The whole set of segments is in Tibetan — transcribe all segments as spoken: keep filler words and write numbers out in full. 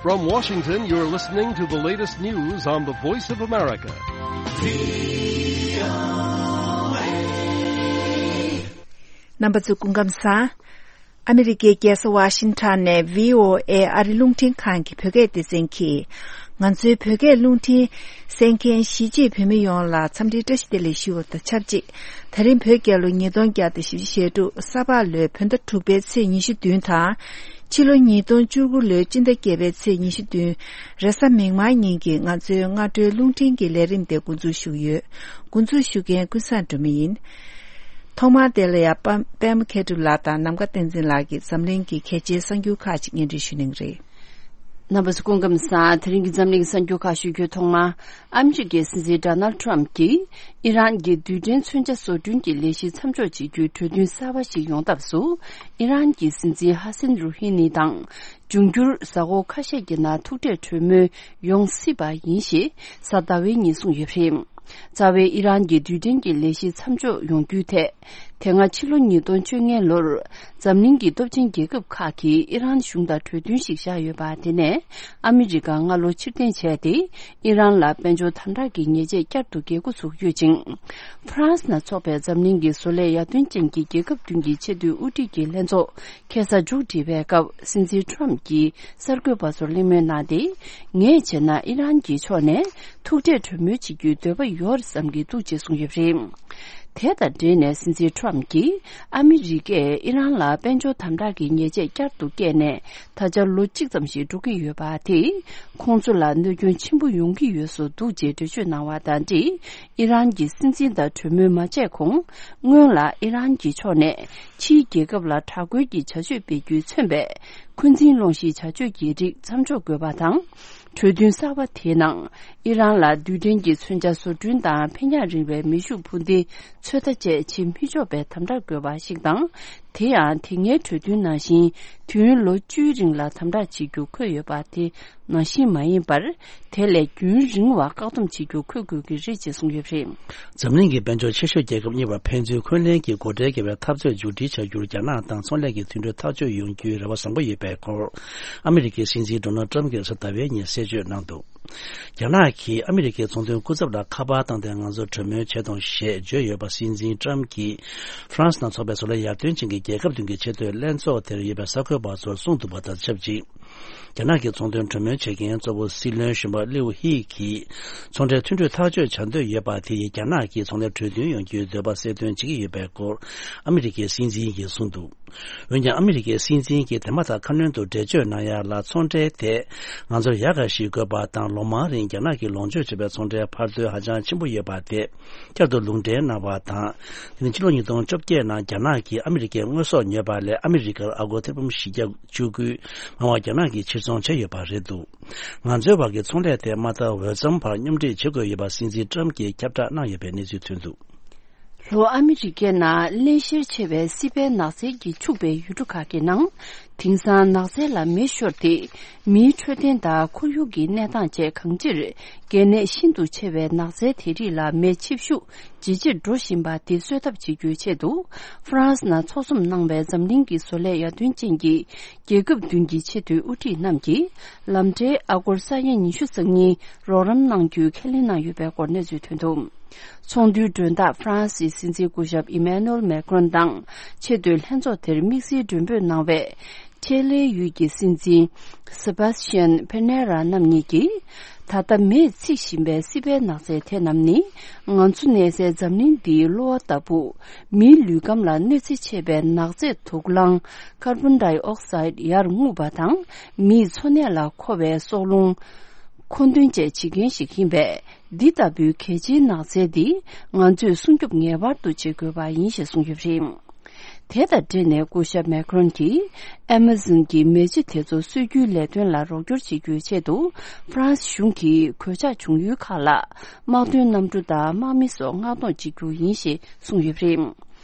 From Washington, you're listening to the latest news on the Voice of America. རྣམ་པ་ཚོ་སྐུ་ཁམས་བཟང་། ཨ་མི་རི་ཀའི་རྒྱལ་ས་ཝ་ཤིང་ཊོན་ནས་བྷི་ཨོ་ཨེ་ཨ་རི་རླུང་འཕྲིན་ཁང་གི་བོད་སྐད་སྡེ་ཚན་གྱིས། ང་ཚོའི་བོད་སྐད་རླུང་འཕྲིན་གསན་མཁན་གཞིས་བྱེས་བོད་མི་ཡོངས་ལ་འཚམས་འདྲིའི་བཀྲ་ཤིས་བདེ་ལེགས་ཞུ་བ་དང་ཆབས་ཅིག་ད་རིང་བོད་རྒྱལ་ལོ་ཉིས་སྟོང་བརྒྱ་དང་བཞི་བཅུ་ཞེ་དྲུག་ས་ཕག་ལོའི་བོད་ཟླ་དྲུག་པའི་ཚེས་ཉི་ཤུ་བདུན་དང་། ཕྱི་ལོ་ཉིས་སྟོང་བཅུ་དགུ་ལོའི་སྤྱི་ཟླ་བརྒྱད་པའི་ཚེས་ཉི་ཤུ་བདུན། རེས་གཟའ་མིག་དམར་ཉིན་གྱི་ང་ཚོའི་སྔ་དྲོའི་རླུང་འཕྲིན་གྱི་ལས་རིམ་དེ་འགོ་འཛུགས་ཞུ་གི་ཡོད། འགོ་འཛུགས་ཞུ་མཁན་ཀུན་བཟང་སྒྲོལ་མ་ཡིན། ཐོག་མར་དེ་ལ་ཡང་པ་པད་མ་མཁས་གྲུབ་ལགས་དང་ནམ་མཁའ་བསྟན་འཛིན་ལགས་ཀྱིས་འཛམ་གླིང་གི་གལ་ཆེའི་གསར་འགྱུར་ཁག་ཅིག་སྙན་སྒྲོན་ཞུ་གནང་གི་རེད། རྣམ་པ་ཚོ་སྐུ་ཁམས་བཟང་། དེ་རིང་གི་འཛམ་གླིང་གསར་འགྱུར་ཁག་ཞུ་རྒྱུའི་ཐོག་མར། ཨ་མི་རི་ཀའི་སྲིད་འཛིན་ཌོ་ནལ་ཊམ་གྱིས་ཨི་རན་གྱི་རྡུལ་ཕྲན་མཚོན་ཆ་བཟོ་སྐྲུན་གྱི་ལས་གཞི་མཚམས་འཇོག་བྱེད་རྒྱུའི་གྲོས་མཐུན་གསར་པ་ཞིག་ཡོང་ཐབས་སུ། ཨི་རན་གྱི་སྲིད་འཛིན་ཧ་སན་རུ་ཧི་ནི་དང་། འབྱུང་འགྱུར་གཟའ་འཁོར་ཁ་ཤས་ཀྱི་ནང་ཐུག་འཕྲད་གྲོས་མོལ་ཡོང་སྲིད་པ་ཡིན་ཞེས་གཟའ་ཟླ་བའི་ཉིན་གསུངས་ཡོད་པ་རེད། རྩ་བའི་ཨི་རན་གྱི་རྡུལ་ཕྲན་གྱི་ལས་གཞི་མཚམས་འཇོག་ཡོང་རྒྱུའི་ཐད། དེ་སྔ་ཕྱི་ལོ་ཉིས་སྟོང་བཅོ་ལྔ་ལོར་འཛམ་གླིང་གི་སྟོབས་ཆེན་རྒྱལ་ཁབ་ཁག་གིས་ཨི་རན་གཞུང་དང་གྲོས་མཐུན་ཞིག་བཞག་ཡོད་པ། དེ་ནས་ཨ་མི་རི་ཀ་སྔ་ལོ་ཕྱིར་འཐེན་བྱས་ཏེ། ཨི་རན་ལ་དཔལ་འབྱོར་དམ་དྲག་གི་ཉེས་ཆད་བསྐྱར་དུ་འགེལ་འགོ་ཚུགས་ཡོད་ཅིང་། ཧྥ་རན་སི་ནང་འཚོགས་པའི་འཛམ་གླིང་གི་བཟོ་ལས་ཡར་ཐོན་ཅན་གྱི་རྒྱལ་ཁབ་བདུན་གྱི་ཆེས་མཐོའི་དབུ་ཁྲིད་ཀྱི་ལྷན་ཚོགས་ཁ་སང་མཇུག་བསྒྲིལ་བའི་སྐབས། སྲིད་འཛིན་ཊམ་གྱིས་གསར་འགོད་པ་ཚོར་གླེང་མོལ་གནང་སྟེ། ངས་བྱས་ན་ཨི་རན་གྱི་ཕྱོགས་ནས་ཐུག་འཕྲད་གྲོས་མོལ་བྱེད་རྒྱུའི་འདོད་པ་ཡོད་བསམ་གྱི་འདུག་ཅེས་གསུངས་ཡོད་པ་རེད། དེ་དང་འབྲེལ་ནས་སྲིད་འཛིན་ཊམ་གྱིས་ཨ་མི་རི་ཀས་ཨི་རན་ལ་དཔལ་འབྱོར་དམ་དྲག་གི་ཉེས་ཆད་བསྐྱར་དུ་བཀལ་ནས། ད་ཆ་ལོ་གཅིག་ཙམ་ཞིག་འགྲོ་གི་ཡོད་པ་དེས། ཁོང་ཚོ་ལ་གནོད་སྐྱོན་ཆེན་པོ་ཡོང་གི་ཡོད་བཟོ་འདུག་ཅེས་འགྲེལ་བརྗོད་གནང་བ་དང་འབྲེལ། ཨི་རན་གྱི་སྲིད་འཛིན་དང་གྲོས་མོལ་མ་བྱས་གོང་། སྔོན་ལ་ཨི་རན་གྱི་ཕྱོགས་ནས་ཕྱིའི་རྒྱལ་ཁབ་ལ་དྲག་རྒོལ་གྱི་བྱ་སྤྱོད་སྤེལ་རྒྱུས་མཚོན་པའི་འཁོན་འཛིན་སློང་གཞིའི་བྱ་སྤྱོད་ཀྱི་རིགས་མཚམས་འཇོག་དགོས་པ་དང་། གྲོས་མཐུན་གསར་པ་དེའི་ནང་། ཨི་རན་ལ་རྡུལ་ཕྲན་གྱི་མཚོན་ཆ་བཟོ་སྐྲུན་དང་ཕན་ཡག་རིང་བའི་མེ་ཤུགས་འཕུར་མདེལ་ཚོད་ལྟ་བཅས་བྱེད་མི་ཆོག་པའི་དམ་དྲག་དགོས་པ་ཞིག་དང་། དེ་ཡང་དེ་སྔའི་གྲོས་མཐུན་ནང་བཞིན་དུས་ཡུན་ལོ་བཅུའི་རིང་ལ་དམ་དྲག་བྱེད་རྒྱུ་འཁོད་ཡོད་པ་དེ་ནང་བཞིན་མ་ཡིན་པར། དེ་ལས་རྒྱུན་རིང་བ་བཀག་སྡོམ་བྱེད་རྒྱུ་འཁོད་དགོས་ཀྱི་རེད་ཅེས་གསུངས་ཡོད་པ་རེད། འཛམ་གླིང་གི་དཔལ་འབྱོར་ཆེ་ཤོས་རྒྱལ་ཁབ་གཉིས་བར་ཕན་ཚུན་འཁོན་ལན་གྱི་སྒོ་ཁྲལ་འགེལ་བའི་འཐབ་རྩོད་མཇུག་སྒྲིལ་བྱ་རྒྱུར་རྒྱ་ནག་དང་ཚོང་ལས་ཀྱི་མཐུན་གྲོས་ཐག་གཅོད་ཡོང་རྒྱུའི་རེ་བ་བཟང་པོ་ཡོད་པའི་སྐོར། ཨ་མི་རི་ཀའི་སྲིད་འཛིན་ཌོ་ནལ་ཊམ་གྱིས་གཟའ་ཟླ་བའི་ཉིན་གསལ་བརྗོད་གནང་འདུག་རྒྱ་ནག་གིས་ཨ་མི་རི་ཀའི་ཚོང་དོན་སྐུ་ཚབ་ལ་ཁ་པར་བཏང་སྟེ་ང་ཚོར་གྲོས་མོལ་བྱེད་དང་ཞེས་བརྗོད་ཡོད་པ། སྲིད་འཛིན་ཊམ་གྱིས་ཧྥ་རན་སི་ནང་འཚོགས་པའི་བཟོ་ལས་ཡར་ཐོན་ཅན་གྱི་རྒྱལ་ཁབ་བདུན་གྱི་ཆེས་མཐོའི་ལྷན་ཚོགས་དེར་ཡོད་པའི་གསར་འགོད་པ་ཚོར་གསུངས་འདུག་པ་དང་ཆབས་ཅིག་རྒྱ་ནག་གི་ཚོང་དོན་གྲོས་མོལ་བྱེད་མཁན་གཙོ་བོ་སྲིད་བློན་གཞོན་པ་ལིའུ་ཧི་གིས། ཚོང་འབྲེལ་མཐུན་གྲོས་ཐག་གཅོད་བྱ་འདོད་ཡོད་པ་དེ་ཡིས་རྒྱ་ནག་གིས་ཚོང་ལས་གྲོས་མཐུན་ཡོང་རྒྱུའི་འདོད་པ་གསལ་སྟོན་བྱེད་ཀྱི་ཡོད་པའི་སྐོར། ཨ་མི་རི་ཀའི་སྲིད་འཛིན་གྱིས་གསུངས་འདུག་འོན་ཀྱང་། ཨ་མི་རི་ཀའི་སྲིད་འཛིན་གྱིས་དེ་མ་ཐག་ཁ་སྣོན་དུ་འགྲེལ་བརྗོད་གནང་ཡ་ལ། ཚོང་འབྲེལ་དེ་ང་ཚོར་ཡག་ག་ཞིག་དགོས་པ་དང་། ལོ་མང་རིང་རྒྱ་ནག་གིས་ལོངས་སྤྱོད་བྱས་པའི་ཚོང་འབྲེལ་འཕར་ཚད་ཧ་ཅང་ཆེན་པོ་ཡོད་པ་དེ་བསྐྱར་དུ་ལུང་འདྲེན་གནང་བ་དང་། དེ་ནི་ཕྱི་ལོ་ཉིས་སྟོང་བཅོ་བརྒྱད་ནང་རྒྱ་ནག་གིས་ཨ་མི་རི་ཀའི་དངོས་ཟོག་ཉོས་པ་ལས་ཨ་མི་རི་ཀར་ཨ་སྒོར་ཐེར་འབུམ་བཞི་བརྒྱ་བཅུ་དགུ་མང་བ་རྒྱ་ནག་གིས་ཕྱིར་ཚོང་བྱས་ཡོད་པ་རེད་འདུག་ང་ཚོའི་བར་གྱི་ཚོང་ལས་དེ་མ་མཐའ་འོས་འཚམ་བར་སྙོམས་སྒྲིག་བྱེད་དགོས་ཡོད་པ་སྲིད་འཛིན་ཊམ་གྱིས་ཁྱབ་བསྒྲགས་གནང་ཡོད་པའི་གནས་ཚུལ་ཐོན་འདུག་ལྷོ་ཨ་མི་རི་ཀའི་ནང་བརླན་གཤེར་ཆེ་བའི་སྲིད་པའི་ནགས་ཚལ་གྱིས་ཕྱུག་པའི་ཡུལ་གྲུ་ཁག་གི་ནང་། དེང་སང་ནགས་ཚལ་ལ་མེ་ཤོར་ཏེ། མིའི་འཕྲོད་བསྟེན་དང་ཁོར་ཡུག་གི་གནས་སྟངས་བཅས་གང་ཅིར། གལ་གནད་ཤིན་ཏུ་ཆེ་བའི་ནགས་ཚལ་དེ་རིགས་ལ་མེ་མཆེད་ཤུགས་ཇེ་ཆེར་འགྲོ་བཞིན་པ་དེ་གསོད་ཐབས་བྱེད་རྒྱུའི་ཆེད་དུ། ཧྥ་རན་སི་ནང་ཚོགས་འཛོམས་གནང་བའི་འཛམ་གླིང་གི་བཟོ་ལས་ཡར་ཐོན་ཅན་གྱི་རྒྱལ་ཁབ་བདུན་གྱི་ཆེས་མཐོའི་དབུ་ཁྲིད་རྣམས་ཀྱིས། ལམ་འབྲས་ཨ་སྒོར་ས་ཡ་ཉི་ཤུ་རྩ་གཉིས་རོགས་རམ་གནང་རྒྱུའི་ཁས་ལེན་གནང་ཡོད་པའི་སྐོར་གནས་ཚུལ་ཐོན་འདུག་ཚོགས་འདུའི་མགྲོན་བདག་ཧྥ་རན་སིའི་སྲིད་འཛིན་སྐུ་ཞབས་ཨི་མེ་ནུ་ཨེལ་མེ་ཀྲོན་དང་། ཆེས་མཐོའི་ལྷན་ཚོགས་དེར་དམིགས་བསལ་མགྲོན་འབོད་གནང་བའི། ཅེ་ལེ་ཡུལ་གྱི་སྲིད་འཛིན། སེ་བཱ་སི་ཅན་ཕེ་ནེ་ར་རྣམ་གཉིས་ཀྱིས། ད་ལྟ་མེས་འཚིག་བཞིན་པའི་སྲིད་པའི་ནགས་ཚལ་དེ་རྣམས་ནི། ང་ཚོ་གནས་སའི་འཛམ་གླིང་འདིའི་གློ་བ་ལྟ་བུ། མིའི་ལུས་ཁམས་ལ་གནོད་འཚེ་ཆེ་བའི་ནགས་ཚལ་དུག་རླངས་ཀར་བོན་ཌའི་ཨོག་སའིད་ཡར་རྔུབ་པ་དང་། མིའི་འཚོ་གནས་ལ་མཁོ་བའི་སྲོག་རླུང་། མཁོ་འདོན་བཅས་བྱེད་མཁན་ཞིག་ཡིན་པས། འདི་ལྟ་བུའི་གལ་ཆེའི་ནགས་ཚལ་འདི་ང་ཚོས་སྲུང་སྐྱོབ་ངེས་པར་དུ་བྱེད་དགོས་པ་ཡིན་ཞེས་གསུངས་ཡོད་པ་རེད། དེ་དང་འབྲེལ་ནས་སྐུ་ཞབས་མེ་ཀྲོན་གྱིས་ཨེ་མ་ཟོན་གྱི་མེ་ལྕེ་དེ་ཚོ་གསོད་རྒྱུའི་ལས་དོན་ལ་རོགས་སྐྱོར་བྱེད་རྒྱུའི་ཆེད་དུ། ཧྥ་རན་སི་གཞུང་གིས་གོད་ཆག་བྱུང་ཡུལ་ཁག་ལ་དམག་དོན་གནམ་གྲུ་དང་དམག་མི་སོགས་མངགས་གཏོང་བྱེད་རྒྱུ་ཡིན་ཞེས་གསུངས་ཡོད་པ་རེད།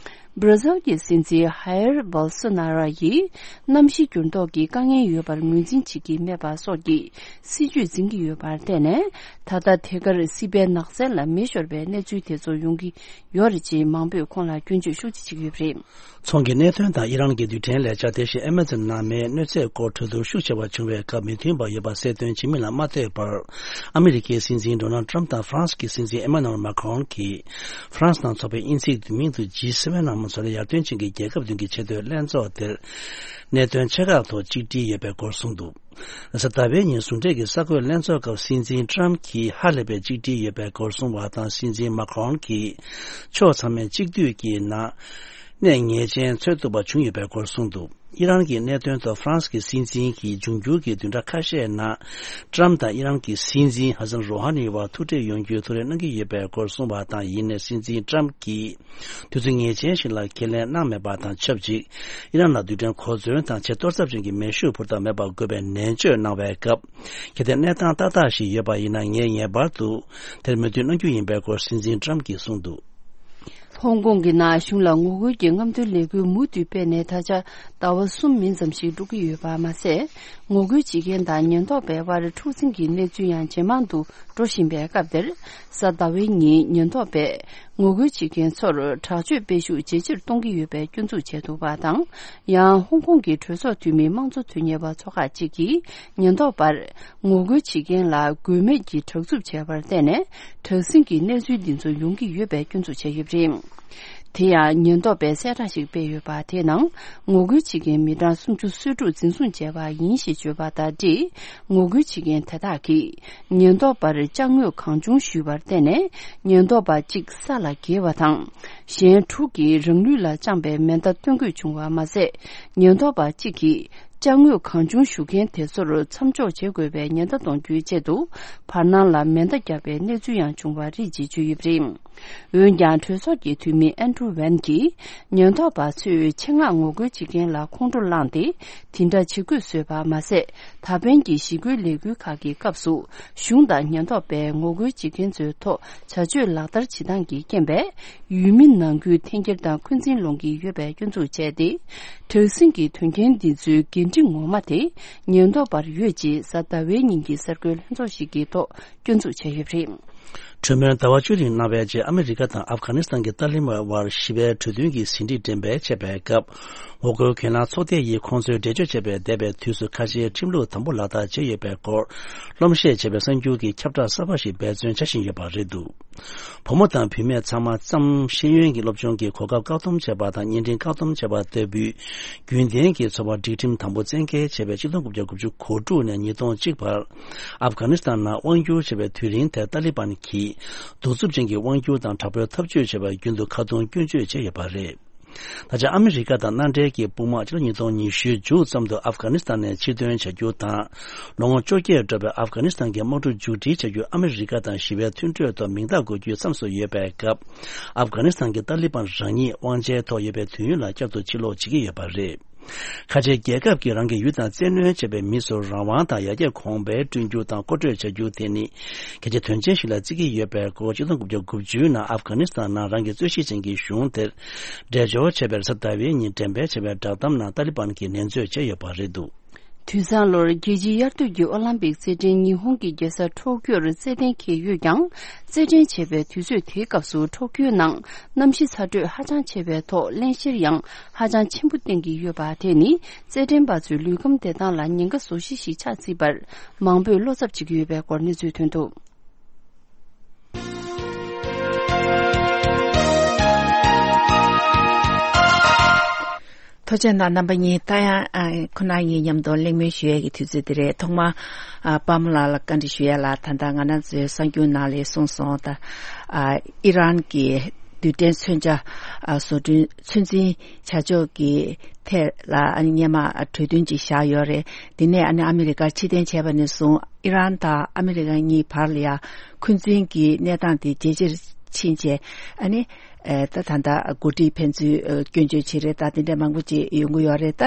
བྷར་ཛིལ་གྱི་སྲིད་འཛིན་ཧའེར་བྷོལ་སོ་ན་རོ་ཡིས་གནམ་གཤིས་འགྱུར་ལྡོག་གི་དཀའ་ངལ་ཡོད་པར་ངོས་འཛིན་བྱེད་ཀྱི་མེད་པ་སོགས་ཀྱི་སྲིད་ཇུས་འཛིན་གྱི་ཡོད་པར་བརྟེན་ནས། ད་ལྟ་དེ་གར་སྲིད་པའི་ནགས་ཚལ་ལ་མེ་ཤོར་བའི་གནས་ཚུལ་དེ་ཚོ་ཡོང་གི་ཡོད་རེད་ཅེས་མང་པོས་ཁོང་ལ་སྐྱོན་བརྗོད་ཤུགས་ཆེ་བྱེད་ཀྱི་ཡོད་པ་རེད། ཚོང་གི་གནད་དོན་དང་ཨི་རན་གྱི་རྡུལ་ཕྲན་ལས་འཆར། དེ་བཞིན་ཨ་མ་ཛོན་ནང་མེའི་གནོད་འཚེ་སྐོར་གྲོས་བསྡུར་ཤུགས་ཆེ་བ་བྱུང་བའི་སྐབས། མི་མཐུན་པ་ཡོད་པ་གསལ་སྟོན་བྱེད་མིན་ལ་མ་ལྟོས་པར། ཨ་མི་རི་ཀའི་སྲིད་འཛིན་ཌོ་ནལ་ཊམ་དང་ཧྥ་རན་སི་གི་སྲིད་འཛིན་ཨེ་མ་ནུ་ཨེལ་མཱ་ཁོན་གྱིས་ཧྥ་རན་སི་ནང་འཚོགས་པའི་དབྱིན་ཚིག་བསྡུས་མིང་དུ་ཇི་སེ་ཝེན་ནང་མ་ཚོགས་ཡར་ཐོན་ཅན་གྱི་རྒྱལ་ཁབ་བདུན་གྱི་ཆེས་མཐོའི་ལྷན་ཚོགས་དེར། གནད་དོན་ཆེ་ཁག་ཐོག་གཅིག་སྒྲིལ་ཡོད་པའི་སྐོར་གསུངས་འདུག། གཟའ་ཟླ་བའི་ཉིན་ཟུང་འབྲེལ་གྱི་གསར་འགོད་ལྷན་ཚོགས་སྐབས། སྲིད་འཛིན་ཊམ་གྱིས་ཧ་ལས་པའི་གཅིག་སྒྲིལ་ཡོད་པའི་སྐོར་གསུངས་པ་དང་། སྲིད་འཛིན་མཱ་ཁོན་གྱིས་ཕྱོགས་ཚང་མས་གཅིག་སྡུད་ཀྱི་ནང་གནས་ངེས་ཅན་འཚོལ་ཐུབ་པ་བྱུང་ཡོད་པའི་སྐོར་གསུངས་འདུག། ཨི་རན་གྱི་གནད་དོན་ཐོག་ཧྥ་རན་སི་གི་སྲིད་འཛིན་གྱིས་འབྱུང་འགྱུར་གྱི་བདུན་ཕྲག་ཁ་ཤས་ནང་ཊམ་དང་ཨི་རན་གྱི་སྲིད་འཛིན་ཧ་སན་རོ་ཧ་ནི་བར་ཐུག་འཕྲད་ཡོང་རྒྱུའི་ཐུགས་རེ་གནང་གི་ཡོད་པའི་སྐོར་གསུངས་པ་དང་། ཡིན་ནའི་སྲིད་འཛིན་ཊམ་གྱིས། དུས་ཚོད་ངེས་ཅན་ཞིག་ལ་ཁས་ལེན་གནང་མེད་པ་དང་ཆབས་ཅིག། ཨི་རན་ལ་རྡུལ་ཕྲན་གོ་མཚོན་དང་ཆེས་གཏོར་ཚབས་ཅན་གྱི་མེ་ཤུགས་འཕུར་ཐབས་མེད་པ་དགོས་པའི་ནན་བརྗོད་གནང་བའི་སྐབས། གལ་ཏེ་གནས་སྟངས་ཏག་ཏག་ཞིག་ཡོད་པ་ཡིན་ན། ངས་ངེས་པར་དུ་དེར་མོས་མཐུན་གནང་རྒྱུ་ཡིན་པའི་སྐོར་སྲིད་འཛིན་ཊམ་གྱིས་གསུངས་འདུག། ཧོང་ཀོང་གི་ནང་གཞུང་ལ་ངོ་རྒོལ་གྱི་རྔམ་སྟོན་ལས་འགུལ་མུ་མཐུད་སྤེལ་ནས་ད་ཆ་ཟླ་བ་གསུམ་མིན་ཙམ་ཞིག་འགྲོ་གི་ཡོད་པ་མ་ཟད། ངོ་རྒོལ་བྱེད་མཁན་དང་ཉེན་རྟོག་པའི་དབར་འཁྲུག་འཛིང་གི་གནས་ཚུལ་ཡང་ཇེ་མང་དུ་འགྲོ་བཞིན་པའི་སྐབས་དེར། གཟའ་ཟླ་བའི་ཉིན་ཉེན་རྟོག་པས་ངོ་རྒོལ་བྱེད་མཁན་ཚོར་དྲག་སྤྱོད་སྤེལ་ཤུགས་ཇེ་ཆེར་གཏོང་གི་ཡོད་པའི་སྐྱོན་འཛུགས་བྱས་འདུག་པ་དང་། ཡང་ཧོང་ཀོང་གི་གྲོས་ཚོགས་འཐུས་མི་དམངས་གཙོ་དོན་གཉེར་བ་ཚོ་ཁག་ཅིག་གིས་ཉེན་རྟོག་པར་ངོ་རྒོལ་བྱེད་མཁན་ལ་དགོས་མེད་ཀྱི་དྲག་རྩུབ་བྱས་པར་བརྟེན་ནས། དྲག་ཟིང་གི་གནས་ཚུལ་འདི་ཚོ་ཡོང་གི་ཡོད་པའི་སྐྱོན་འཛུགས་བྱས་ཡོད་པ་རེད། དེ་ཡང་ཉེན་རྟོག་པས་གསལ་བསྒྲགས་ཤིག་སྤེལ་ཡོད་པ་དེའི་ནང་། ངོ་རྒོལ་བྱེད་མཁན་མི་གྲངས་སུམ་ཅུ་སོ་དྲུག་འཛིན་བཟུང་བྱས་པ་ཡིན་ཞེས་བརྗོད་པ་དང་འབྲེལ། ངོ་རྒོལ་བྱེད་མཁན་དེ་དག་གིས་ཉེན་རྟོག་པར་ཅ་དངོས་གང་བྱུང་ཞུས་པར་བརྟེན་ནས། ཉེན་རྟོག་པ་གཅིག་ས་ལ་འགྱེལ་བ་དང་། གཞན་དྲུག་གིས་རང་ལུས་ལ་བཅངས་པའི་མེ་མདའ་སྟོན་དགོས་བྱུང་བ་མ་ཟད། ཉེན་རྟོག་པ་གཅིག་གིས་ཅ་དངོས་གང་བྱུང་ཞུ་མཁན་དེ་ཚོར་མཚམས་འཇོག་བྱེད་དགོས་པའི་ཉེན་བརྡ་གཏོང་རྒྱུའི་ཆེད་དུ། བར་སྣང་ལ་མེ་མདའ་བརྒྱབ་པའི་གནས་ཚུལ་ཡང་བྱུང་བ་རེད་ཅེས་བརྗོད་ཡོད་པ་རེད། འོན་ཀྱང་། གྲོས་ཚོགས་ཀྱི་འཐུས་མི་ཨན་ཌྲུ་ཝན་གྱིས། ཉེན་རྟོག་པ་ཚོས་ཆེད་མངགས་ངོ་རྒོལ་བྱེད་མཁན་ལ་ཁོང་ཁྲོ་བསླངས་ཏེ། དེ་འདྲ་བྱེད་དགོས་བཟོས་པ་མ་ཟད། ད་ཕན་གྱི་ཞི་རྒོལ་ལས་འགུལ་ཁག་གི་སྐབས་སུ། གཞུང་དང་ཉེན་རྟོག་པས་ངོ་རྒོལ་བྱེད་མཁན་ཚོའི་ཐོག་བྱ་སྤྱོད་ལག་བསྟར་བྱེད་སྟངས་ཀྱི་རྐྱེན་པས། ཡུལ་མི་ནང་ཁུལ་འཐེན་འཁྱེར་དང་འཁོན་འཛིན་སློང་གི་ཡོད་པའི་སྐྱོན་འཛུགས་བྱས་ཏེ། དྲག་ཟིང་གི་དོན་རྐྱེན་འདི་ཚོའི་འགན་འཁྲི་ངོ་མ་དེ་ཉེན་རྟོག་པར་ཡོད་ཅེས་གཟའ་ཟླ་བའི་ཉིན་གྱི་གསར་འགོད་ལྷན་ཚོགས་ཤིག་གི་ཐོག་སྐྱོན་འཛུགས་བྱས་ཡོད་པ་རེད། གྲོས་མོལ་ཟླ་བ་བཅུ་རིང་གནང་བའི་རྗེས། ཨ་མི་རི་ཀ་དང་ཨབ་གྷ་ནི་སི་ཐན་གྱི་ཏཱ་ལི་བན་དབར་ཞི་བའི་གྲོས་མཐུན་གྱི་ཟིན་བྲིས་འགྲེམས་སྤེལ་བྱས་པའི་སྐབས། ངོ་རྒོལ་གྱེན་ལངས་ཚོགས་སྡེ་ཡིས་ཁོང་ཚོའི་འགྲེལ་བརྗོད་བྱས་པའི་འདས་པའི་དུས་སུ་ཁ་ཆེའི་ཁྲིམས་ལུགས་དམ་པོ་ལག་བསྟར་བྱས་ཡོད་པའི་སྐོར། སློབ་བཤད་བྱས་པའི་གསར་འགྱུར་གྱི་ཁྱབ་བསྒྲགས་གསར་པ་ཞིག་འབད་བརྩོན་བྱ་བཞིན་ཡོད་པ་རེད་འདུག། བུ་མོ་དང་བུད་མེད་ཚང་མ་ཙམ་ཤེས་ཡོན་གྱི་སློབ་སྦྱོང་གི་གོ་སྐབས་བཀག་སྡོམ་བྱས་པ་དང་། བརྙན་འཕྲིན་བཀག་སྡོམ་བྱས་པ་ལྟ་བུའི་རྒྱུན་ལྡན་གྱི་འཚོ་བ་སྒྲིག་ཁྲིམས་དམ་པོ་བཙན་འགེལ་བྱས་པའི་ཆིག་སྟོང་དགུ་བརྒྱ་དགུ་བཅུ་གོ་དྲུག་ནས་ཉིས་སྟོང་གཅིག་བར། ཨབ་གྷ་ནི་སི་ཐན་ནང་དབང་བསྒྱུར་བྱས་པའི་དུས་རིང་དེར་ཏཱ་ལི་བན་གྱིས་གདུག་རྩུབ་ཅན་གྱི་དབང་བསྒྱུར་དང་དྲག་པོའི་འཐབ་ཇུས་བྱས་པར་རྒྱུན་དུ་ཁ་རྡུང་སྐྱོན་བརྗོད་བྱས་ཡོད་པ་རེད། ད་ཆ་ཨ་མི་རི་ཀ་དང་མནའ་འབྲེལ་གྱི་དཔུང་དམག་ཕྱི་ལོ་ཉིས་སྟོང་ཉི་ཤུའི་མཇུག་ཙམ་དུ་ཨབ་གྷ་ནི་སི་ཐན་ནས་ཕྱིར་ཐོན་བྱ་རྒྱུ་དང་། ལོ་ངོ་བཅོ་བརྒྱད་འགྲོ་བའི་ཨབ་གྷ་ནི་སི་ཐན་གྱི་དམག་འཁྲུག་མཇུག་སྒྲིལ་བྱ་རྒྱུ་ཨ་མི་རི་ཀ་དང་ཞི་བའི་མཐུན་གྲོས་ཐོག་མིང་རྟགས་འགོད་རྒྱུའི་མཚམས་སུ་ཡོད་པའི་སྐབས། ཨབ་གྷ་ནི་སི་ཐན་གྱི་ཏཱ་ལི་བན་རང་ཉིད་དབང་ཆའི་ཐོག་ཡོད་པའི་དུས་ཡུན་ལ་བསྐྱར་དུ་ཕྱིར་ལོག་བྱེད་ཀྱི་ཡོད་པ་རེད། ཁ་ཆེའི་རྒྱལ་ཁབ་ཀྱིས་རང་གི་ཡུལ་དང་བཙན་གནོན་བྱས་པའི་མི་ཚོར་རང་དབང་དང་ཡར་རྒྱས་གོང་འཕེལ་བསྐྲུན་རྒྱུ་དང་མཁོ་སྤྲོད་བྱ་རྒྱུ་དེ་ནི་གལ་ཆེ་དོན་ཆེན་ཞིག་ལ་བརྩི་གི་ཡོད་པའི་སྐོར། ཆིག་སྟོང་དགུ་བརྒྱ་དགུ་བཅུ་ནང་ཨབ་གྷ་ནི་སི་ཐན་ནང་རང་གི་རྩོད་གཞི་ཅན་གྱི་གཞུང་དེར་འགྲེལ་བརྗོད་བྱས་པའི་གཟའ་ཟླ་བའི་ཉིན་འགྲེམས་སྤེལ་བྱས་པའི་བསྒྲགས་གཏམ་ནང་ཏཱ་ལི་བན་གྱིས་ནན་བརྗོད་བྱས་ཡོད་པ་རེད་འདུག། དུས་བཟང་ལོར་རྒྱལ་སྤྱིའི་དབྱར་དུས་ཀྱི་ཨོ་ལམ་པིག་རྩེད་འགྲན་ཉི་ཧོང་གི་རྒྱལ་ས་ཊོ་ཀྱོར་རྩེད་གཏན་འཁེལ་ཡོད་ཀྱང་། རྩེད་འགྲན་བྱེད་པའི་དུས་ཚོད་དེའི་སྐབས་སུ་ཊོ་ཀྱོའི་ནང་གནམ་གཤིས་ཚ་དྲོད་ཧ་ཅང་ཆེ་བའི་ཐོག་བརླན་གཤེར་ཡང་ཧ་ཅང་ཆེན་པོ་བསྟན་གྱི་ཡོད་པ་དེ་ནི་རྩེད་འགྲན་པ་ཚོའི་ལུས་ཁམས་བདེ་ཐང་ལ་ཉེན་ཁ་བཟོ་གཞི་ཞིག་ཆགས་སྲིད་པར་མང་པོས་བློ་འཚབ་བྱེད་ཀྱི་ཡོད་པའི་སྐོར་གནས་ཚུལ་ཐོན་འདུག། ཐུགས་རྗེ་གནང་། རྣམ་པ་གཉིས་ད་ཡང་ཨ་ཁོ་ན་ཡིན་མཉམ་དུ་གླེང་མོལ་ཞུ་ཡས་ཀྱི་དུས་ཚོད་འདི་རེད། ཐོག་མར་ཨ་པདྨ་ལགས་ལ་བཀའ་འདྲི་ཞུ་ཡས་ལ། ད་ལྟ་ང་རང་ཚོའི་གསར་འགྱུར་ནང་ལ་གསུངས་སོང་། ད་ཨ་ཨི་རན་གྱི་རྡུལ་ཕྲན་མཚོན་ཆ་ཨ་བཟོ་སྐྲུན་ཚོད་འཛིན་བྱ་ཕྱོགས་ཀྱི་ཐད་ལ་ཨ་ནི་སྔོན་མ་གྲོས་མཐུན་ཅིག་བཞག་ཡོད་རེད། དེ་ནས་ཨ་ནི་ཨ་མི་རི་ཀར་ཕྱིར་འཐེན་བྱས་པ་ནས་བཟུང་ཨི་རན་དང་ཨ་མི་རི་ཀ་གཉིས་བར་ལ་ཡང་འཁོན་འཛིན་གྱི་གནས་སྟངས་དེ་ཇེ་ཆེར་ཕྱིན་བྱས། ཨ་ནི་ཨེ་ད་ད་ལྟ་འགོ་ཁྲིད་ཕན་ཚུན་ཨེ་སྐྱོན་བརྗོད་བྱེད་རེས་དང་དེ་འདྲ་མང་པོ་ཅིག་ཡོང་གི་ཡོད་རེད། ད་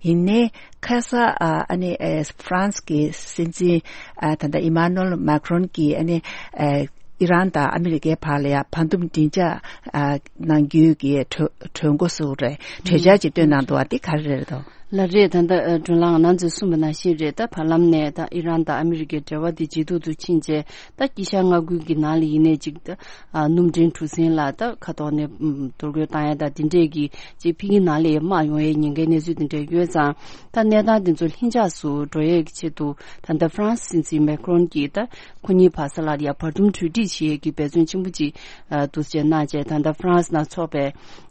ཡིན་ནའི་ཁ་ས་ཨ་ཨ་ནི་ཨེ་ཧྥ་རན་སི་གི་སྲིད་འཛིན་ཨ་ད་ལྟ་ཨི་མ་ནུ་ཨེལ་མཱ་ཁི་རོན་གྱིས་ཨ་ནི་ཨེ་ ཨི་རན་དང་ཨ་མི་རི་ཀའི་བར་ལ་ཡང་བར་འདུམ་མགྲིན་ཚབ་ཨ་གནང་རྒྱུའི་གི་གྲོས་གྲོས་འགོ་བཙུགས་རེད། གྲོས་འཆར་ཅིག་བཏོན་གནང་འདུག་བ། འདི་ག་རེ་རེད་དོ། ལགས་རེད། ད་ལྟ་ཨ་སྒྲོལ་ལགས་ང་རང་ཚོས་གསུངས་པ་ནང་བཞིན་རེད། ད་བར་ལམ་ནས་ད་ཨི་རན་དང་ཨ་མི་རི་ཀའི་འབྲེལ་བ་འདི་ཇེ་སྡུག་ཏུ་ཕྱིན་རྗེས། ད་དཀྱིལ་ཤར་མངའ་ཁུལ་གྱི་ནང་ལ་ཡིན་ནའི་ཅིག་ད་ཨ་སྣུམ་འདྲེན་གྲུ་གཟིངས་ལ་ད་ཁ་ཐོག་ནས་ཨམ་གཏོར་རྒོལ་བཏང་ཡ་ད་དེ་འདྲས་ཀྱི་ཅིག་ཕ་གིའི་ནང་ལ་ཡང་དམག་ཡོང་ཡའི་ཉེན་ཁའི་གནས་ཚུལ་དེ་འདྲས་ཡོད་ཙང་། ད་གནས་སྟངས་དེ་ཚོ་ལྷིང་འཇགས་སུ་འགྲོ་ཡས་ཀྱི་ཆེད་དུ་ད་ལྟ་ཧྥ་རན་སི་སྲིད་འཛིན་མེ་ཁི་རོན་གྱིས་ད་ཁོ་གཉིས་བར་ས་ལ་ཡ་བར་འདུམ་གྲོས་འགྲིག་བྱེད་ཡས་ཀྱི་འབད་བརྩོན་ཆེན་པོ་ཅིག་ཨ་འདུག་སེ་གནང་བྱས། ད་ལྟ་ཧྥ་རན་སི་ནང་ཚོགས་པའི་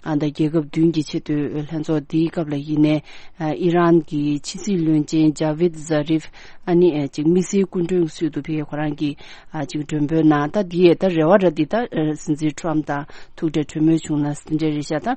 ཨ་ད་རྒྱལ་ཁབ་བདུན་གྱི་ཆེས་མཐོའི་ལྷན་ཚོགས་འདིའི་སྐབས་ལ་ཡིན་ནའི་ཨ་ཨི་རན་གྱི་ཕྱི་སྲིད་བློན་ཆེན་ཇ་བིད་ཛ་རིབ་ཨ་ནི་ཨ་ཅིག་དམིགས་བསལ་སྐུ་མགྲོན་གྱི་ཚུལ་དུ་ཕེབས། ཁོ་རང་གིས་ཨ་ཅིག་མགྲོན་འབོད་གནང་། ད་འདི་ཡས་ད་རེ་བ་ར་འདི་ད་ཨ་སྲིད་འཛིན་ཁྲོམ་དང་ཐུག་འཕྲད་གྲོས་མོལ་བྱུང་ན་འདི་འདྲ་རེད་ཤག་ད་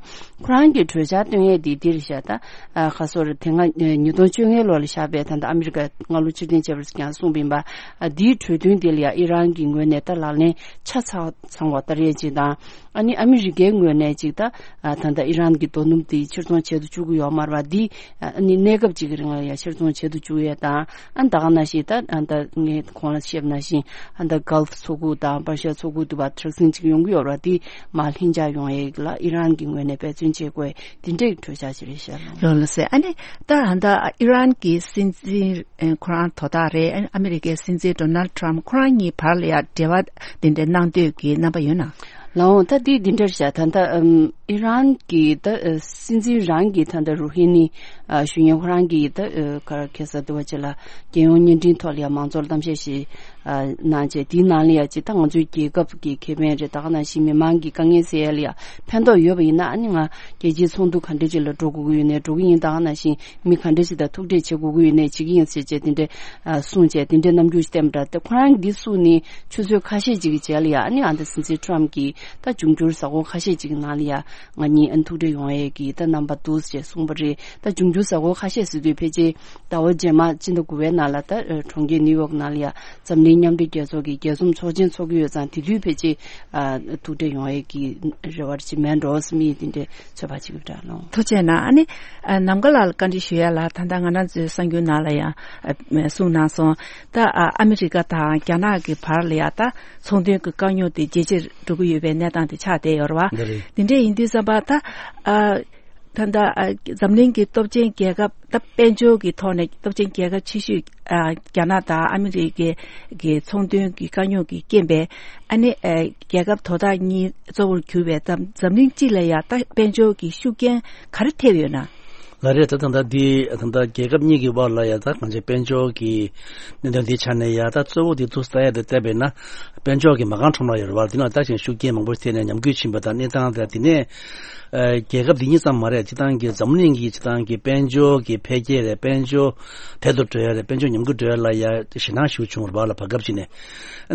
ཁོ་རང་གིས་གྲོས་འཆར་བཏོན་ཡས་འདི་འདི་རེད་ཤག་ད་ཨ་ཁ་སོར་དེ་སྔ་ཨ་ཉིས་སྟོང་བཅོ་ལྔའི་ལོ་ལ་བཞག་པའི་ད་ལྟ་ཨ་མི་རི་ཀ་མངའ་ལུང་ཕྱིར་འཐེན་བྱས་པར་ཀྱང་གསུངས་པ་ཡིན་པ། ཨ་འདིའི་གྲོས་མཐུན་དེ་ལ་ཡང་ཨི་རན་གྱི་ངོས་ནས་ད་ལག་ལེན་ཆ་ཚང་ཚང་བ་ལྟར་ཡས་ཅིག་དང་། ཨ་ནི་ཨ་མི་རི་ཀའི་ངོས་ནས་ཅིག་ད་ཨ་ད་ལྟ་ཨི་རན་གྱི་རྡོ་སྣུམ་དེ་ཕྱིར་ཚོང་བྱེད་དུ་བཅུག་གི་ཡོད་མ་རེད་པ། འདི་ཨ་ནི་གནས་སྐབས་ཅིག་གི་རིང་ལ་ཡང་ཕྱིར་ཚོང་བྱེད་དུ་བཅུག་ཡས་དང་། ཨ་ད་ག་ནང་བཞིན་ད་ཨ་ད་ངས་གོང་ལ་བཤད་པ་ནང་བཞིན་ཨ་ད་གལ་ཕི་མཚོ་ཁུག་དང་པར་ཤ་མཚོ་ཁུག་དུ་བ་དྲག་ཟིང་ཅིག་ཡོང་གི་ཡོད་རེད་པ། འདི་མར་ལྷིང་འཇགས་ཡོང་ཡས་ལ་ཨི་རན་གྱི་ངོས་ནས་འབད་བརྩོན་བྱེད་དགོས། འདི་འདྲའི་གྲོས་འཆར་ཞིག་རེད་ཤག་ལགས། ལགས་ལགས་སེ། ཨ་ནི་ད་ཨ་ད་ཨི་རན་གྱི་སྲིད་འཛིན་ཨ་ཁོ་རང་དོ་བདག་རེད། ཨ་ཨ་མི་རི་ཀའི་སྲིད་འཛིན་ཌོ་ནལ་ཌི་ཊརམ་ཕི་ཁོ་རང་གཉིས་བར་ལ་ཡང་འབྲེལ་བ་འདི་འདྲ་གནང་འདོད་ཀྱི་རྣམ་པ་ཡོད་ན། ལགས་འོང་། ད་འདི་འདི་འདྲར་བཞག་ད་ལྟ་ཨམ་ཨི་རན་གྱི་ད་ཨ་སྲིད་འཛིན་རང་གིས་ད་ལྟ་རུ་ཧི་ནི་ཨ་ཞུ་མཁན་ཁོ་རང་གིས་ད་ཨ་ག་རེ་ཁ་སང་དེ་བ་ཅིག་ལ་རྒྱལ་ཡོངས་བརྙན་འཕྲིན་ཐོག་ལ་ཡང་མང་ཚོགས་ལ་གཏམ་བཤད་ཞིག་ཨ་གནང་བྱས། དེའི་ནང་ལ་ཡང་ཅིག་ད་ང་ཚོའི་རྒྱལ་ཁབ་ཀྱི་ཁེ་ཕན་རེད། ད་ག་ནང་བཞིན་མི་མང་གི་དཀའ་ངལ་སེལ་ཡ་ལ་ཡང་ཕན་ཐོགས་ཡོད་པ་ཡིན་ན། ཨ་ནི་ང་རྒྱལ་སྤྱིའི་ཚོགས་འདུ་ག་འདྲ་ཅིག་ལ་འགྲོ་དགོས་ཀྱི་ཡོད་ནའི་འགྲོ་གི་ཡིན། ད་ག་ནང་བཞིན་མི་ག་འདྲ་ཞིག་དང་ཐུག་འཕྲད་བྱེད་དགོས་ཀྱི་ཡོད་ནའི་བྱེད་ཀྱི་ཡིན་ཟེར་བྱས་དེ་འདྲའི་ཨ་གསུངས་བྱས། དེ་འདྲའི་རྣམ་འགྱུར་ཞིག་བསྟན་པ་འདྲ། ད་ཁོ་རང་གིས་འདི་གསུངས་ནས་ཆུ་ཚོད་ཁ་ཤས་ཅིག་གི་རྗེས་ལ་ཡང་ཨ་ནི་ཨ་ད་སྲིད་འཛིན་ཊརམ་གྱིས་ད་འབྱུང་འགྱུར་གཟའ་འཁོར་ཁ་ཤས་ཅིག་གི་ནང་ལ་ཡང་ང་གཉིས་ཨ་ནི་ཐུག་འཕྲད་ཡོང་ཡས་ཀྱི་ད་རྣམ་པ་འདུག་ཅེས་གསུངས་པ་རེད། ད་འབྱུང་འགྱུར་གཟའ་འཁོར་ཁ་ཤས་ཟེར་དུས་ཕལ་ཆེར་ཟླ་བ་རྗེས་མ་སྤྱི་ཟླ་དགུ་པའི་ནང་ལ་ད་གྲོང་ཁྱེར་ནིའུ་ཡོག་ནང་ལ་ཡང་འཛམ་གླིང་མཉམ་འབྲེལ་རྒྱལ་ཚོགས་ཀྱི་རྒྱས་འཛོམས་ཚོགས་ཆེན་འཚོགས་ཀྱི་ཡོད་ཙང་། དེ་དུས་ཕལ་ཆེར་ཨ་ཐུག་འཕྲད་ཡོང་ཡས་ཀྱི་རེ་བ་ཅིག་མེད་འགྲོ་བསམ་ཡས་དེ་འདྲའི་ཚོད་དཔག་བྱེད་ཀྱི་ཡོད་རེད་ལགས། ཐུགས་རྗེ་གནང་། ཨ་ནི་ཨ་ནམ་མཁའ་ལགས་ལ་བཀའ་འདྲི་ཞུ་ཡ་ལ། ད་ལྟ་ང་རང་ཚོའི་གསར་འགྱུར་ནང་ལ་ཡང་ཨ་གསུངས་གནང་སོང་། ད་ཨ་ཨ་མི་རི་ཀ་དང་རྒྱ་ནག་གི་བར་ལ་ཡ་ད་ཚོང་དོན་གྱི་དཀའ་རྙོག་དེ་ཇེ་ཆེར་འགྲོ་གི་ཡོད་པའི་གནས་སྟངས་དེ་ཆགས་བསྡད་ཡོད་རེད་བ། འདི་རེད། འདི་འདྲ་ཡིན་དུས་ཙམ་པ་ད་ཨ་ད་ལྟ་ཨ་འཛམ་གླིང་གི་སྟོབས་ཆེན་རྒྱལ་ཁབ་ད་དཔལ་འབྱོར་གྱི་ཐོག་ནས་སྟོབས་ཆེན་རྒྱལ་ཁབ་ཆེ་ཤོས་ཨ་རྒྱ་ནག་དང་ཨ་མི་རི་ཀའི་གི་ཚོང་དོན་གྱི་དཀའ་རྙོག་གི་རྐྱེན་པས། ཨ་ནི་ཨ་རྒྱལ་ཁབ་དོ་བདག་གཉིས་གཙོ་བོར་གྱུར་པའི་འཛམ་འཛམ་གླིང་སྤྱི་ལ་ཡ་ད་དཔལ་འབྱོར་གྱི་ཤུགས་རྐྱེན་ག་རེ་ཐེབས་ཡོད་ན། ལགས་རེད། ད་ད་ལྟ་འདི་ད་ལྟ་རྒྱལ་ཁབ་གཉིས་ཀྱི་བར་ལ་ཡ་ད་གང་ཅི་དཔལ་འབྱོར་གྱི་གནད་དོན་འདི་ཆ་ནས་ཡ་ད་གཙོ་བོ་འདི་ཐུག་ལྟ་ཡ་དེ་བལྟས་པས་ན། དཔལ་འབྱོར་གྱི་མ་རྐང་ཁྲོམ་ར་ཡོད་རེད་བ། འདི་ནང་ད་ཅིག་ཤུགས་རྐྱེན་མང་པོ་ཐེབས་ནས་ཉམས་རྒུད་ཕྱིན་པ་དང་། གནས་སྟངས་དེ་དེ་ནས་ཨ་རྒྱལ་ཁབ་འདི་གཉིས་ཙམ་མ་རེད། སྤྱིར་བཏང་གི་འཛམ་གླིང་གི་སྤྱིར་བཏང་གི་དཔལ་འབྱོར་གྱི་འཕེལ་རྒྱས་རེད། དཔལ་འབྱོར་དལ་དུ་འགྲོ་ཡ་རེད། དཔལ་འབྱོར་ཉམས་རྒུད་འགྲོ་ཡ་ལ་ཡ་ཞེད་སྣང་ཞིག་བྱུང་བ་རེད་བ་ལ། བར་སྐབས་ཅིག་ནས་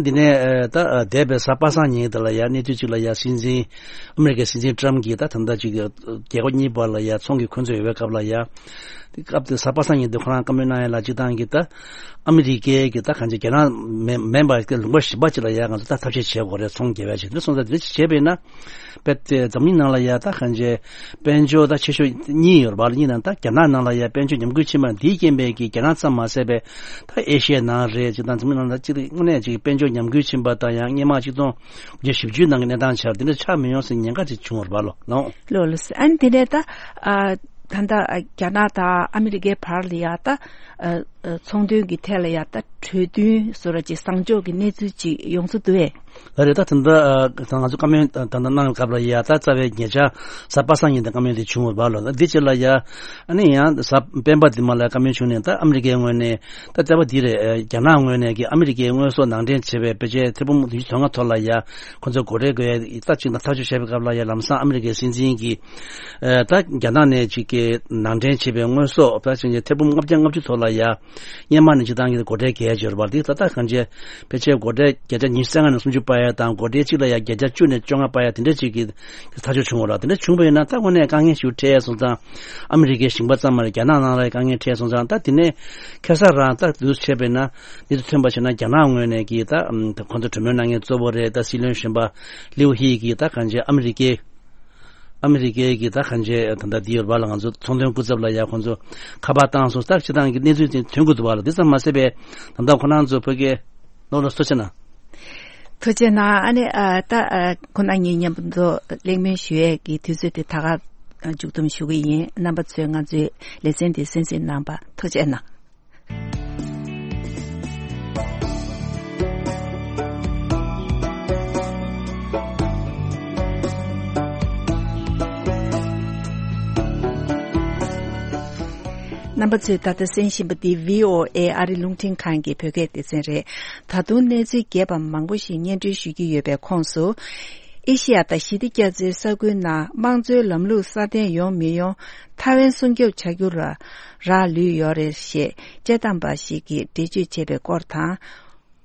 འདི་ནས་ཨ་ད་ཨ་འདས་པའི་གཟའ་པ་སངས་ཉིན་དེ་ལ་ཡ་གནས་ཚུལ་ཅིག་ལ་ཡ་སྲིད་འཛིན་ཨ་མི་རི་ཀའི་སྲིད་འཛིན་ཊརམ་གྱིས་ད་ད་ལྟ་ཅིག་རྒྱལ་ཁབ་གཉིས་བར་ལ་ཡ་ཚོང་གི་འཁོན་རྩོད་ཡོད་པའི་སྐབས་ལ་ཡ། དེ་སྐབས་དེ་གཟའ་པ་སངས་ཉིན་དེ་ཁོ་རང་བཀའ་མོལ་གནང་ཡ་ལ་སྤྱིར་བཏང་གི་ད་ཨ་མི་རི་ཀའི་གི་ད་གང་ཅི་རྒྱ་ནག་མིན་མིན་པ་གི་ལུང་པ་གཞན་པ་ཅིག་ལ་ཡ་ང་ཚོ་ད་ཐབས་ཤེས་བྱེད་དགོས་རེད། ཚོང་རྒྱག་པ་ཞིག་དེ་སོང་ཙང་དེ་བྱས་པས་ན། དཔེ་དེ་འཛམ་གླིང་ནང་ལ་ཡ་ད་གང་ཅི་དཔལ་འབྱོར་ད་ཆེ་ཤོས་གཉིས་ཡོད་རེད་བ་ལ། གཉིས་ནང་ད་རྒྱ་ནག་ནང་ལ་ཡ་དཔལ་འབྱོར་ཉམས་རྒུད་ཕྱིན་པ་འདིའི་རྐྱེན་པས་ཀྱི་རྒྱ་ནག་ཙམ་མ་ཟད་པའི་ད་ཨེ་ཤི་ཡའི་ནང་རེད། སྤྱིར་བཏང་འཛམ་གླིང་ནང་ལ་སྤྱིར་དངོས་གནས་ཅིག་དཔལ་འབྱོར་ཉམས་རྒུད་ཕྱིན་པ་དང་། ཡང་སྔོན་མ་ཆིག་སྟོང་དགུ་བརྒྱ་བཞི་བཅུའི་ནང་གི་གནས་སྟངས་ཆགས་དེ་འདྲ་ཆགས་མི་ཡོང་ཟེར་ཉེན་ཁ་ཅིག་བྱུང་བ་རེད་བ་ལོ། ལགས། ལགས་ལགས། ཨ་ནི་དེ་ནས་ད་ཨ་ད་ལྟ་ཨ་རྒྱ་ནག་དང་ཨ་མི་རི་ཀའི་བར་ལ་ཡ་ད་ཨ་ཨ་ཚོང་དོན་གྱི་ཐད་ལ་ཡ་ད་གྲོས་མཐུན་བཟོ་འདྲ་ཅིག་བཟང་ཕྱོགས་ཀྱི་གནས་ཚུལ་ཅིག་ཡོང་ས་འདུག་གས། ལགས་རེད། ད་ད་ལྟ་ཨ་ད་ང་ཚོ་བཀའ་མོལ་ད་ལྟ་གནང་བའི་སྐབས་ལ་ཡ་ད་རྩ་བའི་ཉེ་ཆར་གཟའ་པ་སངས་ཉིན་དེ་བཀའ་མོལ་དེ་བྱུང་བ་རེད་བ་ལོ། འདི་ཕྱི་ལ་ཡ་ཨ་ནི་ཡང་གཟའ་སྤེན་པ་དེ་མ་ལ་བཀའ་མོལ་བྱུང་ནས། ད་ཨ་མི་རི་ཀའི་ངོས་ནས་ད་རྩ་བ་འདི་རེད། ཨ་རྒྱ་ནག་ངོས་ནས་ཀྱི་ཨ་མི་རི་ཀའི་དངོས་ཟོག་ནང་འདྲེན་བྱས་པའི་ཕལ་ཆེར་ཐེར་འབུམ་བདུན་ཅུ་དོན་ལྔ་ཐོག་ལ་ཡ་ཁོ་ཚོ་སྒོ་ཁྲལ་དགོས་ཡ་ད་ཅིག་ཐག་གཅོད་བྱས་པའི་སྐབས་ལ་ཡ་ལམ་སང་ཨ་མི་རི་ཀའི་སྲིད་འཛིན་གྱིས་ཨ་ད་རྒྱ་ནག་ནས་ཅིག་གི་ནང་འདྲེན་བྱས་པའི་དངོས་ཟོག་ད་ཅིག་ཐེར་འབུམ་ལྔ་བརྒྱ་ལྔ་བཅུ་ཐོག་ལ་ཡ་སྔོན་མ་ནས་སྤྱིར་བཏང་གི་སྒོ་ཁྲལ་བརྒལ་ཡ་ཅིག་ཡོད་རེད་བ། དེ་ད་ལྟ་གང་ཅི་ཕལ་ཆེར་སྒོ་ཁྲལ་བརྒྱ་ཆ་ཉི་ཤུ་རྩ་ལྔ་ནས་སུམ་ཅུ་སྤར་ཡ་དང་། སྒོ་ཁྲལ་གཅིག་ལ་ཡ་བརྒྱ་ཆ་བཅུ་ནས་བཅོ་ལྔ་སྤར་ཡ་དེ་འདྲ་ཅིག་གི་ཐག་གཅོད་བྱུང་བ་རེད། དེ་འདྲ་བྱུང་བ་ཡིན་ན་ད་དངོས་གནས་དཀའ་ངལ་ཞིག་འཕྲད་ཡ་སོང་ཙང་། ཨ་མི་རི་ཀའི་ཞིང་པ་ཙམ་མ་རེད། རྒྱ་ནག་ནང་ལ་དཀའ་ངལ་འཕྲད་སོང་ཙང་། ད་དེ་ནས་ཁ་སང་རང་ད་དུས་བྱས་པས་ན་འདི་ཚོ་ཐོན་པ་བྱས་ན། རྒྱ་ནག་ངོས་ནས་ཀྱི་ད་ཨམ་ད་ཁོང་ཚོ་གྲོས་མོལ་གནང་མཁན་གཙོ་བོ་རེད། ད་སྲིད་བློན་གཞོན་པ་ལིའུ་ཧི་གིས་ད་གང་ཅི་ཨ་མི་རི་ཀའི་ཨ་མི་རི་ཀའི་གི་ད་གང་ཅི་ད་ད་འདི་ཡོད་རེད་བ་ལ། ང་ཚོ་ཚོང་དོན་སྐུ་ཚབ་ལ་ཡ་ཁོང་ཚོ་ཁ་པར་བཏང་སོང་། ད་སྤྱིར་བཏང་གི་གནས་ཚུལ་དེ་ཐོན་གྱི་འདུག་བ་ལ། འདི་ཙམ་མ་ཟད་པའི་ད་ལྟ་ཁོ་རང་ཚོ་བོད་སྐད་ནོར་ལ་སོ་ཆེ་ན། ཐུགས་རྗེ་གནང་། ཨ་ནི་ཨ་ད་ཨ་ཁོང་རྣམ་གཉིས་མཉམ་དུ་གླེང་མོལ་ཞུ་ཡས་ཀྱི་དུས་ཚོད་དེ་ད་ག་མཇུག་བསྡོམས་ཞུ་གི་ཡིན། རྣམ་པ་ཚོས་ང་ཚོའི་ལེ་ཚན་དེ་གསན་གཟིགས་གནང་བར་ཐུགས་རྗེ་གནང་། རྣམ་པ་ཚོས་ད་ལྟ་གསན་བཞིན་པ་འདི་བྷི་ཨོ་ཨེ་ཨ་རི་རླུང་འཕྲིན་ཁང་གི་བོད་སྐད་སྡེ་ཚན་རེད། ད་དུང་གནས་ཚུལ་རྒྱས་པ་མང་པོ་ཞིག་སྙན་སྒྲོན་ཞུ་རྒྱུ་ཡོད་པའི་ཁོངས་སུ། ཨེ་ཤི་ཡ་དང་ཞི་བདེ་རྒྱ་མཚོའི་ས་ཁུལ་ནང་དམངས་གཙོའི་ལམ་ལུགས་སྲ་བརྟན་ཡོང་མི་ཡོང་ཐའེ་ཝན་སྲུང་སྐྱོབ་བྱ་རྒྱུ་ལ་རག་ལུས་ཡོད་རེད་ཞེས་དཔྱད་གཏམ་པ་ཞིག་གིས་འགྲེལ་བརྗོད་བྱས་པའི་སྐོར་དང་།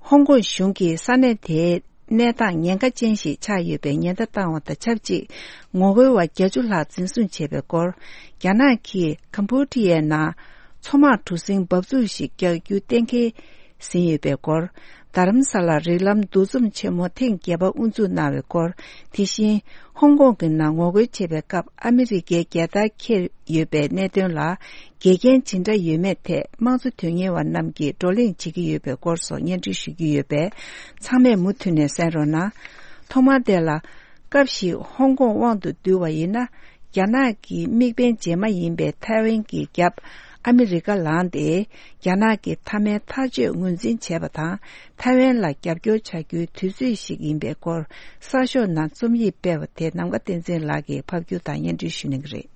ཧོང་ཀོང་གཞུང་གིས་ས་གནས་དེའི་གནས་སྟངས་ཉེན་ཁ་ཅན་ཞིག་ཆགས་ཡོད་པའི་ཉེན་བརྡ་བཏང་བ་དང་ཆབས་ཅིག་ངོ་རྒོལ་བ་བརྒྱད་ཅུ་ལྷག་འཛིན་བཟུང་བྱས་པའི་སྐོར། རྒྱ་ནག་གིས་ཀམ་པོ་ཌི་ཡའི་ནང་མཚོ་དམག་གྲུ་གཟིངས་འབབ་ཚུགས་ཤིག་རྒྱག་རྒྱུ་གཏན་འཁེལ་ཟིན་ཡོད་པའི་སྐོར། རྡ་རམ་ས་ལར་རིགས་ལམ་འདུ་འཛོམས་ཆེན་མོ་ཐེངས་བརྒྱད་པ་དབུ་འཛུགས་གནང་བའི་སྐོར། དེ་བཞིན་ཧོང་ཀོང་གི་ནང་ངོ་རྒོལ་བྱེད་པའི་སྐབས་ཨ་མི་རི་ཀའི་རྒྱལ་དར་འཁྱེར་ཡོད་པའི་གནད་དོན་ལ་འགལ་རྐྱེན་ཇི་འདྲ་ཡོད་མེད་ཐད་དམངས་གཙོ་དོན་གཉེར་བ་རྣམས་ཀྱིས་བགྲོ་གླེང་བྱེད་ཀྱི་ཡོད་པའི་སྐོར་སོགས་སྙན་སྒྲོན་ཞུ་རྒྱུ་ཡོད་པས་ཚང་མས་མུ་མཐུད་ནས་གསན་རོགས་གནང་། ཐོག་མར་དེ་ལ། སྐབས་ཤིག་ཧོང་ཀོང་དབང་དུ་བསྡུ་བ་ཡིན་ན། རྒྱ་ནག་གི་དམིགས་འབེན་རྗེས་མ་ཡིན་པའི་ཐའེ་ཝན་གྱི་རྒྱབ་ཨ་མི་རི་ཀ་ལངས་ཏེ། རྒྱ་ནག་གི་མཐའ་མའི་ཐག་གཅོད་ངོས་འཛིན་བྱས་པ་དང་། ཐའེ་ཝན་ལ་རྒྱབ་སྐྱོར་བྱ་རྒྱུའི་དུས་ཚོད་ཞིག་ཡིན་པའི་སྐོར་གསར་ཤོག་ནང་རྩོམ་ཡིག་སྤེལ་བ་དེ་ནམ་མཁའ་བསྟན་འཛིན་ལགས་ཀྱིས་ཕབ་སྒྱུར་དང་སྙན་སྒྲོན་ཞུ་གནང་གི་རེད།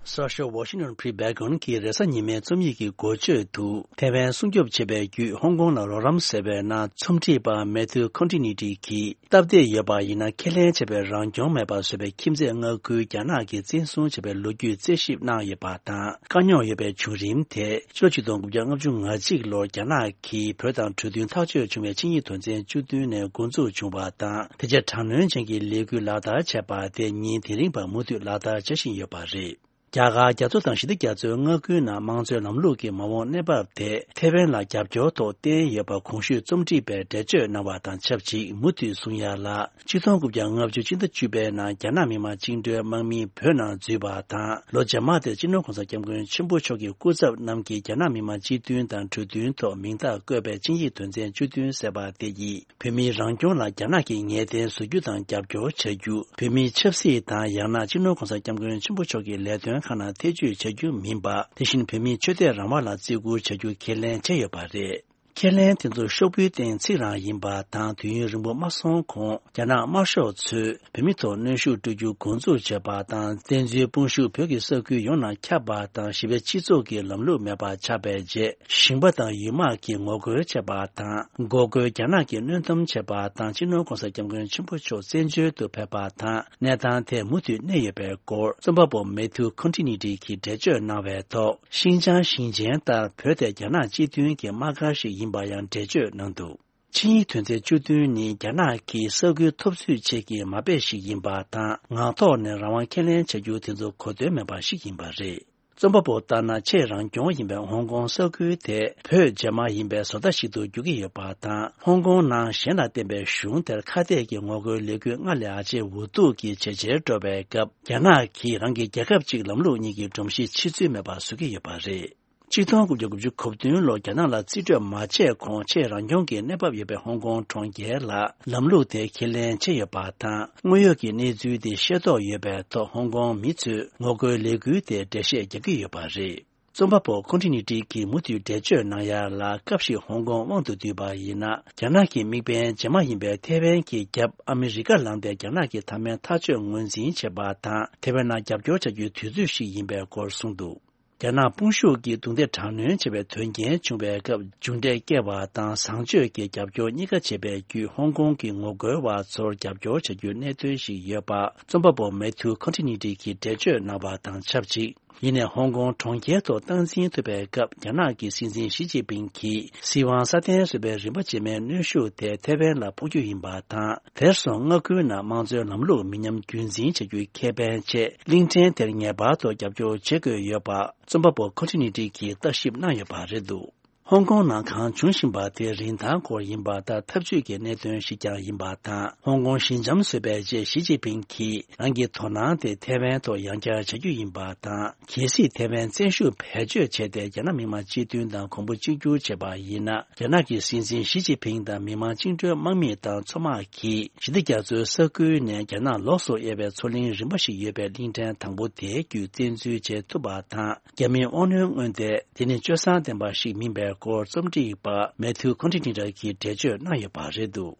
གསར་ཤོག་Washington Free Beacon གྱི་རེས་གཟའ་ཉི་མའི་རྩོམ་ཡིག་གི་འགོ་བརྗོད་དུ། ཐའེ་ཝན་སྲུང་སྐྱོབ་བྱེད་པའི་བརྒྱུད་ཧོང་ཀོང་ལ་རོགས་རམ་ཟེར་བའི་ནང་རྩོམ་སྒྲིག་པ་མེ་ཐུ་ཁོན་ཊི་ནི་ཏི་གིས། སྟབས་བདེ་ཡོད་པ་ཡིན་ན་ཁས་ལེན་བྱས་པའི་རང་སྐྱོང་མེད་པ་བཟོས་པའི་ཁྱིམ་མཚེས་མངའ་ཁུལ་རྒྱ་ནག་གིས་བཙན་བཟུང་བྱས་པའི་ལོ་རྒྱུས་རྩད་ཞིབ་གནང་ཡོད་པ་དང་། དཀའ་རྙོག་ཡོད་པའི་བྱུང་རིམ་དེ་ཕྱི་ལོ་ཆིག་སྟོང་དགུ་བརྒྱ་ལྔ་བཅུ་ང་གཅིག་ལོར་རྒྱ་ནག་གིས་བོད་དང་གྲོས་མཐུན་ཐག་གཅོད་བྱུང་བའི་ཆིངས་ཡིག་དོན་ཚན་བཅུ་བདུན་ནས་འགོ་འཛུགས་བྱུང་བ་དང་། དེ་རྗེས་དྲག་གནོན་ཅན་གྱི་ལས་འགུལ་ལག་བསྟར་བྱས་པ་དེ་ཉིན་དེ་རིང་བར་མུ་མཐུད་ལག་བསྟར་བྱ་བཞིན་ཡོད་པ་རེད། རྒྱ་གར་རྒྱ་མཚོ་དང་ཞི་བདེ་རྒྱ་མཚོའི་མངའ་ཁུལ་ནང་དམངས་གཙོའི་ལམ་ལུགས་ཀྱི་མ་འོངས་གནས་བབ་དེ་ཐའེ་ཝན་ལ་རྒྱབ་སྐྱོར་ཐོག་བརྟེན་ཡོད་པ་གོང་ཞུས་རྩོམ་སྒྲིག་པས་འགྲེལ་བརྗོད་གནང་བ་དང་ཆབས་ཅིག་མུ་མཐུད་གསུང་ཡ་ལ། ཆིག་སྟོང་དགུ་བརྒྱ་ལྔ་བཅུ་སྤྱི་ཟླ་བཅུ་པའི་ནང་རྒྱ་ནག་མི་དམངས་བཅིངས་འགྲོལ་དམག་མིས་བོད་ནང་འཛུལ་བ་དང་། ལོ་རྗེས་མ་དེར་སྤྱི་ནོར་༸གོང་ས་༸སྐྱབས་མགོན་ཆེན་པོ་མཆོག་གི་སྐུ་ཚབ་རྣམས་ཀྱིས་རྒྱ་ནག་མི་དམངས་སྤྱི་མཐུན་དང་གྲོས་མཐུན་ཐོག་མིང་རྟགས་བཀོད་པའི་ཆིངས་ཡིག་དོན་ཚན་བཅུ་བདུན་ཟེར་བ་དེ་ཡིས། བོད་མིའི་རང་སྐྱོང་ལ་རྒྱ་ནག་གིས་ངེས་གཏན་བཟོ་རྒྱུ་དང་རྒྱབ་སྐྱོར་བྱ་རྒྱུ། བོད་མིའི་ཆབ་སྲིད་དང་ཡང་ན་སྤྱི་ནོར་༸གོང་ས་༸སྐྱབས་མགོན་ཆེན་པོ་མཆོག་གི་ལས་དོན་ཁག་ནང་ཐེ་བྱུས་བྱ་རྒྱུ་མིན་པ། དེ་བཞིན་བོད་མིའི་ཆོས་དད་རང་དབང་ལ་བརྩི་བཀུར་བྱ་རྒྱུ་ཁས་ལེན་བྱས་ཡོད་པ་རེད། ཁས་ལེན་དེ་ཚོ་ཤོག་བུའི་སྟེང་ཚིག་རང་ཡིན་པ་དང་། དུས་ཡུན་རིང་པོ་མ་སོང་གོང་རྒྱ་ནག་དམར་ཤོག་ཚོས་བོད་མི་ཐོག་གནོན་ཤུགས་སྤྲོད་རྒྱུ་འགོ་འཛུགས་བྱས་པ་དང་། བཙན་འཛུལ་དཔུང་ཤུགས་བོད་ཀྱི་ས་ཁུལ་ཡོངས་ནང་ཁྱབ་པ་དང་། ཞི་བའི་སྤྱི་ཚོགས་ཀྱི་ལམ་ལུགས་མེད་པ་ཆགས་པའི་རྗེས། ཞིང་པ་དང་ཡུལ་དམག་གིས་ངོ་རྒོལ་བྱས་པ་དང་། འགོག་རྒོལ་རྒྱ་ནག་གིས་གནོན་སྡོམ་བྱས་པ་དང་། སྤྱི་ནོར་༸གོང་ས་༸སྐྱབས་མགོན་ཆེན་པོ་མཆོག་བཙན་བྱོལ་དུ་ཕེབས་པ་དང་། གནས་སྟངས་དེ་མུ་མཐུད་གནས་ཡོད་པའི་སྐོར། རྩོམ་པ་པོ་མེ་ཐུ་ཁོན་ཊི་ནི་ཏི་གིས་འགྲེལ་བརྗོད་གནང་བའི་ཐོག་ཤིན་ཅང་ཞིང་ཆེན་ལྟར་བོད་དེ་རྒྱ་ནག་སྤྱི་མཐུན་གྱི་དམག་སྒར་ཞིག་ཡིན་པ་ཡང་འགྲེལ་བརྗོད་གནང་འདུག་ཆིངས་ཡིག་དོན་ཚན་བཅུ་བདུན་ནི་རྒྱ་ནག་གིས་ས་ཁུལ་འཐབ་རྩོད་ཆེད་ཀྱི་མ་དཔེ་ཞིག་ཡིན་པ་དང་། ངག་ཐོག་ནས་རང་དབང་ཁས་ལེན་བྱ་རྒྱུ་དེ་ཚོ་གོ་དོན་མེད་པ་ཞིག་ཡིན་པ་རེད། རྩོམ་པ་པོ་ལྟར་ན། ཆེས་རང་སྐྱོང་ཡིན་པའི་ཧོང་ཀོང་ས་ཁུལ་དེ་བོད་རྗེས་མ་ཡིན་པའི་བཟོ་ལྟ་ཞིག་ཏུ་འགྱུར་གྱི་ཡོད་པ་དང་། ཧོང་ཀོང་ནང་གཞན་ལ་བརྟེན་པའི་གཞུང་དེར་ཁ་གཏད་ཀྱི་ངོ་རྒོལ་ལས་འགུལ་སྔར་ལས་ཨ་ཅེ་འུ་ཐུག་གིས་ཇེ་ཆེར་འགྲོ་བའི་སྐབས། རྒྱ་ནག་གིས་རང་གི་རྒྱལ་ཁབ་གཅིག་ལམ་ལུགས་གཉིས་ཀྱི་སྒྲོམ་གཞི་ཕྱེ་ཚུལ་མེད་པ་བཟོ་གི་ཡོད་པ་རེད། ཆིག་སྟོང་དགུ་བརྒྱ་དགུ་བཅུ་གོ་བདུན་ལོར་རྒྱ་ནག་ལ་རྩིས་སྤྲོད་མ་བྱས་གོང་ཆེས་རང་སྐྱོང་གི་གནས་བབ་ཡོད་པའི་ཧོང་ཀོང་གྲོང་ཁྱེར་ལ་ལམ་ལུགས་དེ་ཁས་ལེན་བྱས་ཡོད་པ་དང་། དངོས་ཡོད་ཀྱི་གནས་ཚུལ་དེ་ཤེས་རྟོགས་ཡོད་པའི་ཐོག་ཧོང་ཀོང་མི་ཚོས་ངོ་རྒོལ་ལས་འགུལ་དེ་འགྲེལ་བཤད་རྒྱག་གི་ཡོད་པ་རེད། རྩོམ་པ་པོ་ཁོན་ཊི་ནི་ཏི་གིས་མུ་མཐུད་འགྲེལ་བརྗོད་གནང་ཡ་ལ། སྐབས་ཤིག་ཧོང་ཀོང་དབང་དུ་བསྡུས་པ་ཡིན་ན། རྒྱ་ནག་གི་དམིགས་འབེན་རྗེས་མ་ཡིན་པའི་ཐེ་ཝན་གྱི་རྒྱབ་ཨ་མི་རི་ཀ་ལངས་ཏེ་རྒྱ་ནག་གི་མཐའ་མའི་ཐག་གཅོད་ངོས་འཛིན་བྱེད་པ་དང་། ཐེ་ཝན་ནང་རྒྱབ་སྐྱོར་བྱ་རྒྱུའི་དུས་ཚོད་ཞིག་ཡིན་པའི་སྐོར་གསུངས་འདུག་རྒྱ་ནག་དཔུང་ཤུགས་ཀྱིས་རྡུང་རྡེག་དྲག་གནོན་བྱས་པའི་དོན་རྐྱེན་བྱུང་བའི་སྐབས། མཇུག་འབྲས་བསྐྱལ་བ་དང་། བཟང་སྤྱོད་ཀྱི་རྒྱབ་སྐྱོར་གཉིས་ཀ་བྱས་པའི་བརྒྱུད། ཧོང་ཀོང་གི་ངོ་རྒོལ་བ་ཚོར་རྒྱབ་སྐྱོར་བྱ་རྒྱུའི་གནད་དོན་ཞིག་ཡོད་པ། རྩོམ་པ་པོ་མེ་ཐུ་ཁོན་ཊི་ནི་ཏི་གིས་འགྲེལ་བརྗོད་གནང་བ་དང་ཆབས་ཅིག་ཡིན་ནའི་ཧོང་ཀོང་གྲོང་ཁྱེར་ཐོག་སྟངས་འཛིན་ཐུབ་པའི་སྐབས། རྒྱ་ནག་གི་སྲིད་འཛིན་ཞི་ཅིན་ཕིང་གིས་སྲིད་དབང་སྲ་བརྟན་བཟོ་བའི་རིམ་པ་རྗེས་མའི་གནོན་ཤུགས་དེ་ཐེ་ཝན་ལ་ཕོག་རྒྱུ་ཡིན་པ་དང་། དེར་སོང་མངའ་ཁུལ་ནང་དམངས་གཙོའི་ལམ་ལུགས་མི་ཉམས་རྒྱུན་འཛིན་བྱ་རྒྱུའི་ཁེ་ཕན་ཆེད། གླིང་ཕྲན་དེར་ངེས་པར་དུ་རྒྱབ་སྐྱོར་བྱེད་དགོས་ཡོད་པ། རྩོམ་པ་པོ་ཁོན་ཊི་ནི་ཏི་གིས་བརྟག་ཞིབ་གནང་ཡོད་པ་རེད་འདུག་ཧོང་ཀོང་ནང་གང་བྱུང་བཞིན་པ་དེ་རིན་ཐང་སྐོར་ཡིན་པ་དང་། འཐབ་ཇུས་ཀྱི་གནད་དོན་ཞིག་ཀྱང་ཡིན་པ་དང་། ཧོང་ཀོང་ཞི་འཇམ་བཟོས་པའི་རྗེས་ཞི་ཅིན་ཕིང་གིས་རང་གི་དོ་སྣང་དེ་ཐའེ་ཝན་ཐོག་ཡང་བསྐྱར་བྱ་རྒྱུ་ཡིན་པ་དང་། གལ་སྲིད་ཐའེ་ཝན་བཙན་ཤུགས་བེད་སྤྱོད་བྱས་ཏེ་རྒྱ་ནག་མི་དམངས་སྤྱི་མཐུན་དང་གོང་བུ་གཅིག་གྱུར་བྱས་པ་ཡིན་ན། རྒྱ་ནག་གི་སྲིད་འཛིན་ཞི་ཅིན་ཕིང་དང་མི་དམངས་བཅིངས་འགྲོལ་དམག་མི་དང་མཚོ་དམག་གིས་ཞི་བདེ་རྒྱ་མཚོའི་ས་ཁུལ་ནས་རྒྱ་ནག་ལོགས་སུ་དབྱེ་བའི་མཚོ་གླིང་རིམ་པ་ཞིག་ཡོད་པའི་གླིང་ཕྲན་དང་པོ་དེའི་བརྒྱུད་བཙན་འཛུལ་བྱེད་ཐུབ་པ་དང་། རྒྱ་མིའི་དབང་གནོད་མངོན་ཏེ། དེ་ནི་སྤྱོད་བཟང་ལྡན་པ་ཞིག་མིན་པའི་སྐོར་རྩོམ་སྒྲིག་པ་མེ་ཐིའུ་ཁོན་ཁྲི་ནི་ར་གིས་འགྲེལ་བརྗོད་གནང་ཡོད་པ་རེད་འདུག།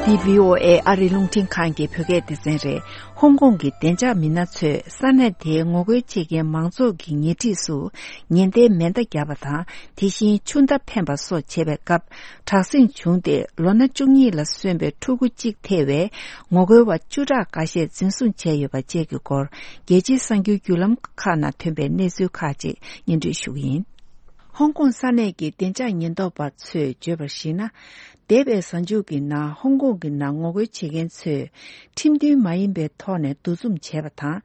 འདི་བྷི་ཨོ་ཨེ་ཨ་རིའི་རླུང་འཕྲིན་ཁང་གི་བོད་སྐད་སྡེ་ཚན་རེད། ཧོང་ཀོང་གི་བདེ་འཇགས་མི་སྣ་ཚོས་ས་གནས་དེའི་ངོ་རྒོལ་བྱེད་མཁན་མང་ཚོགས་ཀྱི་ཉེ་འཁྲིས་སུ་ཉེན་བརྡའི་མེ་མདའ་བརྒྱབ་པ་དང་། དེ་བཞིན་ཆུ་མདའ་འཕེན་པ་སོགས་བྱེད་པའི་སྐབས་དྲག་ཟིང་བྱུང་སྟེ། ལོ་ན་བཅུ་གཉིས་ལ་སོན་པའི་ཕྲུ་གུ་གཅིག་ཐེ་བའི་ངོ་རྒོལ་བ་བཅུ་ཕྲག་འགའ་ཤས་འཛིན་བཟུང་བྱས་ཡོད་པ་བཅས་ཀྱི་སྐོར། རྒྱལ་སྤྱིའི་གསར་འགྱུར་བརྒྱུད་ལམ་ཁག་ནང་ཐོན་པའི་གནས་ཚུལ་ཁག་ཅིག་སྙན་སྒྲོན་ཞུ་གི་ཡིན། ཧོང་ཀོང་ས་གནས་ཀྱི་བདེ་འཇགས་ཉེན་རྟོག་པ་ཚོས་བརྗོད་པར་གཞིགས་ན། འདས་པའི་གཟའ་མཇུག་གི་ནང་ཧོང་ཀོང་གི་ནང་ངོ་རྒོལ་བྱེད་མཁན་ཚོས་ཁྲིམས་མཐུན་མ་ཡིན་པའི་ཐོག་ནས་འདུ་འཛོམས་བྱས་པ་དང་།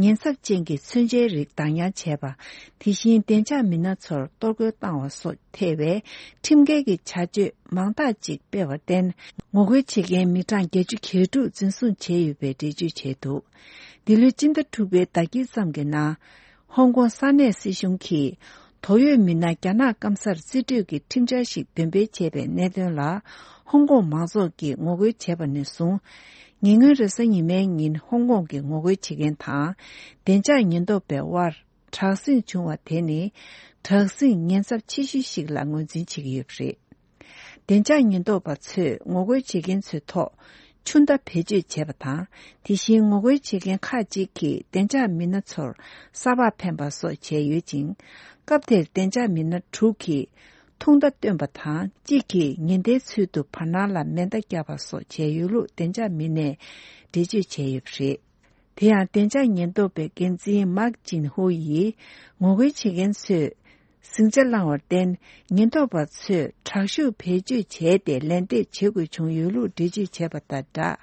ཉེན་ཚབས་ཅན་གྱི་མཚོན་ཆའི་རིགས་བདག་ཉར་བྱས་པ། དེ་བཞིན་བདེ་འཇགས་མི་སྣ་ཚོར་གཏོར་རྒོལ་བཏང་བ་སོགས་ཐེ་བའི་ཁྲིམས་འགལ་གྱི་བྱ་སྤྱོད་མང་དག་ཅིག་སྤེལ་བར་བརྟེན། ངོ་རྒོལ་བྱེད་མཁན་མི་གྲངས་བརྒྱད་ཅུ་གྱ་དྲུག་འཛིན་བཟུང་བྱས་ཡོད་པའི་འགྲེལ་བརྗོད་བྱས་འདུག། འདི་ལོའི་སྤྱི་ཟླ་དྲུག་པའི་ཟླ་དཀྱིལ་ཙམ་གྱི་ནང་། ཧོང་ཀོང་ས་གནས་སྲིད་གཞུང་གིས་དོགས་ཡོད་མི་སྣ་རྒྱ་ནག་སྐམ་སར་རྩིས་སྤྲོད་ཀྱི་ཁྲིམས་འཆར་ཞིག་འདོན་སྤེལ་བྱས་པའི་གནད་དོན་ལ། ཧོང་ཀོང་མང་ཚོགས་ཀྱིས་ངོ་རྒོལ་བྱས་པ་ནས་བཟུང་། ཉེ་སྔོན་རེས་གཟའ་ཉི་མའི་ཉིན་ཧོང་ཀོང་གི་ངོ་རྒོལ་བྱེད་མཁན་དང་། བདེ་འཇགས་ཉེན་རྟོག་པའི་དབར་དྲག་ཟིང་བྱུང་བ་དེ་ནི། དྲག་ཟིང་ཉེན་ཚབས་ཆེ་ཤོས་ཤིག་ལ་ངོས་འཛིན་བྱེད་ཀྱི་ཡོད་པ་རེད། བདེ་འཇགས་ཉེན་རྟོག་པ་ཚོས་ངོ་རྒོལ་བྱེད་མཁན་ཚོའི་ཐོག་ཆུ་མདའ་བེད་སྤྱོད་བྱས་པ་དང་། དེ་བཞིན་ངོ་རྒོལ་བྱེད་མཁན་ཁག་ཅིག་གིས་བདེ་འཇགས་མི་སྣ་ཚོར་ས་ཕག་འཕེན་པ་སོགས་བྱས་ཡོད་ཅིང་། སྐབས་དེར་བདེ་འཇགས་མི་སྣ་དྲུག་གིས་ཐུང་མདའ་བཏོན་པ་དང་། གཅིག་གིས་ཉེན་བརྡའི་ཚུལ་དུ་བར་སྣང་ལ་མེ་མདའ་བརྒྱབ་པ་སོགས་བྱས་ཡོད་ལུགས་བདེ་འཇགས་མི་སྣས་འགྲེལ་བརྗོད་བྱས་ཡོད་པ་རེད། དེ་ཡང་བདེ་འཇགས་ཉེན་རྟོག་པའི་འགན་འཛིན་མཱག་ཅིན་ཧུ་ཡིས། ངོ་རྒོལ་བྱེད་མཁན་ཚོས་ཟིང་ཆ་བསླངས་བར་བརྟེན། ཉེན་རྟོག་པ་ཚོས་དྲག་ཤུགས་བེད་སྤྱོད་བྱས་ཏེ། ལན་འདེབས་བྱེད་དགོས་བྱུང་ཡོད་ལུགས་འགྲེལ་བརྗོད་བྱས་པ་དང་སྦྲགས།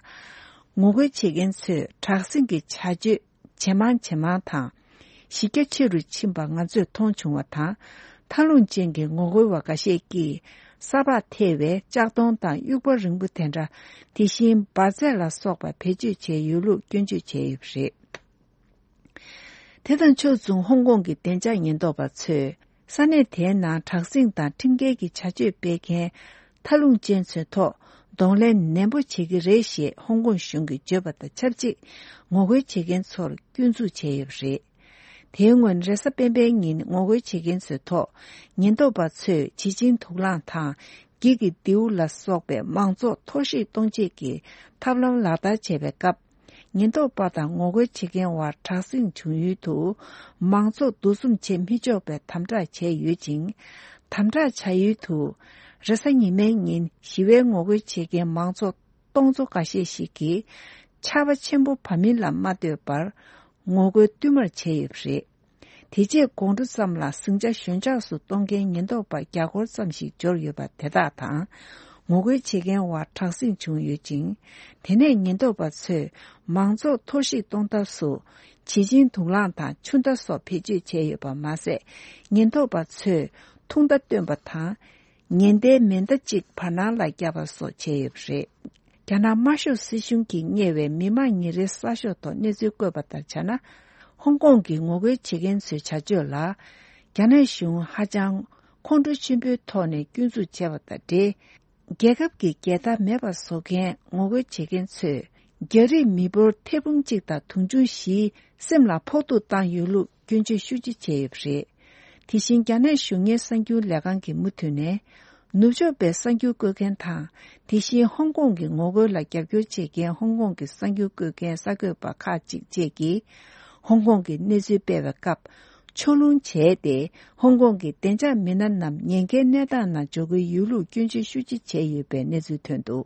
ངོ་རྒོལ་བྱེད་མཁན་ཚོས་དྲག་ཟིང་གི་བྱ་སྤྱོད་ཇེ་མང་ཇེ་མང་དང་། གཞི་རྒྱ་ཆེ་རུ་ཕྱིན་པ་ང་ཚོས་མཐོང་བྱུང་བ་དང་། མཐའ་ལྷུང་ཅན་གྱི་ངོ་རྒོལ་བ་འགའ་ཤས་ཀྱིས་ས་ཕག་ཐེ་བའི་ལྕགས་མདོང་དང་དབྱུག་པ་རིང་པོ་དེ་འདྲ། དེ་བཞིན་འབར་རྫས་ལ་སོགས་པ་བེད་སྤྱོད་བྱས་ཡོད་ལུགས་སྐྱོན་བརྗོད་བྱས་ཡོད་པ་རེད། དེ་དང་ཕྱོགས་མཚུངས་ཧོང་ཀོང་གི་བདེ་འཇགས་ཉེན་རྟོག་པ་ཚོས་ས་གནས་དེའི་ནང་དྲག་ཟིང་དང་ཁྲིམས་འགལ་གྱི་བྱ་སྤྱོད་སྤེལ་མཁན་མཐའ་ལྷུང་ཅན་ཚོའི་ཐོག་གདོང་ལེན་ནན་པོ་བྱེད་ཀྱི་རེད་ཞེས་ཧོང་ཀོང་གཞུང་གིས་བརྗོད་པ་དང་ཆབས་ཅིག་ངོ་རྒོལ་བྱེད་མཁན་ཚོར་སྐྱོན་འཛུགས་བྱས་ཡོད་པ་རེད། དེའི་སྔོན་རེས་གཟའ་སྤེན་པའི་ཉིན་ངོ་རྒོལ་བྱེད་མཁན་ཚོའི་ཐོག་ཉེན་རྟོག་པ་ཚོས་བྱིལ་ཆིང་དུག་རླངས་དང་། འགྱིག་གི་མདེའུ་ལ་སོགས་པའི་མང་ཚོགས་འཐོར་བཤིག་གཏོང་ཆེད་ཀྱི་ཐབས་ལམ་ལག་བསྟར་བྱས་པའི་སྐབས། ཉེན་རྟོག་པ་དང་ངོ་རྒོལ་བྱེད་མཁན་བར་དྲག་ཟིང་བྱུང་ཡུལ་དུ། མང་ཚོགས་འདུ་འཛོམས་བྱེད་མི་ཆོག་པའི་དམ་དྲག་བྱས་ཡོད་ཅིང་། དམ་དྲག་བྱ་ཡུལ་དུ། རེས་གཟའ་ཉི་མའི་ཉིན་ཞི་བའི་ངོ་རྒོལ་བྱེད་མཁན་མང་ཚོགས་སྟོང་ཚོ་འགའ་ཤས་ཤིག་གིས། ཆར་པ་ཆེན་པོ་བབས་མིན་ལ་མ་ལྟོས་པར། ངོ་རྒོལ་བསྟུད་མར་བྱས་ཡོད་པ་རེད། དེ་རྗེས་དགོང་དྲོ་ཙམ་ལ་ཟིང་ཆ་ཞོད་འཇགས་སུ་གཏོང་མཁན་ཉེན་རྟོག་པ་བརྒྱ་སྐོར་ཙམ་ཞིག་འབྱོར་ཡོད་པ་དེ་དག་དང་། ངོ་རྒོལ་བྱེད་མཁན་བར་དྲག་ཟིང་བྱུང་ཡོད་ཅིང་། དེ་ནས་ཉེན་རྟོག་པ་ཚོས་མང་ཚོགས་འཐོར་བཤིག་གཏོང་ཐབས་སུ། བྱིལ་ཆིང་དུག་རླངས་དང་ཆུ་མདའ་སོགས་བེད་སྤྱོད་བྱས་ཡོད་པ་མ་ཟད། ཉེན་རྟོག་པ་ཚོས་ཐུང་མདའ་བཏོན་པ་དང་། ཉེན་བརྡའི་མེ་མདའ་གཅིག་བར་སྣང་ལ་བརྒྱབ་པ་སོགས་བྱས་ཡོད་པ་རེད། རྒྱ་ནག་དམར་ཤོག་སྲིད་གཞུང་གིས་གཉེར་བའི་མི་དམངས་ཉིན་རེའི་གསར་ཤོག་ཐོག་གནས་ཚུལ་བཀོད་པ་ལྟར་བྱས་ན། ཧོང་ཀོང་གི་ངོ་རྒོལ་བྱེད་མཁན་ཚོའི་བྱ་སྤྱོད་ལ། རྒྱ་ནག་གཞུང་ཧ་ཅང་ཁོང་ཁྲོ་ཆེན་པོའི་ཐོག་ནས་སྐྱོན་འཛུགས་བྱས་པ་དང་འབྲེལ། རྒྱལ་ཁབ་ཀྱི་རྒྱལ་དར་མེད་པར་བཟོ་མཁན་ངོ་རྒོལ་བྱེད་མཁན་ཚོས། རྒྱ་རིགས་མི་འབོར་ཐེར་འབུམ་གཅིག་དང་དུང་ཕྱུར་བཞིའི་སེམས་ལ་ཕོག་ཐུག་བཏང་ཡོད་ལུགས་སྐྱོན་བརྗོད་ཤུགས་ཆེ་བྱས་ཡོད་པ་རེད། དེ་བཞིན་རྒྱ་ནག་གཞུང་གཉེར་གསར་འགྱུར་ལས་ཁང་གིས་མུ་མཐུད་ནས། ནུབ་ཕྱོགས་པའི་གསར་འགྱུར་བཀོད་མཁན་དང་། དེ་བཞིན་ཧོང་ཀོང་གི་ངོ་རྒོལ་ལ་རྒྱབ་སྐྱོར་བྱེད་མཁན་ཧོང་ཀོང་གི་གསར་འགྱུར་བཀོད་མཁན་གསར་འགོད་པ་ཁག་ཅིག་བཅས་ཀྱིས། ཧོང་ཀོང་གི་གནས་ཚུལ་སྤེལ་བའི་སྐབས། ཕྱོགས་ལྷུང་བྱས་ཏེ། ཧོང་ཀོང་གི་བདེ་འཇགས་མི་སྣ་རྣམས་ཉེན་ཁའི་གནས་སྟངས་ནང་འཇོག་གི་ཡོད་ལུགས་སྐྱོན་བརྗོད་ཤུགས་ཆེ་བྱས་ཡོད་པའི་གནས་ཚུལ་ཐོན་འདུག།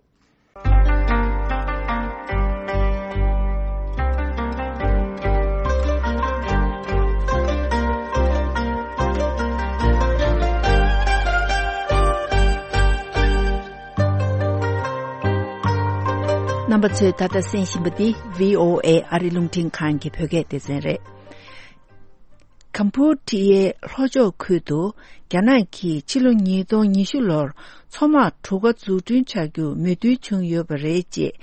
པ་ཚོས་ད་ལྟ་གསན་བཞིན་པ་འདི་བྷི་ཨོ་ཨེ་ཨ་རི་རླུང་འཕྲིན་ཁང་གི་བོད་སྐད་སྡེ་ཚན་རེད། ཀམ་པུ་ཊི་ཡའི་ལྷོ་ཕྱོགས་ཁུལ་དུ་རྒྱ་ནག་གིས་ཕྱི་ལོ་ཉིས་སྟོང་ཉི་ཤུ་ལོར་མཚོ་དམག་གྲུ་ཁ་འཛུགས་སྐྲུན་བྱ་རྒྱུར་མོས་མཐུན་བྱུང་ཡོད་པ་རེད་ཅེས་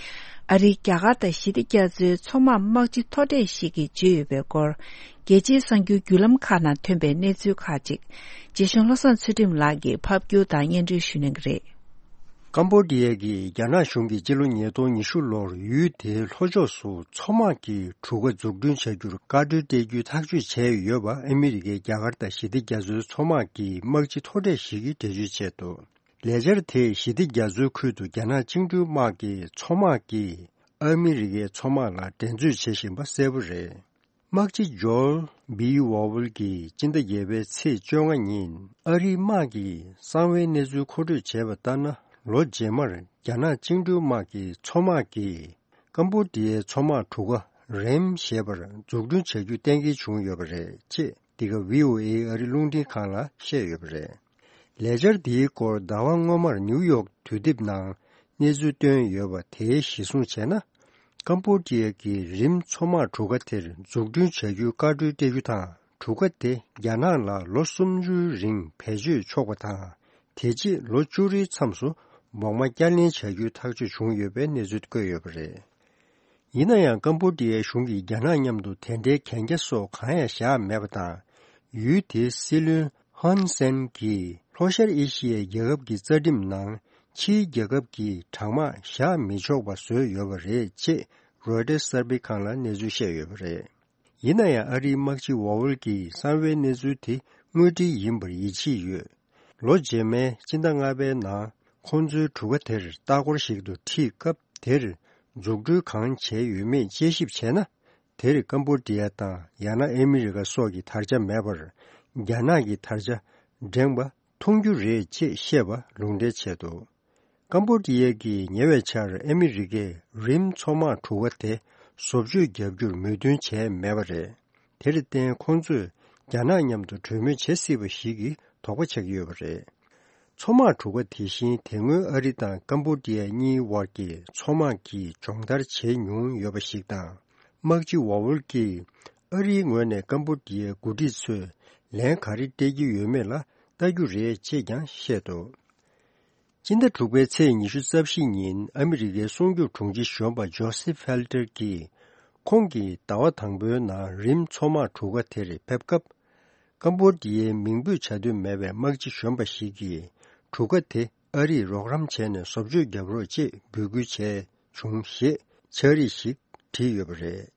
ཨ་རིའི་རྒྱ་གར་དང་ཞི་བདེ་རྒྱ་མཚོའི་མཚོ་དམག་དམག་སྤྱི་མཐོ་གྲས་ཤིག་གིས་བརྗོད་ཡོད་པའི་སྐོར། རྒྱལ་སྤྱིའི་གསར་འགྱུར་བརྒྱུད་ལམ་ཁག་ནང་ཐོན་པའི་གནས་ཚུལ་ཁག་ཅིག་རྗེ་བཙུན་བློ་བཟང་ཚུལ་ཁྲིམས་ལགས་ཀྱིས་ཕབ་སྒྱུར་དང་སྙན་སྒྲོན་ཞུ་གནང་གི་རེད། ཀམ་པོ་ཌི་ཡ་གིས་རྒྱ་ནག་གཞུང་གིས་སྤྱི་ལོ་ཉིས་སྟོང་ཉི་ཤུ་ལོར་ཡུལ་དེའི་ལྷོ་ཕྱོགས་སུ་མཚོ་དམག་གི་གྲུ་ཁ་འཛུགས་སྐྲུན་བྱ་རྒྱུར་བཀའ་འཁྲོལ་སྤྲད་རྒྱུའི་ཐག་གཅོད་བྱས་ཡོད་པ་ཨ་མི་རི་ཀའི་རྒྱ་གར་དང་ཞི་བདེ་རྒྱ་མཚོའི་མཚོ་དམག་གི་དམག་སྤྱི་མཐོ་གྲས་ཤིག་གིས་འགྲེལ་བརྗོད་བྱས་འདུག་ལས་འཆར་དེས་ཞི་བདེ་རྒྱ་མཚོའི་ཁུལ་དུ་རྒྱ་ནག་བཅིངས་འགྲོལ་དམག་གི་མཚོ་དམག་གིས་ཨ་མི་རི་ཀའི་མཚོ་དམག་ལ་འགྲན་རྩོད་བྱེད་བཞིན་པ་གསལ་པོ་རེད། དམག་སྤྱི་ཇོར་བྷི་ཝོ་ཝལ་གྱིས་སྤྱི་ཟླ་བརྒྱད་པའི་ཚེས་བཅོ་ལྔ་ཉིན་ཨ་རིའི་དམག་གི་གསང་བའི་གནས་ཚུལ་མཁོ་སྤྲོད་བྱས་པ་ལྟར་ན། ལོ་རྗེས་མར་རྒྱ་ནག་བཅིངས་འགྲོལ་དམག་གི་མཚོ་དམག་གིས་ཀམ་པོ་ཌི་ཡའི་མཚོ་དམག་གྲུ་ཁ་རེམ་ཞེས་པར་འཛུགས་སྐྲུན་བྱ་རྒྱུ་གཏན་འཁེལ་བྱུང་ཡོད་པ་རེད་ཅེས། འདི་ག་བྷི་ཨོ་ཨེ་ཨ་རི་རླུང་འཕྲིན་ཁང་ལ་བཤད་ཡོད་པ་རེད། ལས་འཆར་འདིའི་སྐོར་ཟླ་བ་སྔོན་མར་ནིའུ་ཡོག་དུས་དེབ་ནང་གནས་ཚུལ་བཏོན་ཡོད་པ་དེའི་གཞིར་བཟུང་བྱས་ན། ཀམ་པོ་ཌི་ཡ་གིས་རིམ་མཚོ་དམག་གྲུ་ཁ་དེར་འཛུགས་སྐྲུན་བྱ་རྒྱུའི་བཀའ་འཁྲོལ་སྤྲད་རྒྱུ་དང་། གྲུ་ཁ་དེ་རྒྱ་ནག་ལ་ལོ་སུམ་ཅུའི་རིང་བེད་སྤྱོད་ཆོག་པ་དང་། དེ་རྗེས་ལོ་བཅུ་རེའི་མཚམས་སུ་བོགས་མ་བསྐྱར་ལེན་བྱ་རྒྱུའི་ཐག་གཅོད་བྱུང་ཡོད་པའི་གནས་ཚུལ་བཀོད་ཡོད་པ་རེད། ཡིན་ན་ཡང་ཀམ་པོ་ཌི་ཡའི་གཞུང་གིས་རྒྱ་ནག་མཉམ་དུ་དེ་འདྲའི་གན་རྒྱ་སོགས་གང་ཡང་བཞག་མེད་པ་དང་། ཡུལ་དེའི་སྲིད་བློན་ཧོན་སན་གྱིས་ལྷོ་ཤར་ཨེ་ཤི་ཡའི་རྒྱལ་ཁབ་ཀྱི་རྩ་ཁྲིམས་ནང་ཕྱིའི་རྒྱལ་ཁབ་ཀྱིས་དྲག་དམག་བཞག་མི་ཆོག་པ་བཟོས་ཡོད་པ་རེད་ཅེས་རོའི་ཊར་གསར་སྤེལ་ཁང་ལ་གནས་ཚུལ་བཤད་ཡོད་པ་རེད། ཡིན་ན་ཡང་ཨ་རིའི་དམག་སྤྱི་ཝོ་ཝལ་གྱིས་གསང་བའི་གནས་ཚུལ་དེ་དངོས་འབྲེལ་ཡིན་པར་ཡིད་ཆེས་ཡོད། ལོ་རྗེས་མའི་སྤྱི་ཟླ་ལྔ་པའི་ནང་ཁོང་ཚོའི་གྲུ་ཁ་དེར་ལྟ་སྐོར་ཞིག་ཏུ་ཁྲིད་སྐབས་དེར་འཛུགས་སྐྲུན་གང་བྱས་ཡོད་མེད་དཔྱད་ཞིབ་བྱས་ན། དེར་ཀམ་པོ་ཌི་ཡ་དང་ཡང་ན་ཨ་མི་རི་ཀ་སོགས་ཀྱི་དར་ཆ་མེད་པར། རྒྱ་ནག་གི་དར་ཆ་བསྒྲེངས་པ་མཐོང་རྒྱུ་རེད་ཅེས་བཤད་པ་ལུང་འདྲེན་བྱས་འདུག་ཀམ་པོ་ཌི་ཡ་གིས་ཉེ་བའི་ཆར་ཨ་མི་རི་ཀས་རིམ་མཚོ་དམག་གྲུ་ཁ་དེ་བཟོ་བཅོས་བརྒྱབ་རྒྱུར་མོས་མཐུན་བྱས་མེད་པ་རེད། དེར་བརྟེན་ཁོང་ཚོས་རྒྱ་ནག་མཉམ་དུ་གྲོས་མོལ་བྱེད་སྲིད་པ་ཞིག་གི་དོགས་པ་ཆགས་ཀྱི་ཡོད་པ་རེད། མཚོ་དམག་གྲུ་ཁ་དེ་བཞིན་དེ་སྔོན་ཨ་རི་དང་ཀམ་པོ་ཌི་ཡ་གཉིས་དབར་གྱི་མཚོ་དམག་གི་སྦྱོང་བརྡར་བྱེད་མྱོང་ཡོད་པ་ཞིག་དང་། དམག་སྤྱི་ཝ་ཝལ་གྱིས་ཨ་རིའི་ངོས་ནས་ཀམ་པོ་ཌི་ཡའི་འགོ་ཁྲིད་ཚོས་ལན་ག་རེ་སྤྲད་ཀྱི་ཡོད་མེད་ལ་ལྟ་རྒྱུ་རེད་ཅེས་ཀྱང་བཤད་འདུག་སྤྱི་ཟླ་དྲུག་པའི་ཚེས་ཉི་ཤུ་རྩ་བཞི་ཉིན་ཨ་མི་རི་ཀའི་སྲུང་སྐྱོབ་དྲུང་ཆེ་གཞོན་པ་ཇོ་སེ་ཕེལ་ཏེར་གྱིས། ཁོང་གིས་ཟླ་བ་དང་པོའི་ནང་རིམ་མཚོ་དམག་གྲུ་ཁ་དེར་ཕེབས་སྐབས། ཀམ་པོ་ཌི་ཡའི་མིང་འབོད་བྱ་འདོད་མེད་པའི་དམག་སྤྱི་གཞོན་པ་ཞིག་གིས། གྲུ་ཁ་དེ་ཨ་རིས་རོགས་རམ་བྱས་ནས་བཟོ་བཅོས་བརྒྱབ་རོགས་ཅེས་འབོད་སྐུལ་བྱས་བྱུང་ཞེས་ཕྱག་བྲིས་ཤིག་བྲིས་ཡོད་པ་རེད།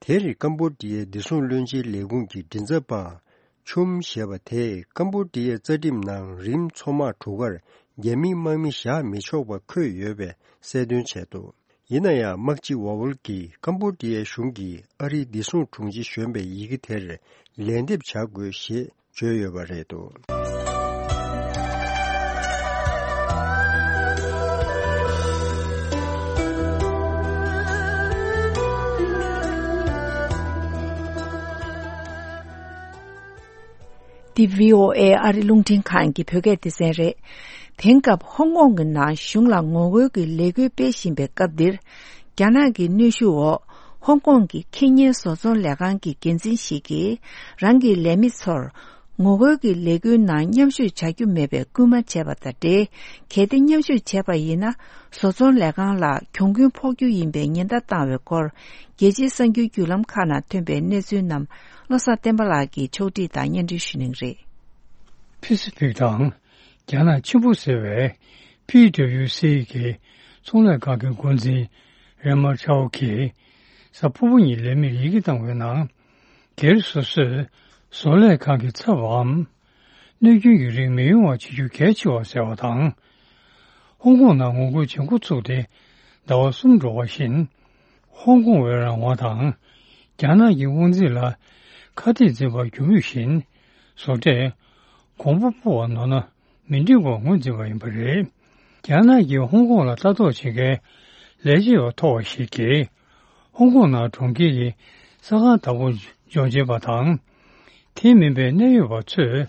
དེར་ཀམ་པོ་ཌི་ཡའི་བདེ་སྲུང་བློན་ཆེན་ལས་ཁུངས་ཀྱི་མགྲིན་ཚབ་པ་ཆུམ་ཞེས་པ་དེས་ཀམ་པོ་ཌི་ཡའི་རྩ་ཁྲིམས་ནང་རིམ་མཚོ་དམག་གྲུ་ཁར་རྒྱ་མིའི་དམག་མི་བཞག་མི་ཆོག་པ་འཁོད་ཡོད་པའི་གསལ་སྟོན་བྱས་འདུག་ཡིན་ན་ཡང་དམག་སྤྱི་ཝ་ཝལ་གྱིས་ཀམ་པོ་ཌི་ཡའི་གཞུང་གིས་ཨ་རིའི་བདེ་སྲུང་དྲུང་ཆེ་གཞོན་པའི་ཡི་གེ་དེར་ལན་འདེབས་བྱ་དགོས་ཞེས་བརྗོད་ཡོད་པ་རེད་འདུག་འདི་བྷི་ཨོ་ཨེ་ཨ་རི་རླུང་འཕྲིན་ཁང་གི་བོད་སྐད་སྡེ་ཚན་རེད། དེང་སྐབས་ཧོང་ཀོང་གི་ནང་གཞུང་ལ་ངོ་རྒོལ་གྱི་ལས་འགུལ་སྤེལ་བཞིན་པའི་སྐབས་འདིར། རྒྱ་ནག་གི་གནོན་ཤུགས་འོག་ཧོང་ཀོང་གི་ཁེ་ཉེན་བཟོ་ཚོང་ལས་ཁང་གི་འགན་འཛིན་ཞིག་གིས་རང་གི་ལས་མི་ཚོར་ངོ་རྒོལ་གྱི་ལས་འགུལ་ནང་མཉམ་ཞུགས་བྱ་རྒྱུ་མེད་པའི་སྐུལ་མ་བྱས་པ་དང་འབྲེལ། གལ་ཏེ་མཉམ་ཞུགས་བྱས་པ་ཡིན་ན་བཟོ་ཚོང་ལས་ཁང་ལ་གྱོང་གུན་ཕོག་རྒྱུ་ཡིན་པའི་ཉེན་བརྡ་བཏང་བའི་སྐོར། རྒྱལ་སྤྱིའི་གསར་འགྱུར་བརྒྱུད་ལམ་ཁག་ནང་ཐོན་པའི་གནས་ཚུལ་རྣམས་བློ་བཟང་བསྟན་པ་ལགས་ཀྱིས་ཕྱོགས་སྒྲིག་དང་སྙན་སྒྲོན་ཞུ་གནང་གི་རེད། ཕི་སི་ཕིག་དང་རྒྱ་ནག་ཆེན་པོ་ཟེར་བའི་ཕི་ཌབ་ལིའུ་སི་གི་ཚོང་ལས་ཁང་གི་འགོ་འཛིན་རེ་མ་ཁྲའོ་གིས་གཟའ་ཕུར་བུ་ཉིན་ལས་མིར་ཡི་གེ་བཏང་བའི་ནང་། སྒེར་སོ་སོས་བཟོ་ལས་ཁང་གི་ཚབ་བམ། གནོད་སྐྱོན་གྱི་རིགས་མི་ཡོང་བ་བྱེད་རྒྱུ་གལ་ཆེ་བ་ཟེར་བ་དང་། ཧོང་ཀོང་ནང་ངོ་རྒོལ་བྱེད་འགོ་ཚུགས་ཏེ་ཟླ་བ་གསུམ་འགྲོ་བ་བཞིན། ཧོང་ཀོང་བའི་རང་དབང་དང་། རྒྱ་ནག་གི་དབང་འཛིན་ལ་ཁ་གཏད་འཛིན་པ་རྒྱུ་མུས་བཞིན། བཟོ་གྲྭས་གོང་བུ་སྤོ་བ་ནོར་ན་མི་འགྲིག་པར་ངོས་འཛིན་པ་ཡིན་པ་རེད། རྒྱ་ནག་གིས་ཧོང་ཀོང་ལ་ལྟ་རྟོག་བྱེད་མཁན་ལས་བྱེད་པ་མཐོ་བ་ཞིག་གིས། ཧོང་ཀོང་ནང་གྲོང་ཁྱེར་གྱི་ས་ཁང་བདག་པོ་ཇོ་ཇེ་པ་དང་། དེ་མིན་པའི་གནད་ཡོད་པ་ཚོས་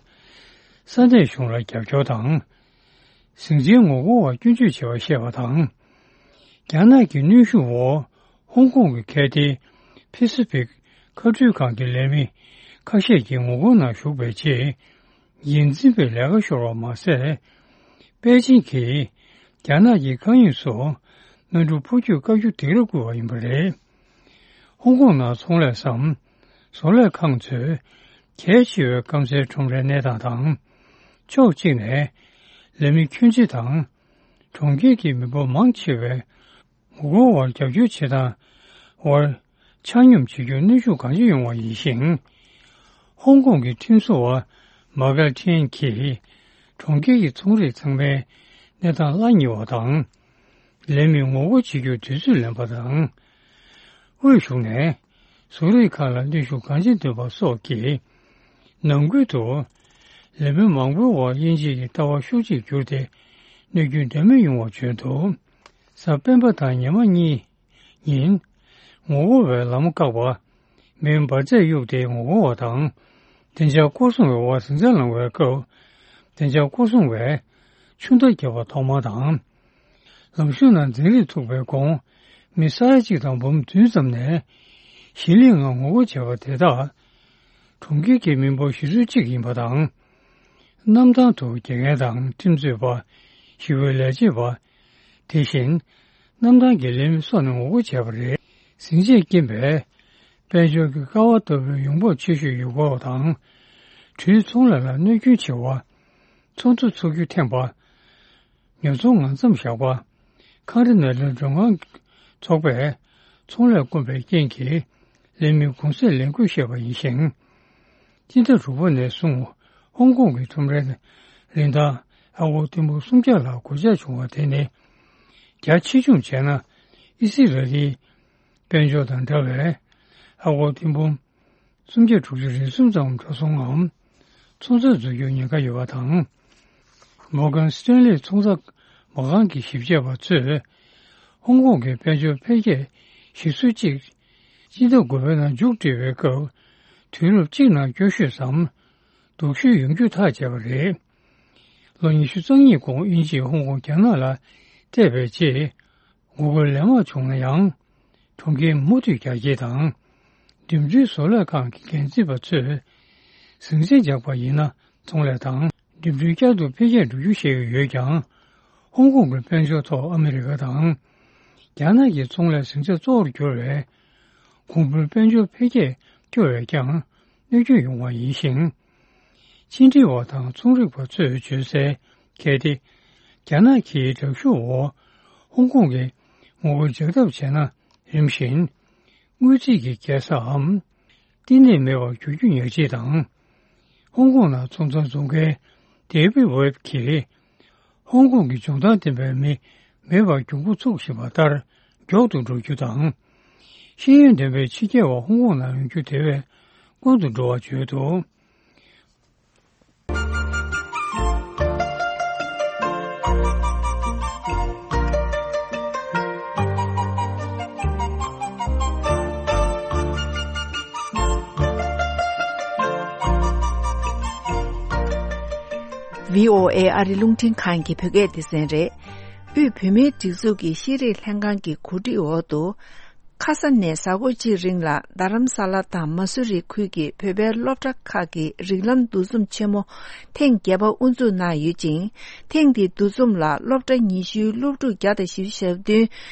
ས་གནས་གཞུང་ལ་རྒྱབ་སྐྱོར་དང་། ཟིང་ཆའི་ངོ་རྒོལ་བར་སྐྱོན་བརྗོད་བྱས་པ་བཤད་པ་དང་། རྒྱ་ནག་གི་གནོན་ཤུགས་འོག་ཧོང་ཀོང་གི་ཁལ་ཏེ་ཕེ་སི་ཕིག་མཁའ་འགྲུལ་ཁང་གི་ལས་མི་ཁ་ཤས་ཀྱི་ངོ་རྒོལ་ནང་ཞུགས་པའི་རྗེས། འགན་འཛིན་པས་ལས་ཀ་ཤོར་བ་མ་ཟད། པེ་ཅིང་གིས་རྒྱ་ནག་གི་མཁའ་དབྱིངས་སུ་གནམ་གྲུ་འཕུར་སྐྱོད་བཀག་རྒྱུ་དེ་རུ་བསྐུལ་བ་ཡིན་པ་རེད། ཧོང་ཀོང་ནང་ཚོང་ལས་སམ། བཟོ་ལས་ཁང་ཚོས་གལ་ཆེ་བའི་སྐམ་སའི་ཁྲོམ་རའི་གནས་སྟངས་དང་། ཕྱོགས་གཅིག་ནས་ལས་མི་ཁྱོན་ཆེ་དང་། གྲོང་ཁྱེར་གྱི་མི་འབོར་མང་ཆེ་བས་ངོ་རྒོལ་བར་རྒྱབ་སྐྱོར་བྱེད་སྟངས་བར་ཆ་སྙོམས་བྱེད་རྒྱུར་གནོན་ཤུགས་གང་ཆེ་ཡོང་བ་ཡིན་ཞིང་། ཧོང་ཀོང་གི་ཁྲིམས་བཟོ་བ་མཱ་ཀལ་ཁྲེན་གྱིས་གྲོང་ཁྱེར་གྱི་ཚོང་རིགས་ཚང་མའི་གནས་སྟངས་གླ་ཉེ་བ་དང་། ལས་མི་ངོ་རྒོལ་བྱེད་རྒྱུར་དུས་ཚོད་ལེན་པ་དང་། དབུས་གཞུང་ནས་བཟོ་རིག་ཁག་ལ་གནོན་ཤུགས་གང་ཆེ་འདོན་པ་སོགས་ཀྱིས། ནང་ཁུལ་དུ་ལས་མི་མང་པོའི་འོག་དབྱེ་འབྱེད་ཀྱི་ལྟ་བ་ཤུགས་ཆེར་གྱུར་ཏེ། གནོད་སྐྱོན་འདྲ་མིན་ཡོང་བ་བྱུང་འདུག། གཟའ་སྤེན་པ་དང་ཉི་མ་གཉིས་ཉིན། ངོ་རྒོལ་བས་ལམ་བཀག་པ། མེའི་འབར་རྫས་གཡུགས་ཏེ་ངོ་རྒོལ་བ་དང་། བདེ་འཇགས་སྐོར་སྲུང་བའི་འོག་ཟིང་ཆ་ལངས་པའི་སྐབས། བདེ་འཇགས་སྐོར་སྲུང་བས་ཆུ་མདའ་བརྒྱབ་པ་ཐོག་མ་དང་། ལམ་གཞུང་ནང་འཛིང་རེས་ཐུག་པའི་གོང་། མི་ས་ཡ་གཅིག་དང་འབུམ་བདུན་ཙམ་ནས་ཞི་ལྷིང་ངང་ངོ་རྒོལ་བྱས་པ་དེ་དག་གྲོང་ཁྱེར་གྱི་མི་འབོར་བཞི་ཚོད་གཅིག་ཡིན་པ་དང་། གནམ་ཐང་དུ་དགེ་རྒན་དང་ཁྲིམས་རྩོད་པ། ཞི་བའི་ལས་བྱེད་པ། དེ་བཞིན་གནམ་ཐང་གི་ལས་མི་སོགས་ནས་ངོ་རྒོལ་བྱས་པ་རེད། ཟིང་ཆས་རྐྱེན་པས་དཔལ་འབྱོར་གྱི་ཀ་བ་ལྟ་བུའི་ཡོང་འབབ་ཆེ་ཤོས་ཡོད་སྐོར་དང་། གྲོས་ཚོང་ལས་ལ་གནོད་སྐྱོན་ཆེ་བ། ཚོང་ཚོགས་ཚུགས་རྒྱུ་ཐེངས་པ། ཉོ་ཚོང་ངང་མཚམས་བཞག་པ། ཁང་ར་ནང་ལས་མགྲོན་ཁང་ཚོགས་པས་ཚོང་ལས་དཀོན་པའི་རྐྱེན་གྱིས་ལས་མི་གུང་སེང་ལས་འགུལ་བཤད་པ་ཡིན་ཞིང་། སྤྱི་ཟླ་དྲུག་པ་ནས་བཟུང་ཧོང་ཀོང་གི་ཁྲོམ་རའི་རིན་ཐང་ཨ་སྒོར་ཐེར་འབུམ་སུམ་བརྒྱ་ལ་གོད་ཆག་བྱུང་བ་དེ་ནི། རྒྱ་ཆེ་ཆུང་བྱས་ན་ཨི་སི་ར་ལིའི་དཔལ་འབྱོར་དང་འདྲ་བས་ཨ་སྒོར་ཐེར་འབུམ། སུམ་བརྒྱ་དྲུག་ཅུ་རེ་གསུམ་ཙམ་འགྲོ་སོང་ངམ། ཚོང་རྫས་འཛུལ་རྒྱུའི་ཉེན་ཁ་ཡོད་པ་དང་། མོར་གན་སི་ཏན་ལི་ཚོང་རྫས་མ་རྐང་གི་ཞིབ་དཔྱད་པ་ཚོས། ཧོང་ཀོང་གི་དཔལ་འབྱོར་འཕེལ་རྒྱས་གཞི་ཚུགས་གཅིག་སྤྱི་ཟླ་དགུ་པའི་ནང་མཇུག་སྒྲིལ་བའི་སྐབས། དུས་རབས་གཅིག་ནང་སྐྱོ་ཤོས་སམ། སྡུག་ཤོས་ཡོང་རྒྱུ་ཐག་བཅད་པ་རེད། ལོ་ཉི་ཤུ་རྩ་གཉིས་གོང་དབྱིན་ཇིས་ཧོང་ཀོང་རྒྱ་ནག་ལ་སྤྲད་པའི་རྗེས། ངོ་རྒོལ་ལན་མང་བྱུང་ན་ཡང་། གྲོང་ཁྱེར་མུ་མཐུད་རྒྱ་སྐྱེད་དང་། འགྲིམ་འགྲུལ་བཟོ་ལས་ཁང་གི་འགན་འཛིན་པ་ཚོས། ཟིང་ཆ་འཇགས་པ་ཡིན་ན་ཚོང་ལས་དང་འགྲིམ་འགྲུལ་བསྐྱར་དུ་འཕེལ་རྒྱས་འགྲོ་རྒྱུ་བཤད་ཀྱི་ཡོད་ཀྱང་། ཧོང་ཀོང་གི་དཔལ་འབྱོར་ཐོག་ཨ་མི་རི་ཀ་དང་། རྒྱ་ནག་གི་ཚོང་ལས་ཟིང་ཆ་གཙོ་བོར་གྱུར་བའི། གོང་བུའི་དཔལ་འབྱོར་འཕེལ་རྒྱས་སྐྱོ་བས་ཀྱང་གནོད་སྐྱོན་ཡོང་བ་ཡིན་ཞིང་། ཕྱི་འབྲེལ་བ་དང་ཚོང་རིག་པ་ཚོས་བརྗོད་གསལ། གལ་ཏེ། རྒྱ་ནག་གི་དྲག་ཤུགས་འོག་ཧོང་ཀོང་གི་ངོ་རྒོལ་འཇགས་ཐབས་བྱས་ན། རིམ་བཞིན། དངུལ་རྩིས་ཀྱི་རྒྱལ་ས་འམ། བསྟི་གནས་མེད་པར་འགྱུར་རྒྱུ་ཉག་གཅིག་དང་། ཧོང་ཀོང་ནང་ཚོང་ཚོང་བཟོ་མཁན་ཌེ་བིད་ཝེབ་ཀྱིས། ཧོང་ཀོང་གི་འཇོན་ཐང་ལྡན་པའི་མི་མེད་པར་གྱོང་པོ་ཚུགས་བཞིན་པ་ལྟར་མགྱོགས་ཏུ་འགྲོ་རྒྱུ་དང་། ཤེས་ཡོན་ལྡན་པའི་ཕྱི་རྒྱལ་བ་ཧོང་ཀོང་ནང་ཡོང་རྒྱུ་དེ་བས་སྔོན་དུ་འགྲོ་བར་བརྗོད་འདུག། བྷི་ཨོ་ཨེ་ཨ་རི་རླུང་འཕྲིན་ཁང་གི་བོད་སྐད་སྡེ་ཚན་རེད། དབུས་བོད་མིའི་སྒྲིག་འཛུགས་ཀྱི་ཤེས་རིག་ལྷན་ཁང་གི་གོ་སྒྲིག་འོག་ཏུ། ཁ་ས་ནས་གཟའ་འཁོར་གཅིག་རིང་ལ་རྡ་རམ་ས་ལ་དང་མ་སུ་རི་ཁུལ་གྱི་བོད་པའི་སློབ་གྲྭ་ཁག་གི་རིགས་ལམ་འདུ་འཛོམས་ཆེན་མོ་ཐེངས་བརྒྱད་པ་དབུ་འཛུགས་གནང་ཡོད་ཅིང་། ཐེངས་འདིའི་འདུ་འཛོམས་ལ་སློབ་གྲྭ་ཉི་ཤུའི་སློབ་ཕྲུག་བརྒྱ་དང་བཞི་བཅུ་ཞེ་བདུན་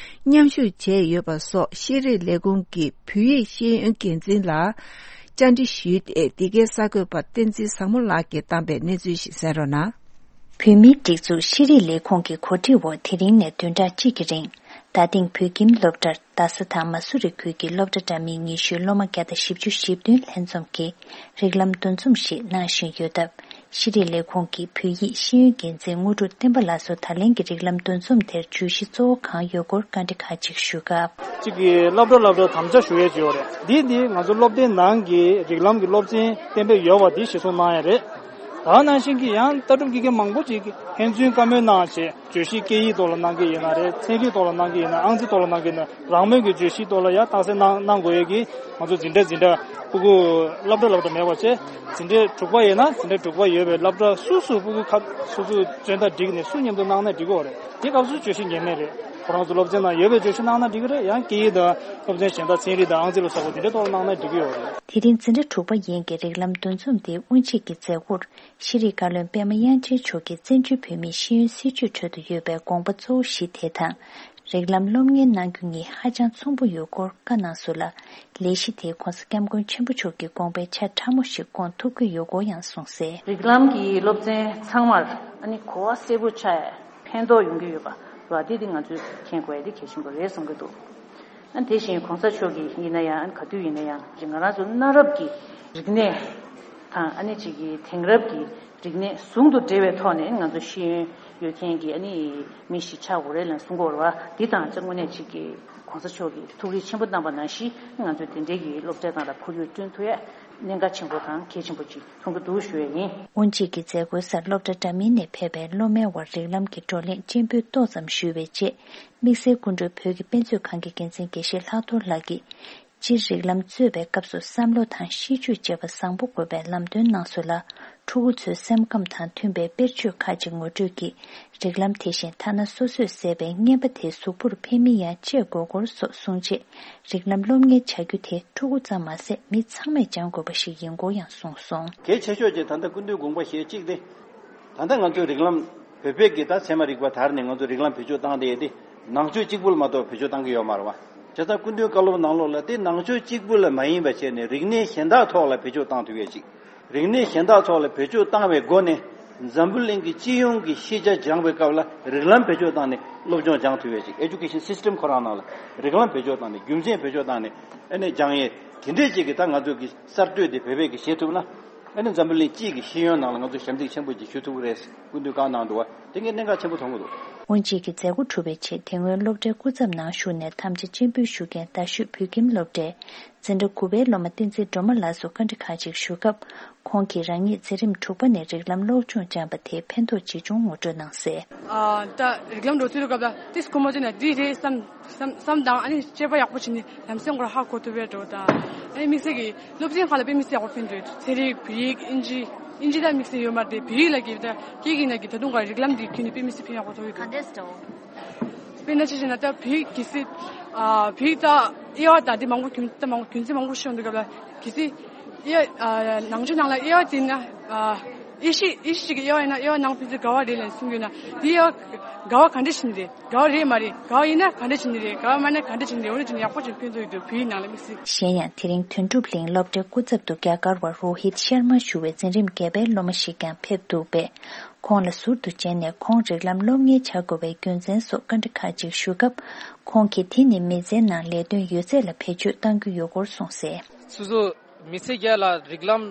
མཉམ་ཞུགས་བྱས་ཡོད་པ་སོགས་ཤེས་རིག་ལས་ཁུངས་ཀྱི་བོད་ཡིག་ཤེས་ཡོན་འགན་འཛིན་ལ་བཅར་འདྲི་ཞུས་ཏེ། འདི་གའི་གསར་འགོད་པ་བསྟན་འཛིན་བཟང་མོ་ལགས་ཀྱིས་བཏང་པའི་གནས་ཚུལ་ཞིག་གསན་རོགས་གནང་། བོད་མིའི་སྒྲིག་འཛུགས་ཤེས་རིག་ལས་ཁུངས་ཀྱི་གོ་སྒྲིག་འོག་དེ་རིང་ནས་བདུན་ཕྲག་གཅིག་གི་རིང་། རྡ་སྟེང་བོད་ཁྱིམ་སློབ་གྲྭར་རྡ་ས་དང་མ་སུ་རི་ཁུལ་གྱི་སློབ་གྲྭ་འདྲ་མིན་ཉི་ཤུའི་སློབ་མ་བརྒྱ་དང་བཞི་བཅུ་ཞེ་བདུན་ལྷན་འཛོམས་ཀྱིས་རིགས་ལམ་འདུ་འཛོམས་ཤིག་གནང་བཞིན་ཡོད་སྟབས། ཤེས་རིག་ལས་ཁུངས་ཀྱི་བོད་ཡིག་ཤེས་ཡོན་འགན་འཛིན་དངོས་གྲུབ་བསྟན་པ་ལགས་སུ་ད་ལན་གྱི་རིགས་ལམ་འདུ་འཛོམས་དེར་བརྗོད་གཞི་གཙོ་བོ་གང་ཡོད་སྐོར་བཀའ་འདྲི་ཁག་ཅིག་ཞུས་སྐབས། གཅིག་གིས་སློབ་གྲྭ་སློབ་གྲྭར་དམ་བཅའ་ཞུ་ཡས་ཅིག་ཡོད་རེད། འདི་འདི་ང་ཚོ་སློབ་སྡེའི་ནང་གི་རིགས་ལམ་གྱི་སློབ་ཚན་གཏན་འབེབས་ཡོད་པ་འདི་གཞིར་བཟུང་གནང་ཡས་རེད། ད་ནང་བཞིན་གྱི་ཡང་ལྟ་གྲུབ་དགེ་རྒན་མང་པོ་ཅིག་ཕན་ཚུན་བཀའ་མོལ་གནང་བྱས། བརྗོད་གཞི་སྐད་ཡིག་ཐོག་ལ་གནང་གི་ཡིན་ན་རེད། ཚན་རིག་ཐོག་ལ་གནང་གི་ཡིན་ན། ཨང་རྩིས་ཐོག་ལ་གནང་གི་ཡིན་ན། རང་མོས་ཀྱི་བརྗོད་གཞི་ཐོག་ལ་ཡང་རྟགས་གསལ་གནང་གནང་དགོས་ཡས་ཀྱི་ང་ཚོ་འཛིན་གྲྭ་འཛིན་གྲྭ་ཕྲུ་གུ་སློབ་གྲྭ་སློབ་གྲྭ་མེད་པ་བྱས། འཛིན་གྲྭ་དྲུག་པ་ཡིན་ན་འཛིན་གྲྭ་དྲུག་པ་ཡོད་པའི་སློབ་གྲྭ་སོ་སོ་ཕྲུ་གུ་ཁ་སོ་སོའི་མཚོན་རྟགས་བསྒྲིགས་ནས་སུ་མཉམ་དུ་གནང་ན་འགྲིག་གི་ཡོད་རེད། དེ་སྐབས་སུ་བརྗོད་གཞི་ངེས་མེད་རེད། ཁོ་རང་ཚོ་སློབ་ཚན་ནང་ཡོད་པའི་བརྗོད་གཞི་གནང་ན་འགྲིག་གི་རེད། ཡང་སྐད་ཡིག་དང་སློབ་ཚན་གཞན་དག་ཚན་རིག་དང་ཨང་རྩིས་ལ་སོགས་པ་དེ་འདྲའི་ཐོག་ལ་གནང་ན་འགྲིག་གི་ཡོད་རེད། དེ་རིང་འཛིན་གྲྭ་དྲུག་པ་ཡན་གྱི་རིགས་ལམ་འདུ་འཛོམས་དེ་དབུ་འབྱེད་ཀྱི་མཛད་སྒོར་ཤེས་རིག་བཀའ་བློན་པད་མ་དབྱངས་ཅན་མཆོག་གིས་བཙན་བྱོལ་བོད་མིའི་ཤེས་ཡོན་སྲིད་བྱུས་ཁྲོད་དུ་ཡོད་པའི་དགོངས་པ་གཙོ་བོ་བཞི་དེ་དང་། རིགས་ལམ་སློབ་གཉེར་གནང་རྒྱུ་གཉིས་ཧ་ཅང་མཚུངས་པོ་ཡོད་སྐོར་བཀའ་གནང་སོང་ལ། ལས་གཞི་དེས་༸གོང་ས་༸སྐྱབས་མགོན་ཆེན་པོ་མཆོག་གི་དགོངས་པའི་ཆ་ཕྲ་མོ་ཞིག་སྐོང་ཐུབ་ཀྱི་ཡོད་སྐོར་ཡང་གསུངས་གསལ། རིགས་ལམ་གྱི་སློབ་ཚན་ཚང་མར་ཨ་ནི་གོ་བ་གསལ་པོ་ཆགས་ཡ་ཕན་ཐོགས་ཡོང་གི་ཡོད་པ་རེད་བ། དེ་དེ་ང་ཚོས་མཁྱེན་དགོས་ཡ་དེ་གལ་ཆེན་པོ་རེད་བསམ་གྱི་འདུག་ཨ་ནི་དེ་བཞིན་གོང་ས་མཆོག་གིས་ཡིན་ན་ཡང་ཨ་ནི་ག་དུས་ཡིན་ན་ཡང་ང་རང་ཚོ་གནའ་རབས་ཀྱི་རིག་གནས་དང་ཨ་ནི་ཅིག་གི་དེང་རབས་ཀྱི་རིག་གནས་ཟུང་དུ་འབྲེལ་བའི་ཐོག་ནས་ང་ཚོ་ཤེས་ཡོན་ཡོད་མཁན་གྱི་ཨ་ནི་མི་ཞིག་ཆགས་དགོས་རེད་ལབ་གསུང་གི་ཡོད་རེད་བ། འདི་དང་ཅིག་དངོས་གནས་ཅིག་གི་༸གོང་ས་མཆོག་གིས་ཐུགས་རེ་ཆེན་པོ་གནང་པ་ནང་བཞིན་ང་ཚོ་དེ་འདྲའི་གི་སློབ་གྲྭ་ནང་ལ་ཁོར་ཡུག་བསྐྲུན་ཐུབ་ཡ་གནད་འགག་ཆེན་པོ་དང་གལ་ཆེན་པོ་ཅིག་མཐོང་གི་འདུག་ཞུ་ཡ་ཡིན། དབུ་འབྱེད་ཀྱི་མཛད་སྒོའི་སར་སློབ་གྲྭ་འདྲ་མིན་ནས་ཕེབས་པའི་སློབ་མའི་དབར་རིགས་ལམ་གྱི་བགྲོ་གླེང་སྤྱན་འབུལ་ཏོག་ཙམ་ཞུས་པའི་རྗེས། དམིགས་བསལ་སྐུ་མགྲོན་བོད་ཀྱི་དཔེ་མཛོད་ཁང་གི་འགན་འཛིན་དགེ་བཤེས་ལྷག་རྡོར་ལགས་ཀྱིས། སྤྱིར་རིགས་ལམ་རྩོད་པའི་སྐབས་སུ་བསམ་བློ་དང་ཤེས་སྤྱོད་བཅས་པ་བཟང་པོ་དགོས་པའི་ལམ་སྟོན་གནང་སོང་ལ། ཕྲུ་གུ་ཚོའི་སེམས་ཁམས་དང་མཐུན་པའི་དཔེར་བརྗོད་ཁག་ཅིག་ངོ་སྤྲོད་ཀྱིས། རིགས་ལམ་དེ་བཞིན་ཐ་ན་སོ་སོས་བཟས་པའི་རྔན་པ་དེ་གཟུགས་པོར་ཕན་མིན་ཡང་དཔྱད་དགོས་སྐོར་སོགས་གསུངས་རྗེས། རིགས་ལམ་སློབ་གཉེར་བྱ་རྒྱུ་དེ་ཕྲུ་གུ་ཙམ་མ་ཟད་མི་ཚང་མས་སྦྱང་དགོས་པ་ཞིག་ཡིན་སྐོར་ཡང་གསུངས་སོང་། གལ་ཆེ་ཤོས་ཀྱི་ད་ལྟ་སྐུ་མདུན་དགོངས་པ་བཞེས་གཅིག་སྟེ། ད་ལྟ་ང་ཚོའི་རིགས་ལམ་བོད་པའི་གི་ད་ཚད་མ་རིག་པ་དར་ནས་ང་ཚོ་རིགས་ལམ་བེད་སྤྱོད་བཏང་བསྡད་དེ། ནང་ཆོས་གཅིག་པུ་ལ་མ་གཏོགས་བེད་སྤྱོད་བཏང་གི་ཡོད་མ་རེད་བ། བྱས་ཙང་སྐུ་མདུན་བཀའ་སློབ་ནང་ལོགས་ལ་དེ་ནང་ཆོས་གཅིག་པུ་ལ་མ་ཡིན་པ་བྱས་ནས་རིག་གནས་གཞན་དག་ཐོག་ལ་བེད་སྤྱོད་བཏང་ཐུབ་ཡས་ཅིག་རིག་གནས་གཞན་དག་ཐོག་ལ་བེད་སྤྱོད་བཏང་བའི་སྒོ་ནས་འཛམ་བུ་གླིང་གི་སྤྱི་ཡོངས་ཀྱི་ཤེས་བྱ་སྦྱང་བའི་སྐབས་ལ་རིགས་ལམ་བེད་སྤྱོད་བཏང་ནས་སློབ་སྦྱོང་སྦྱང་ཐུབ་ཡས་ཅིག Education System ཁོ་རང་ནང་ལ་རིགས་ལམ་བེད་སྤྱོད་བཏང་ནས་རྒྱུ་མཚན་བེད་སྤྱོད་བཏང་ནས་ཨ་ནི་སྦྱང་ཡས་དེ་འདྲས་ཅིག་གི་ད་ང་ཚོ་གི་གསར་གཏོད་དེ་བོད་པས་གི་བྱེད་ཐུབ་ན། ཨ་ནི་འཛམ་བུ་གླིང་སྤྱི་གི་ཤེས་ཡོན་ནང་ལ་ང་ཚོ་ཞབས་འདེགས་ཆེན་པོ་ཅིག་ཞུ་ཐུབ་ཀྱི་རེད། སྐུ་མདུན་བཀའ་གནང་འདུག་བ། དེ་ངས་གནད་འགག་ཆེན་པོ་མཐོང་གི་འདུག་དབུ་འབྱེད་ཀྱི་མཛད་སྒོ་གྲུབ་པའི་རྗེས་དེ་སྔོན་སློབ་གྲྭའི་སྐུ་ཚབ་ནང་ཞུགས་ནས་དམ་བཅའ་སྤྱན་འབུལ་ཞུ་མཁན་རྡ་ཤོད་བོད་ཁྱིམ་སློབ་གྲྭའི་འཛིན་གྲྭ་དགུ་པའི་སློབ་མ་བསྟན་འཛིན་སྒྲོལ་མ་ལགས་སུ་བཀའ་འདྲི་ཁག་ཅིག་ཞུ་སྐབས། ཁོང་གིས་རང་ཉིད་འཛིན་རིམ་དྲུག་པ་ནས་རིགས་ལམ་སློབ་སྦྱོང་སྦྱངས་པ་དེ་ཕན་ཐོགས་ཇི་བྱུང་ངོ་སྤྲོད་གནང་གསལ། ཨ། ད་རིགས་ལམ་འགྲོ་ཚུལ་སྐབས་ལ་ཏིས་ཁོ་མོ་ཚོས་ན་འདི་རེད་བསམ་བསམ་བསམ་དང་ཨ་ནི་དཔྱད་པ་ཡག་པོ་བྱས་ནས་ལམ་སེང་སྐོར་ཧ་གོ་ཐུབ་པའི་འགྲོ་དང་ཨ་ནི་དམིགས་བསལ་གྱི་སློབ་ཚན་ཁག་ལ་དཔེ་མི་སྲིད་ཡག་པོ་ཕན་འདུག་ཚན་རིག་བོད་ཡིག་ཨིན་ཇི་ཨིན་ཇི་ལ་དམིགས་བསལ་ཡོད་མ་རེད་དེ་བོད་ཡིག་ལ་གི་ད་སྐད་ཀྱི་ནང་གི་ད་དུང་ག་རིགས་ལམ་འདི་ཁྱོན་ནས་དཔེ་མི་སྲིད་ཕན་ཡག་པོ་ཐོགས་ཡོད་འདུག་ག་འདྲས་འདྲ་བོ། དཔེར་ན་ཅི་བྱས་ན་ད་བོད་ཡིག་གལ་སྲིད་ཨ་བོད་ཡིག་ད་དབྱེ་བ་དང་དེ་མང་པོ་རྒྱུན་ད་མང་པོ་རྒྱུན་ཚན་མང་པོ་ཤོང་འདུག་སྐབས་ལ་གལ་སྲིད་དབྱེ་ཨ་ནང་ཆོས་ནང་ལ་དབྱེ་བ་དེ་ན་ཨ་དབྱེ་གཞི་དབྱེ་གཞི་ཅིག་གི་དབྱེ་བ་ཡིན་ན་དབྱེ་བ་ནང་ཕན་ཚུན་འགལ་བ་རེད་ལབ་གསུང་གི་ཡོད་ན་དེ་དབྱེ་བ་འགལ་བ་ག་འདྲ་ཞིག་རེད། འགལ་བ་རེད་མ་རེད། འགལ་བ་ཡིན་ན་ག་འདྲ་བྱས་ནས་རེད། འགལ་བ་མ་ཡིན་ན་ག་འདྲ་བྱས་ནས་རེད། འོ་ན་ཅིག་ཡག་པོ་ཅིག་ཕན་ཐོགས་ཡོད་འདུག་བོད་ཡིག་ནང་ལ་དམིགས་བསལ། གཞན་ཡང་དེ་རིང་དོན་གྲུབ་གླིང་སློབ་གྲྭའི་སྐུ་ཚབ་ཏུ་རྒྱ་གར་བ་རོ་ཧིད་ཤར་མ་ཞུ་བའི་འཛིན་རིམ་བརྒྱད་པའི་སློབ་མ་ཞིག་ཀྱང་ཕེབས་འདུག་པས། ཁོང་ལ་ཟུར་དུ་མཇལ་ནས་ཁོང་རིགས་ལམ་སློབ་གཉེར་བྱ་དགོས་པའི་རྒྱུ་མཚན་སོགས་བཀའ་འདྲི་ཁག་ཅིག་ཞུ་སྐབས། ཁོང་གིས་དེ་ནི་མི་ཚེའི་ནང་ལས་དོན་ཡོད་ཚད་ལ་བེད་སྤྱོད་གཏང་རྒྱུ་ཡོད་སྐོར་གསུངས་གསལ། སོ་སོ་མི་ཚེ་བརྒྱད་ལ་རིགས་ལམ་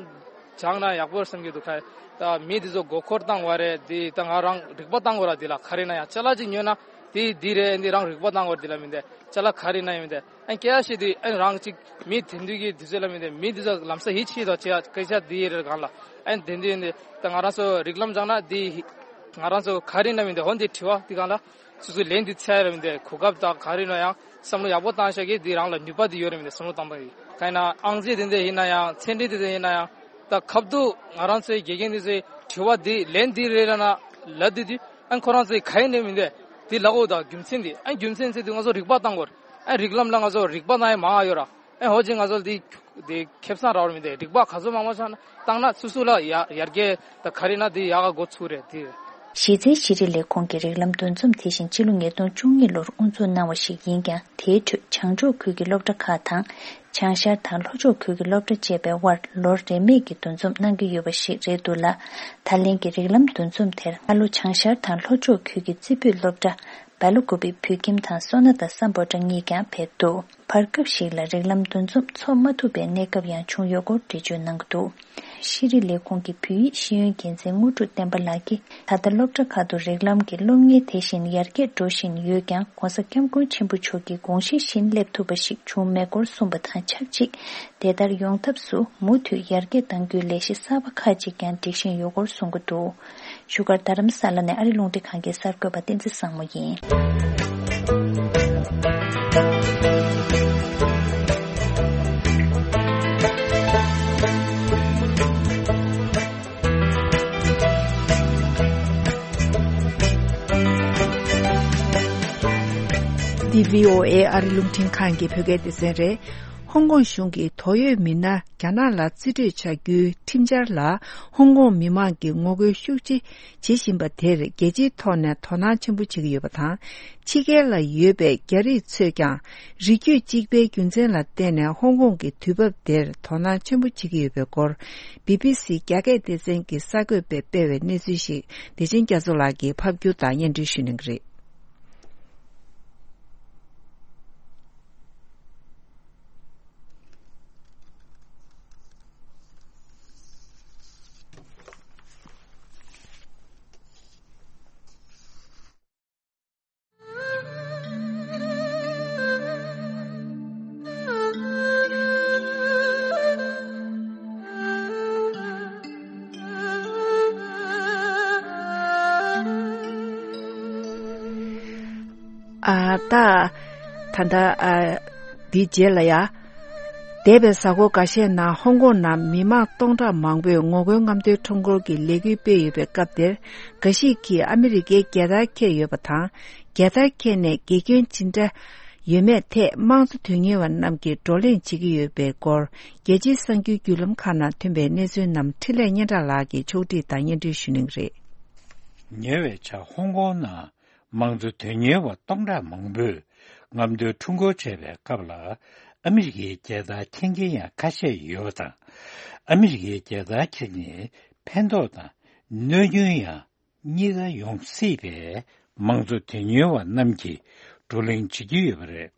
སྦྱངས་ན་ཡག་པོ་རེད་བསམ་གྱི་འདུག་ཁ། ད་མི་དེ་ཚོ་མགོ་འཁོར་བཏང་བ་རེད། དེ་ད་ང་རང་རིག་པ་བཏང་དགོས་ར། དེ་ལ་ག་རེ་ན་ཡང་ཅ་ལག་ཅིག་ཉོས་ན་དེ་འདི་རེད། འདི་རང་རིག་པ་བཏང་དགོས་ར། དེ་ལ་མི་འདི་ཅ་ལག་ག་རེ་ན་ཡང་མི་འདི་ཨ་སྐད་ཆ་བཤད་དུས་ཨ་རང་ཅིག་མི་དེ་འདུས་ཀྱི་དུས་ཚོད་ལ་མི་འདི་མི་དེ་ཚོ་ལམ་སང་ཡིད་ཆེས་དང་བྱེད་སྐད་ཆ་འདི་རེད་གང་ལ་ཨ་དེ་འདི་འདི་ད་ང་རང་ཚོ་རིགས་ལམ་སྦྱངས་ན་དེ་ང་རང་ཚོ་ག་རེ་ན་མི་འདི་འོ་འདི་དྲི་བ་དེ་གང་ལ། སོ་སོའི་ལན་འདི་འཚོལ་ར་མི་འདི་གོ་སྐབས་དང་ག་རེ་ན་ཡང་བསམ་བློ་ཡག་པོ་བཏང་ཤག་གི་འདི་རང་ལ་ནུས་པ་འདི་ཡོད་ར་མི་འདི་བསམ་བློ་བཏང་པ་ཡིན། གང་ཡིན་ན་ཨང་རྩིས་དེ་འདྲ་ཡིན་ན་ཡང་ཚན་རིག་དེ་འདྲ་ཡིན་ན་ཡང་ད་ཁབ་ཏུ་ང་རང་ཚོའི་དགེ་རྒན་འདི་ཚོའི་དྲི་བ་འདི་ལན་འདི་རེ་ར་ན་ལབ་དུས་དུས་ཨ་ཁོ་རང་ཚོའི་ག་ཡིན་ནའི་མི་འདི་འདི་ལབ་འོ་ད་རྒྱུ་མཚན་འདི་ཨ་རྒྱུ་མཚན་ཚེ་འདི་ང་ཚོ་རིག་པ་བཏང་དགོས་ར། ཨ་རིགས་ལམ་ལ་ང་ཚོ་རིག་པ་བཏང་ཡ་མང་ཡོད་ར། ཨེ་ཧོ་ཅིག་ང་ཚོ་འདི་འདི་ཁེ་བཟང་རག་ར་མི་འདི་རིག་པ་ག་ཚོད་མང་མང་ཆགས་ན་བཏང་ན་སུ་སུ་ལ་ཡ་ཡར་རྒྱས་ད་ག་རེ་ན་འདི་ཡག་ག་འགོ་ཚུགས་རེད་འདི། གཞི་རྩའི་ཤེས་རིག་ལས་ཁུངས་ཀྱི་རིགས་ལམ་འདུ་འཛོམས་དེ་བཞིན་སྤྱི་ལོ་ཉིས་སྟོང་བཅུ་གཉིས་ལོར་དབུ་འཛུགས་གནང་བ་ཞིག་ཡིན་ཀྱང་དེའི་ཁྲོད་བྱང་ཕྱོགས་ཁུལ་གྱི་སློབ་གྲྭ་ཁག་དང་བྱང་ཤར་དང་ལྷོ་ཕྱོགས་ཁུལ་གྱི་སློབ་གྲྭ་བཅས་པའི་དབར་ལོ་རེ་མིག་གི་འདུ་འཛོམས་གནང་གི་ཡོད་པ་ཞིག་རེད་འདུག་ལ། ད་ལན་གྱི་རིགས་ལམ་འདུ་འཛོམས་དེར་ཨ་ལོ་བྱང་ཤར་དང་ལྷོ་ཕྱོགས་ཁུལ་གྱི་རྩེ་ཕུད་སློབ་གྲྭ། སྦེལ་ཀོབ་བོད་ཁྱིམ་དང་སོ་ན་ད་སམ་བྷོ་ཊ་གཉིས་ཀྱང་ཕེབས་འདུག་བར་སྐབས་ཤིག་ལ་རིགས་ལམ་འདུ་འཛོམས་འཚོགས་མ་ཐུབ་པའི་གནས་སྐབས་ཡང་བྱུང་ཡོད་སྐོར་འགྲེལ་བརྗོད་གནང་གི་འདུག་ཤེས་རིག་ལས་ཁུངས་ཀྱི་བོད་ཡིག་ཤེས་ཡོན་འགན་འཛིན་དངོས་གྲུབ་བསྟན་པ་ལགས་ཀྱིས་ད་ལྟ་སློབ་གྲྭ་ཁག་ཏུ་རིགས་ལམ་གྱི་སློབ་གཉེར་དེ་བཞིན་ཡར་རྒྱས་འགྲོ་བཞིན་ཡོད་ཀྱང་༸གོང་ས་༸སྐྱབས་མགོན་ཆེན་པོ་མཆོག་གི་དགོངས་གཞི་བཞིན་སླེབས་ཐུབ་པ་ཞིག་བྱུང་མེད་སྐོར་གསུངས་པ་དང་ཆབས་ཅིག་དེ་ལྟར་ཡོང་ཐབས་སུ་མུ་མཐུད་ཡར་རྒྱས་གཏང་རྒྱུའི་ལས་གཞི་གསར་པ་ཁག་ཅིག་ཀྱང་སྒྲིག་བཞིན་ཡོད་སྐོར་གསུང་གི་འདུག་བཞུགས་སྒར་རྡ་རམ་ས་ལ་ནས་ཨ་རི་རླུང་འཕྲིན་ཁང་གི་གསར་འགོད་པ་བསྟན་འཛིན་བཟང་མོ་ཡིན། འདི་བྷི་ཨོ་ཨེ་ཨ་རི་རླུང་འཕྲིན་ཁང་གི་བོད་སྐད་སྡེ་ཚན་རེད། ཧོང་ཀོང་གཞུང་གིས་དོགས་ཡོད་མི་སྣ་རྒྱ་ནག་ལ་རྩིས་སྤྲོད་བྱ་རྒྱུའི་ཁྲིམས་འཆར་ལ་ཧོང་ཀོང་མི་མང་གིས་ངོ་རྒོལ་ཤུགས་ཆེ་བྱེད་བཞིན་པ་དེར་རྒྱལ་སྤྱིའི་ཐོག་ནས་དོ་སྣང་ཆེན་པོ་བྱེད་ཀྱི་ཡོད་པ་དང་། ཕྱི་རྒྱལ་ལ་ཡོད་པའི་རྒྱ་རིགས་ཚོས་ཀྱང་རིགས་རྒྱུད་གཅིག་པའི་རྒྱུ་མཚན་ལ་བརྟེན་ནས་ཧོང་ཀོང་གི་དུས་བབ་དེར་དོ་སྣང་ཆེན་པོ་བྱེད་ཀྱི་ཡོད་པའི་སྐོར། བི་བི་སི་རྒྱ་སྐད་སྡེ་ཚན་གྱི་གསར་འགོད་པས་སྤེལ་བའི་གནས་ཚུལ་ཞིག་བདེ་ཆེན་རྒྱ་མཚོ་ལགས་ཀྱིས་ཕབ་སྒྱུར་དང་སྙན་སྒྲོན་ཞུ་གནང་གི་རེད། ཨ། ད། ད་ལྟ། ཨ། འདིའི་རྗེས་ལ་ཡ། འདས་པའི་གཟའ་འཁོར་འགའ་ཤས་ནང་ཧོང་ཀོང་ནང་མི་མང་སྟོང་ཕྲག་མང་པོས་ངོ་རྒོལ་རྔམ་སྟོན་ཁྲོམ་སྐོར་གྱི་ལས་འགུལ་སྤེལ་ཡོད་པའི་སྐབས་དེར། འགའ་ཞིག་གིས་ཨ་མི་རི་ཀའི་རྒྱལ་དར་འཁྱེར་ཡོད་པ་དང་། རྒྱལ་དར་འཁྱེར་ནས་དགེ་སྐྱོན་ཇི་འདྲ་ཡོད་མེད་ཐད་དམངས་གཙོ་དོན་གཉེར་བ་རྣམས་ཀྱིས་བགྲོ་གླེང་བྱེད་ཀྱི་ཡོད་པའི་སྐོར། རྒྱལ་སྤྱིའི་གསར་འགྱུར་བརྒྱུད་ལམ་ཁག་ནང་ཐོན་པའི་གནས་ཚུལ་རྣམས་འཕྲིན་ལས་སྙན་གྲགས་ལགས་ཀྱིས་ཕྱོགས་སྒྲིག་དང་སྙན་སྒྲོན་ཞུ་གནང་གི་རེད། ཉེ་བའི་ཆར་ཧོང་ཀོང་ནང་དམངས་གཙོ་དོན་གཉེར་བ་སྟོང་ཕྲག་མང་པོས་རྔམ་སྟོན་ཁྲོམ་སྐོར་བྱས་པའི་སྐབས་ལ། ཨ་མི་རི་ཀའི་རྒྱལ་དར་འཁྱེར་མཁན་ཡང་ཁ་ཤས་ཡོད་པ་དང་། ཨ་མི་རི་ཀའི་རྒྱལ་དར་འཁྱེར་ནས་ཕན་ཐོགས་དང་གནོད་སྐྱོན་ཡང་གཉིས་ཀ་ཡོང་སྲིད་པས། དམངས་གཙོ་དོན་གཉེར་བ་རྣམས་ཀྱིས་བགྲོ་གླེང་བྱེད་ཀྱི་ཡོད་པ་རེད།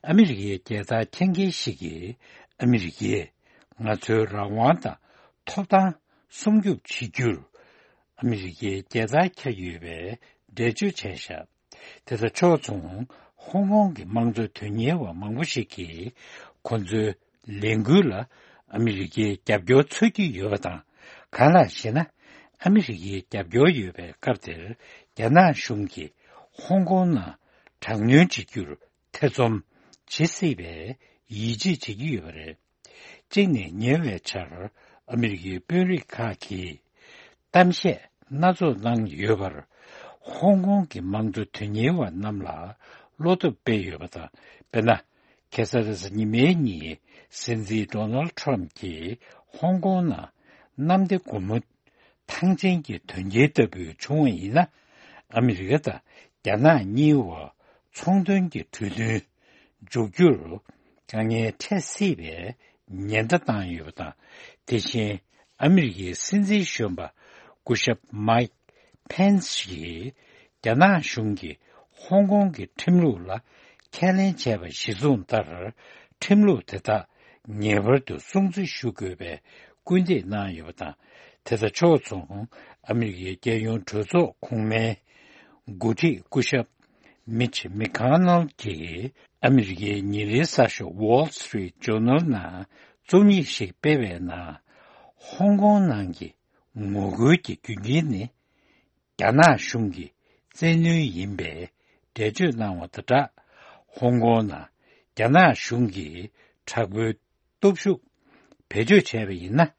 ཨ་མི་རི་ཀའི་རྒྱལ་དར་འཁྱེར་མཁན་ཞིག་གིས། ཨ་མི་རི་ཀས་ང་ཚོའི་རང་དབང་དང་ཐོབ་ཐང་སྲུང་སྐྱོབ་བྱེད་རྒྱུར། ཨ་མི་རི་ཀའི་རྒྱལ་དར་འཁྱེར་ཡོད་པའི་འགྲེལ་བརྗོད་བྱས་བཞག་དེ་དང་ཕྱོགས་མཚུངས། ཧོང་ཀོང་གི་དམངས་གཙོ་དོན་གཉེར་བ་མང་པོ་ཞིག་གིས། ཁོ་ཚོའི་ལས་འགུལ་ལ་ཨ་མི་རི་ཀའི་རྒྱབ་སྐྱོར་འཚོལ་གྱི་ཡོད་པ་དང་། གང་ལགས་ཤེ་ན། ཨ་མི་རི་ཀའི་རྒྱབ་སྐྱོར་ཡོད་པའི་སྐབས་དེར། རྒྱ་ནག་གཞུང་གིས་ཧོང་ཀོང་ནང་དྲག་གནོན་བྱེད་རྒྱུར་ཐེ་ཚོམ་བྱེད་སྲིད་པའི་ཡིད་ཆེས་བྱེད་ཀྱི་ཡོད་པ་རེད། གཅིག་ནས། ཉེ་བའི་ཆར་ཨ་མི་རི་ཀའི་དཔོན་རིགས་ཁག་གིས་གཏམ་བཤད་སྣ་ཚོགས་གནང་ཡོད་པར། ཧོང་ཀོང་གི་དམངས་གཙོ་དོན་གཉེར་བ་རྣམས་ལ་བློ་སྟོབས་སྤེལ་ཡོད་པ་དང་། དཔེར་ན། ཁ་སང་རེས་གཟའ་ཉི་མའི་ཉིན། སྲིད་འཛིན་ཌོ་ནལ་ཁྲམ་གྱིས་ཧོང་ཀོང་ནང་གནམ་བདེ་སྒོ་མོ། ཐང་ཆེན་གྱི་དོན་རྐྱེན་ལྟ་བུ་བྱུང་བ་ཡིན་ན། ཨ་མི་རི་ཀ་དང་རྒྱ་ནག་གཉིས་བར་ཚོང་དོན་གྱི་གྲོས་མཐུན་འཇོག་རྒྱུར་དཀའ་ངལ་འཕྲད་སྲིད་པའི་ཉེན་བརྡ་བཏང་ཡོད་པ་དང་། དེ་བཞིན་ཨ་མི་རི་ཀའི་སྲིད་འཛིན་གཞོན་པ་སྐུ་ཞབས་མའིག་ཕེན་སི་ཡིས། རྒྱ་ནག་གཞུང་གིས་ཧོང་ཀོང་གི་ཁྲིམས་ལུགས་ལ་ཁས་ལེན་བྱས་པ་གཞིར་བཟུང་ལྟར། ཁྲིམས་ལུགས་དེ་དག་ངེས་པར་དུ་སྲུང་བརྩི་ཞུ་དགོས་པའི་སྐུལ་འདེད་གནང་ཡོད་པ་དང་། དེ་དང་ཕྱོགས་མཚུངས། ཨ་མི་རི་ཀའི་རྒྱལ་ཡོངས་གྲོས་ཚོགས་གོང་མའི་འགོ་ཁྲིད་སྐུ་ཞབས་མིཆ་མེ་ཁ་ནལ་གྱིས། ཨ་མི་རི་ཀའི་ཉིན་རེའི་གསར་ཤོག་Wall Street Journal ནང་རྩོམ་ཡིག་ཞིག་སྤེལ་བའི་ནང་། ཧོང་ཀོང་ནང་གི་ངོ་རྒོལ་གྱི་རྒྱུ་རྐྱེན་ནི། རྒྱ་ནག་གཞུང་གི་བཙན་གནོན་ཡིན་པའི་འགྲེལ་བརྗོད་གནང་བ་དང་སྦྲགས། ཧོང་ཀོང་ནང་རྒྱ་ནག་གཞུང་གིས་དྲག་པོའི་སྟོབས་ཤུགས་བེད་སྤྱོད་བྱས་པ་ཡིན་ན།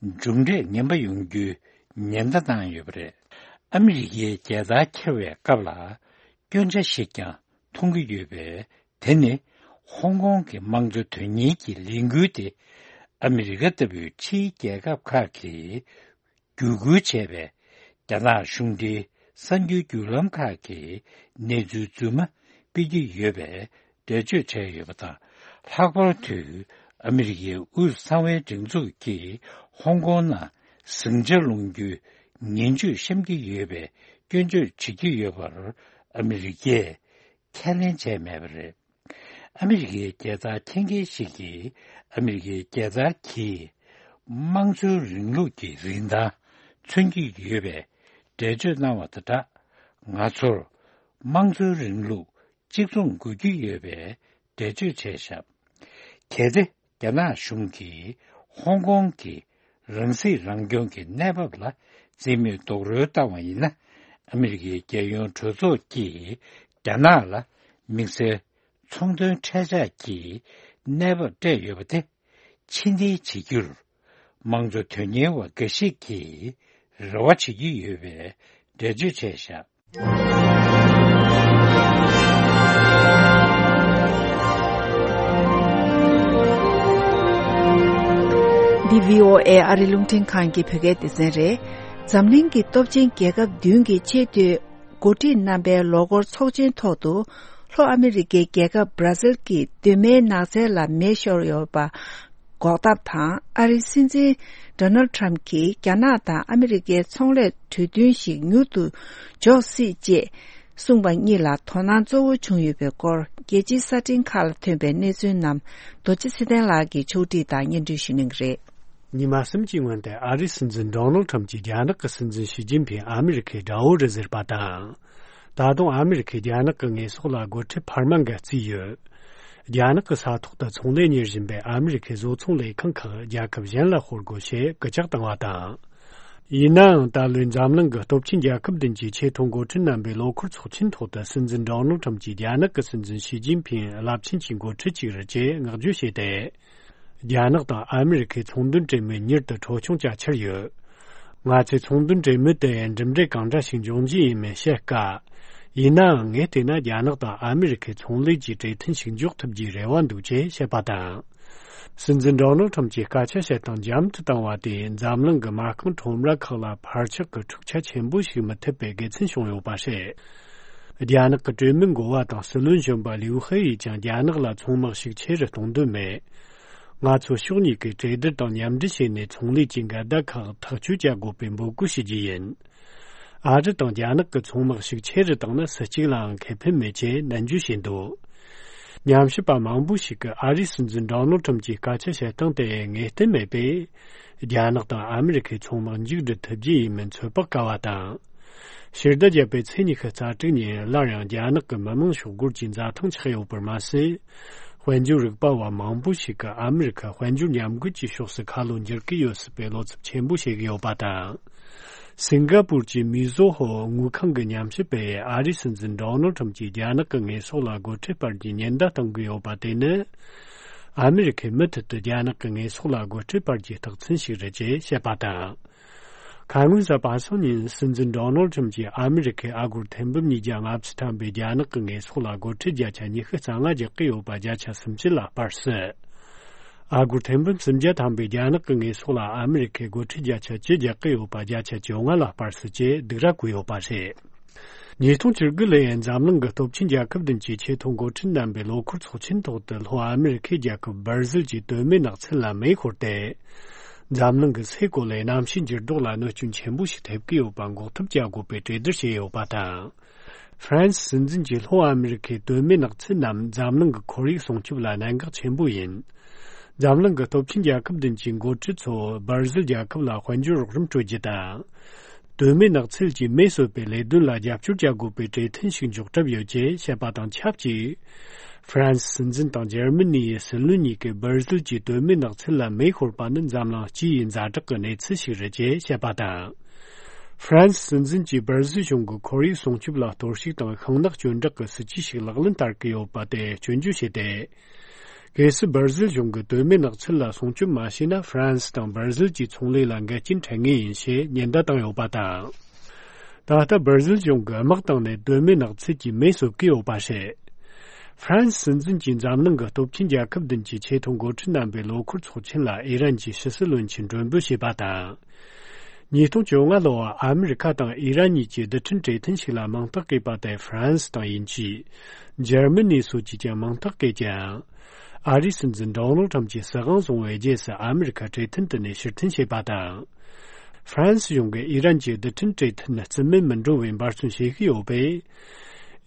མཇུག་འབྲས་ངན་པ་ཡོང་རྒྱུའི་ཉེན་བརྡ་བཏང་ཡོད་པ་རེད། ཨ་མི་རི་ཀའི་རྒྱལ་དར་འཁྱེར་བའི་སྐབས་ལ་སྐྱོན་ཆ་ཞིག་ཀྱང་མཐོང་གི་ཡོད་པས། དེ་ནི་ཧོང་ཀོང་གི་དམངས་གཙོ་དོན་གཉེར་གྱི་ལས་འགུལ་དེ་ཨ་མི་རི་ཀ་ལྟ་བུའི་ཕྱིའི་རྒྱལ་ཁབ་ཁག་གིས། བརྒྱུད་སྐུལ་བྱས་པའི་རྒྱ་ནག་གཞུང་འབྲེལ་གསར་འགྱུར་བརྒྱུད་ལམ་ཁག་གིས་གནས་ཚུལ་རྫུན་མ་སྤེལ་གྱི་ཡོད་པའི་འགྲེལ་བརྗོད་བྱས་ཡོད་པ་དང་། ལྷག་པར་དུ་ཨ་མི་རི་ཀའི་དབུས་གསང་བའི་སྒྲིག་འཛུགས་ཀྱིས་ཧོང་ཀོང་ནང་ཟིང་ཆ་སློང་རྒྱུའི་ངན་ཇུས་བཤམས་ཀྱི་ཡོད་པའི་སྐྱོན་བརྗོད་བྱེད་ཀྱི་ཡོད་པར་ཨ་མི་རི་ཀས་ཁས་ལེན་བྱས་མེད་པ་རེད། ཨ་མི་རི་ཀའི་རྒྱལ་དར་འཁྱེར་མཁན་ཞིག་གིས། ཨ་མི་རི་ཀའི་རྒྱལ་དར་གྱིས་དམངས་གཙོའི་རིང་ལུགས་ཀྱི་རིན་ཐང་མཚོན་གྱི་ཡོད་པའི་འགྲེལ་བརྗོད་གནང་བ་དང་སྦྲགས། ང་ཚོར་དམངས་གཙོའི་རིང་ལུགས་གཅིག་མཚུངས་དགོས་ཀྱི་ཡོད་པའི་འགྲེལ་བརྗོད་བྱས་བཞག་གལ་ཏེ། རྒྱ་ནག་གཞུང་གིས་ཧོང་ཀོང་གི་རང་སྲིད་རང་སྐྱོང་གི་གནས་བབ་ལ་རྩིས་མེད་རྡོག་རོལ་བཏང་བ་ཡིན་ན། ཨ་མི་རི་ཀའི་རྒྱལ་ཡོངས་གྲོས་ཚོགས་ཀྱིས་རྒྱ་ནག་ལ་དམིགས་བསལ་ཚོང་དོན་འཕྲལ་ཆག་གི་གནས་བབ་སྤྲད་ཡོད་པ་དེ་ཕྱིར་འཐེན་བྱེད་རྒྱུར་དམངས་གཙོ་དོན་གཉེར་བ་འགའ་ཞིག་གིས་རེ་བ་བྱེད་ཀྱི་ཡོད་པའི་འགྲེལ་བརྗོད་བྱས་བཞག་འདི་བྷི་ཨོ་ཨེ་ཨ་རི་རླུང་འཕྲིན་ཁང་གི་བོད་སྐད་སྡེ་ཚན་རེད། འཛམ་གླིང་གི་སྟོབས་ཆེན་རྒྱལ་ཁབ་བདུན་གྱི་ཆེས་མཐོའི་འགོ་ཁྲིད་རྣམ་པའི་ལོ་འཁོར་ཚོགས་ཆེན་ཐོག་ཏུ། ལྷོ་ཨ་མི་རི་ཀའི་རྒྱལ་ཁབ་བྷ་ར་ཟིལ་གྱི་གདོད་མའི་ནགས་ཚལ་ལ་མེ་ཤོར་ཡོད་པ་འགོག་ཐབས་དང་། ཨ་རིའི་སྲིད་འཛིན་ཌོ་ནལ་ཁྲམ་གྱིས་རྒྱ་ནག་དང་ཨ་མི་རི་ཀའི་ཚོང་ལས་གྲོས་མཐུན་ཞིག་མྱུར་དུ་འཇོག་སྲིད་ཅེས་གསུངས་པ་གཉིས་ལ་དོ་སྣང་གཙོ་བོ་བྱུང་ཡོད་པའི་སྐོར། རྒྱལ་སྤྱིའི་གསར་འཕྲིན་ཁག་ལ་ཐོན་པའི་གནས་ཚུལ་རྣམས་རྡོ་རྗེ་ཚེ་བརྟན་ལགས་ཀྱིས་ཕྱོགས་སྒྲིག་དང་སྙན་སྒྲོན་ཞུ་གནང་གི་རེད། ཉི་མ་གསུམ་གྱི་སྔོན་དུ་ཨ་རིའི་སྲིད་འཛིན་ཌོ་ནལ་ཁྲམ་གྱིས་རྒྱ་ནག་གི་སྲིད་འཛིན་ཞི་ཅིན་ཕིང་ཨ་མི་རི་ཁའི་དགྲ་བོ་རེད་ཟེར་བ་དང་། ད་དུང་ཨ་མི་རི་ཁས་རྒྱ་ནག་གི་ངོས་ཕྱོགས་ལ་སྒོ་ཁྲལ་འཕར་མ་འགའ་བརྩིས་ཡོད། རྒྱ་ནག་གི་ས་ཐོག་ཏུ་ཚོང་ལས་གཉེར་བཞིན་པའི་ཨ་མི་རི་ཁའི་བཟོ་ཚོང་ལས་ཁང་ཁག་རྒྱལ་ཁབ་གཞན་ལ་ཤོར་དགོས་ཞེས་སྐུལ་ལྕག་བཏང་བ་དང་། ཡིན་ནའང་ད་ལོའི་འཛམ་གླིང་གི་སྟོབས་ཆེན་རྒྱལ་ཁབ་བདུན་གྱི་ཆེས་མཐོའི་འགོ་ཁྲིད་རྣམ་པའི་ལོ་འཁོར་ཚོགས་ཆེན་ཐོག་ཏུ་སྲིད་འཛིན་ཌོ་ནལ་ཁྲམ་གྱིས་རྒྱ་ནག་གི་སྲིད་འཛིན་ཞི་ཅིན་ཕིང་རླབས་ཆེན་གྱི་འགོ་ཁྲིད་ཅིག་རེད་ཅེས་བསྔགས་བརྗོད་བྱས་ཏེ། རྒྱ་ནག་དང་ཨ་མི་རི་ཁའི་ཚོང་དོན་གྲོས་མོལ་མྱུར་དུ་འཕྲོ་སྐྱོང་བྱ་འཆར་ཡོད། ང་ཚོས་ཚོང་དོན་གྲོས་མོལ་དེ་གྲུབ་འབྲས་གང་འདྲ་ཞིག་འབྱུང་རྒྱུ་ཡིན་མིན་བཤད་དཀའ། ཡིན་ནའང་ངས་བལྟས་ན་རྒྱ་ནག་དང་ཨ་མི་རི་ཁའི་ཚོང་ལས་ཀྱི་གྲོས་མཐུན་ཞིག་འཇོག་ཐུབ་རྒྱུའི་རེ་བ་འདུག་ཅེས་བཤད་པ་དང་། སྲིད་འཛིན་ཌོ་ནལ་ཁྲམ་གྱིས་སྐད་ཆ་བཤད་སྟངས་འཇམ་དུ་བཏང་བ་དེས་འཛམ་གླིང་གི་མ་རྐང་ཁྲོམ་ར་ཁག་ལ་འཕར་ཆག་གི་འཁྲུག་ཆ་ཆེན་པོ་ཞིག་མི་ཐེབས་པའི་དགེ་མཚན་བྱུང་ཡོད་པ་རེད། རྒྱ་ནག་གི་གྲོས་མོལ་འགོ་བ་དང་སྲིད་བློན་གཞོན་པ་ལིའུ་ཧེ་ཡིས་ཀྱང་རྒྱ་ནག་ལ་ཚོང་དམག་ཤུགས་ཆེ་རུ་གཏོང་འདོད་མེད། ང་ཚོ་ཕྱོགས་གཉིས་ཀས་གྲོས་བསྡུར་དང་མཉམ་འབྲེལ་བྱས་ནས་ཚོང་ལས་ཀྱི་འགལ་ཟླ་ཁག་ཐག་གཅོད་བྱ་དགོས་པའི་འབོད་སྐུལ་ཞུ་རྒྱུ་ཡིན། ཨ་རི་དང་རྒྱ་ནག་གི་ཚོང་དམག་ཤུགས་ཆེ་རུ་བཏང་ན་སུ་གཅིག་ལའང་ཁེ་ཕན་མེད་ཅེས་ནན་བརྗོད་བྱས་འདུག། ཉམས་ཞིབ་པ་མང་པོ་ཞིག་གིས་ཨ་རིའི་སྲིད་འཛིན་ཌོ་ནལ་ཁྲམ་གྱི་སྐད་ཆ་བཤད་སྟངས་དེ་ངེས་གཏན་མེད་པས། རྒྱ་ནག་དང་ཨ་མི་རི་ཁའི་ཚོང་དམག་མཇུག་སྒྲིལ་ཐུབ་རྒྱུ་ཡིན་མིན་ཚོད་དཔག་དཀའ་བ་དང་། ཕྱི་ཟླ་བརྒྱད་པའི་ཚེས་ཉི་ཤུ་རྩ་དྲུག་ཉིན་སླར་ཡང་རྒྱ་ནག་གི་མི་དམངས་ཤོག་སྒོར་གྱི་འཛའ་ཐང་ཆགས་ཡོད་པར་མ་ཟད། དཔལ་འབྱོར་རིག་པ་བ་མང་པོ་ཞིག་གིས་ཨ་མི་རི་ཁ་དཔལ་འབྱོར་ཉམས་རྒུད་ཀྱི་ཕྱོགས་སུ་ཁ་ལོ་འགྱུར་གྱི་ཡོད་སྲིད་པའི་བློ་འཚབ་ཆེན་པོ་བྱེད་ཀྱི་ཡོད་པ་དང་། སིང་ག་པུར་གྱི་མི་ཛོ་ཧོ་དངུལ་ཁང་གི་ཉམས་ཞིབ་པས་ཨ་རིའི་སྲིད་འཛིན་ཌོ་ནལ་ཁྲམ་གྱིས་རྒྱ་ནག་གི་ངོས་ཕྱོགས་ལ་སྒོ་ཁྲལ་སྤར་རྒྱུའི་ཉེན་བརྡ་བཏང་གི་ཡོད་པ་དེ་ནི། ཨ་མི་རི་ཁས་མུ་མཐུད་དུ་རྒྱ་ནག་གི་ངོས་ཕྱོགས་ལ་སྒོ་ཁྲལ་སྤར་རྒྱུའི་རྟགས་མཚན་ཞིག་རེད་ཅེས་བཤད་པ་དང་། ཁ་སྔོན་གཟའ་པ་སངས་ཉིན་སྲིད་འཛིན་ཌོ་ནལ་ཁྲམ་གྱིས་ཨ་མི་རི་ཁའི་ཨ་སྒོར་ཐེར་འབུམ་ཉིས་བརྒྱ་ལྔ་བཅུ་ཐམ་པའི་རྒྱ་ནག་གི་ངོས་ཕྱོགས་ལ་སྒོ་ཁྲལ་བརྒྱ་ཆ་ཉི་ཤུ་རྩ་ལྔ་རྒྱག་གི་ཡོད་པ་བརྒྱ་ཆ་སུམ་ཅུ་ལ་སྤར་སྲིད། ཨ་སྒོར་ཐེར་འབུམ་སུམ་བརྒྱ་ཐམ་པའི་རྒྱ་ནག་གི་ངོས་ཕྱོགས་ལ་ཨ་མི་རི་ཁས་སྒོ་ཁྲལ་བརྒྱ་ཆ་བཅུ་རྒྱག་གི་ཡོད་པ་བརྒྱ་ཆ་བཅོ་ལྔ་ལ་སྤར་སྲིད་ཅེས་སྡིགས་ར་བསྐུལ་ཡོད་པ་རེད། ཉིས་སྟོང་བཅུ་དགུ་ལོའི་འཛམ་གླིང་གི་སྟོབས་ཆེན་རྒྱལ་ཁབ་བདུན་གྱི་ཆེས་མཐོའི་འགོ་ཁྲིད་རྣམ་པའི་ལོ་འཁོར་ཚོགས་ཆེན་ཐོག་ཏུ་ལྷོ་ཨ་མི་རི་ཁའི་རྒྱལ་ཁབ་སྦར་ཟིལ་གྱི་གདོད་མའི་ནགས་ཚལ་ལ་མེ་ཤོར་ཏེ། འཛམ་གླིང་གི་སའི་གོ་ལའི་གནམ་གཤིས་འགྱུར་ལྡོག་ལ་གནོད་སྐྱོན་ཆེན་པོ་ཞིག་ཐེབས་ཀྱི་ཡོད་པ་འགོག་ཐབས་བྱ་དགོས་པའི་གྲོས་བསྡུར་བྱས་ཡོད་པ་དང་། ཧྥ་རན་སི་སྲིད་འཛིན་གྱིས་ལྷོ་ཨ་མི་རི་ཁའི་གདོད་མའི་ནགས་ཚལ་རྣམས་འཛམ་གླིང་གི་ཁོར་ཡུག་སྲུང་སྐྱོབ་ལ་གནད་འགག་ཆེན་པོ་ཡིན། འཛམ་གླིང་གི་སྟོབས་ཆེན་རྒྱལ་ཁབ་བདུན་གྱི་འགོ་ཁྲིད་ཚོ་སྦར་ཟིལ་རྒྱལ་ཁབ་ལ་དཔལ་འབྱོར་རོགས་རམ་སྤྲོད་རྒྱུ་དང་། གདོད་མའི་ནགས་ཚལ་གྱི་མེ་གསོད་པའི་ལས་དོན་ལ་རྒྱབ་སྐྱོར་བྱ་དགོས་པའི་གྲོས་མཐུན་ཞིག་འཇོག་གྲབས་ཡོད་ཅེས་བཤད་པ་དང་ཆབས་ཅིག། ཧྥ་རན་སི་སྲིད་འཛིན་དང་འཇར་མ་ནི་ཡི་སྲིད་བློན་གཉིས་ཀས་སྦར་ཟིལ་གྱི་གདོད་མའི་ནགས་ཚལ་ལ་མེ་ཤོར་པ་ནི་འཛམ་གླིང་སྤྱི་ཡི་ཛ་དྲག་གི་གནས་ཚུལ་ཞིག་རེད་ཅེས་བཤད་པ་དང་། ཧྥ་རན་སི་སྲིད་འཛིན་གྱིས་སྦར་ཟིལ་གཞུང་གི་ཁོར་ཡུག་སྲུང་སྐྱོབ་ལ་གཏོར་བཤིག་དང་ཤིང་ནགས་གཅོད་འབྲེག་གི་སྲིད་ཇུས་ཤིག་ལག་ལེན་བསྟར་གྱི་ཡོད་པ་དེ་སྐྱོན་བརྗོད་བྱས་ཏེ། གལ་སྲིད་སྦར་ཟིལ་གཞུང་གིས་གདོད་མའི་ནགས་ཚལ་ལ་སྲུང་སྐྱོབ་མ་བྱས་ན། ཧྥ་རན་སི་དང་སྦར་ཟིལ་གྱི་ཚོང་ལས་ལ་འགལ་རྐྱེན་འཕྲད་ངེས་ཡིན་ཞེས་ཉེན་བརྡ་བཏང་ཡོད་པ་དང་། ད་ལྟ་སྦར་ཟིལ་གཞུང་གིས་དམག་བཏང་ནས་གདོད་མའི་ནགས་ཚལ་གྱི་མེ་གསོད་ཀྱི་ཡོད་པ་རེད། ཧྥ་རན་སི་སྲིད་འཛིན་གྱིས་འཛམ་གླིང་གི་སྟོབས་ཆེན་རྒྱལ་ཁབ་བདུན་གྱི་ཆེས་མཐོའི་འགོ་ཁྲིད་རྣམ་པའི་ལོ་འཁོར་ཚོགས་ཆེན་ལ་ཨི་རན་གྱི་ཕྱི་སྲིད་བློན་ཆེན་མགྲོན་འབོད་བྱས་པ་དང་། ཉིས་སྟོང་བཅོ་ལྔ་ལོར་ཨ་མི་རི་ཁ་དང་ཨི་རན་གཉིས་ཀྱིས་རྡུལ་ཕྲན་གྲོས་མཐུན་ཞིག་ལ་མིང་རྟགས་བཀོད་པ་དེར་ཧྥ་རན་སི་དང་དབྱིན་ཇི། འཇར་མ་ནི་སོགས་ཀྱིས་ཀྱང་མིང་རྟགས་བཀོད་ཀྱང་། ཨ་རིའི་སྲིད་འཛིན་ཌོ་ནལ་ཁྲམ་གྱིས་སྲིད་དབང་བཟུང་བའི་རྗེས་སུ་ཨ་མི་རི་ཁ་གྲོས་མཐུན་དེ་ནས་ཕྱིར་འཐེན་བྱས་པ་དང་། ཧྥ་རན་སི་གཞུང་གིས་ཨི་རན་གྱི་རྡུལ་ཕྲན་གྲོས་མཐུན་རྩིས་མེད་མི་འགྲོ་བའི་འབད་བརྩོན་བྱེད་ཀྱི་ཡོད་པས།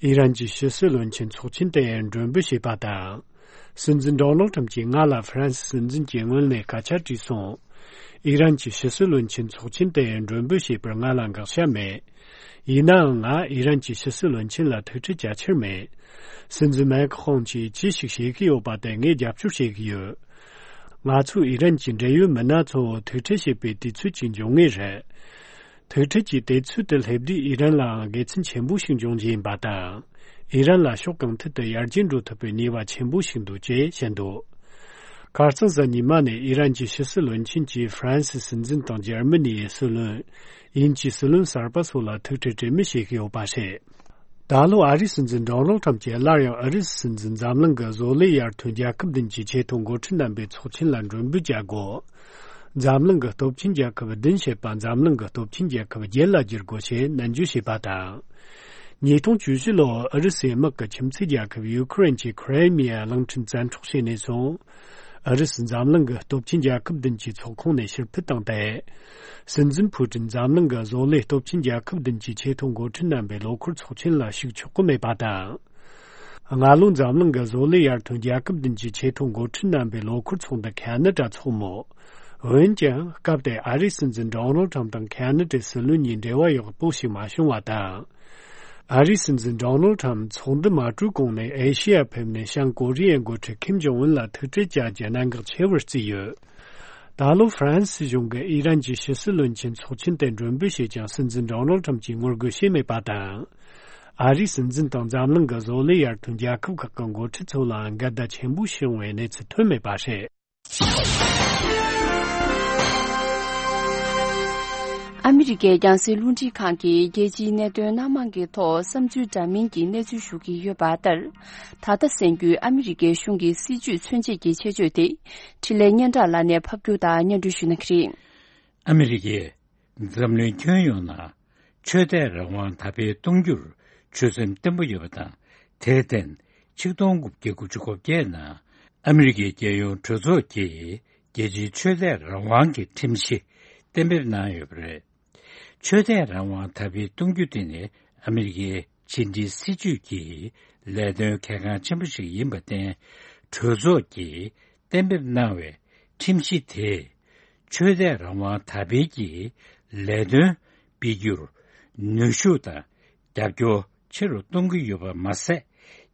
ཨི་རན་གྱི་ཕྱི་སྲིད་བློན་ཆེན་ཚོགས་ཆེན་དེ་མགྲོན་འབོད་བྱས་པ་དང་། སྲིད་འཛིན་ཌོ་ནལ་ཁྲམ་གྱིས་ང་ལ་ཧྥ་རན་སི་སྲིད་འཛིན་གྱིས་སྔོན་ནས་སྐད་ཆ་དྲིས་སོང་། ཨི་རན་གྱི་ཕྱི་སྲིད་བློན་ཆེན་ཚོགས་ཆེན་དེ་མགྲོན་འབོད་བྱས་པར་ང་ལ་དགག་བྱ་མེད། ཡིན་ནའང་ང་ཨི་རན་གྱི་ཕྱི་སྲིད་བློན་ཆེན་ལ་ཐུག་འཕྲད་བྱ་འཆར་མེད། སྲིད་འཛིན་མེག་ཁོང་གིས་ཅི་ཞིག་བྱེད་ཀྱི་ཡོད་པ་དེ་ངས་རྒྱབ་སྐྱོར་བྱེད་ཀྱི་ཡོད། ང་ཚོའི་ཨི་རན་གྱི་འབྲེལ་ཡོད་མི་སྣ་ཚོ་ཐུག་འཕྲད་བྱེད་པའི་དུས་ཚོད་ཅིག་འབྱུང་ངེས་རེད། ཐུག་འཕྲད་ཀྱི་དུས་ཚོད་དེ་སླེབས་དུས་ཨི་རན་ལའང་དགེ་མཚན་ཆེན་པོ་ཞིག་འབྱུང་རྒྱུ་ཡིན་པ་དང་། ཨི་རན་ལ་ཕྱོགས་གང་ཐད་དུ་ཡར་རྒྱས་འགྲོ་ཐུབ་པའི་ནུས་པ་ཆེན་པོ་ཞིག་འདུག་ཅེས་བཤད་འདུག། ཁ་རྩང་གཟའ་ཉི་མ་ནས་ཨི་རན་གྱི་ཕྱི་སྲིད་བློན་ཆེན་གྱིས་ཧྥ་རན་སིའི་སྲིད་འཛིན་དང་འཇར་མ་ནིའི་སྲིད་བློན། དབྱིན་ཇིའི་སྲིད་བློན་གསར་པ་སོགས་ལ་ཐུག་འཕྲད་གྲོས་མོལ་བྱེད་ཀྱི་ཡོད་པ་རེད། ད་ལོ་ཨ་རིའི་སྲིད་འཛིན་ཌོ་ནལ་ཁྲམ་གྱིས་སླར་ཡང་ཨུ་རུ་སུའི་སྲིད་འཛིན་འཛམ་གླིང་གི་བཟོ་ལས་ཡར་ཐོན་རྒྱལ་ཁབ་བདུན་གྱི་ཆེས་མཐོའི་འགོ་ཁྲིད་རྣམ་པའི་ཚོགས་ཆེན་ལ་མགྲོན་འབོད་བྱ་དགོས། འཛམ་གླིང་གི་སྟོབས་ཆེན་རྒྱལ་ཁབ་བདུན་བྱེད་པ་འཛམ་གླིང་གི་སྟོབས་ཆེན་རྒྱལ་ཁབ་བརྒྱད་ལ་བསྒྱུར་དགོས་ཞེས་ནན་བརྗོད་བྱས་པ་དང་། ཉིས་སྟོང་བཅུ་བཞི་ལོར་ཨུ་རུ་སུའི་དམག་གིས་ཁྱིམ་མཚེས་རྒྱལ་ཁབ་ཡུ་ཁུ་རེན་གྱི་ཁི་རེ་མི་ཡ་གླིང་ཕྲན་བཙན་འཕྲོག་བྱས་ནས་བཟུང་། ཨུ་རུ་སུ་འཛམ་གླིང་གི་སྟོབས་ཆེན་རྒྱལ་ཁབ་བདུན་གྱི་ཚོགས་ཁོངས་ནས་ཕྱིར་འཕུད་བཏང་སྟེ། སྲིད་འཛིན་ཕུ་ཀྲིན་འཛམ་གླིང་གི་བཟོ་ལས་སྟོབས་ཆེན་རྒྱལ་ཁབ་བདུན་གྱི་ཆེས་མཐོའི་འགོ་ཁྲིད་རྣམ་པའི་ལོ་འཁོར་ཚོགས་ཆེན་ལ་ཞུགས་ཆོག་གི་མེད་པ་དང་། སྔ་ལོ་འཛམ་གླིང་གི་བཟོ་ལས་ཡར་ཐོན་རྒྱལ་ཁབ་བདུན་གྱི་ཆེས་མཐོའི་འགོ་ཁྲིད་རྣམ་པའི་ལོ་འཁོར་ཚོགས་འདུ་ཁ་ན་ཌ་འཚོགས་མོད། འོན་ཀྱང་སྐབས་དེར་ཨ་རིའི་སྲིད་འཛིན་ཌོ་ནལ་ཁྲམ་དང་ཁ་ན་ཌའི་སྲིད་བློན་གཉིས་འབྲེལ་བ་ཡག་པོ་ཞིག་མ་བྱུང་བ་དང་། ཨ་རིའི་སྲིད་འཛིན་ཌོ་ནལ་ཁྲམ་ཚོགས་འདུ་མ་གྲོལ་གོང་ནས་ཨེ་ཤི་ཡར་ཕེབས་ནས་བྱང་ཀོ་རི་ཡའི་འགོ་ཁྲིད་ཁིམ་ཇོང་ཨུན་ལ་ཐུག་འཕྲད་བྱ་རྒྱུ་གནད་འགག་ཆེ་བར་བརྩིས་ཡོད། ད་ལོ་ཧྥ་རན་སི་གཞུང་གིས་ཨི་རན་གྱི་ཕྱི་སྲིད་བློན་ཆེན་ཚོགས་ཆེན་དེ་མགྲོན་འབོད་བྱས་ཀྱང་སྲིད་འཛིན་ཌོ་ནལ་ཁྲམ་གྱིས་ངོ་རྒོལ་བྱས་མེད་པ་དང་། ཨ་རིའི་སྲིད་འཛིན་དང་འཛམ་གླིང་གི་བཟོ་ལས་ཡར་ཐོན་རྒྱལ་ཁབ་ཁག་གི་འགོ་ཁྲིད་ཚོ་ལའང་འགལ་ཟླ་ཆེན་པོ་བྱུང་བའི་གནས་ཚུལ་ཐོན་མེད་པ་རེད། ཨ་མི་རི་ཀའི་རྒྱང་སྲིང་རླུང་འཕྲིན་ཁང་གིས་རྒྱལ་སྤྱིའི་གནད་དོན་སྣ་མང་གི་ཐོག་བསམ་ཚུལ་འདྲ་མིན་གྱི་གནས་ཚུལ་ཞུ་གི་ཡོད་པ་ལྟར། ད་ལྟ་གསན་རྒྱུའི་ཨ་མི་རི་ཀའི་གཞུང་གི་སྲིད་ཇུས་མཚོན་བྱེད་ཀྱི་ཆེད་བརྗོད་དེ། འཕྲིན་ལས་སྙན་གྲགས་ལགས་ནས་ཕབ་སྒྱུར་དང་སྙན་སྒྲོན་ཞུ་གནང་གི་རེད། ཨ་མི་རི་ཀས་འཛམ་གླིང་ཁྱོན་ཡོངས་ནང་ཆོས་དད་རང་དབང་དར་སྤེལ་གཏོང་རྒྱུར་ཆོད་སེམས་བརྟན་པོ་ཡོད་པ་དང་། དེར་བརྟེན། ཆིག་སྟོང་དགུ་བརྒྱ་དགུ་བཅུ་གོ་བརྒྱད་ནང་ཨ་མི་རི་ཀའི་རྒྱལ་ཡོངས་གྲོས་ཚོགས་ཀྱིས་རྒྱལ་སྤྱིའི་ཆོས་དད་རང་དབང་གི་ཁྲིམས་གཞི་གཏན་འབེབས་གནང་ཡོད་པ་རེད། ཆོས་དད་རང་དབང་དར་སྤེལ་གཏོང་རྒྱུ་དེ་ནི་ཨ་མི་རི་ཀའི་ཕྱི་འབྲེལ་སྲིད་ཇུས་ཀྱི་ལས་དོན་གལ་འགངས་ཆེན་པོ་ཞིག་ཡིན་པར་བརྟེན། གྲོས་ཚོགས་ཀྱིས་གཏན་འབེབས་གནང་བའི་ཁྲིམས་གཞི་དེས་ཆོས་དད་རང་དབང་དར་སྤེལ་གྱི་ལས་དོན་སྤེལ་རྒྱུར་ནུས་ཤུགས་དང་རྒྱབ་སྐྱོར་ཆེ་རུ་གཏོང་གི་ཡོད་པ་མ་ཟད།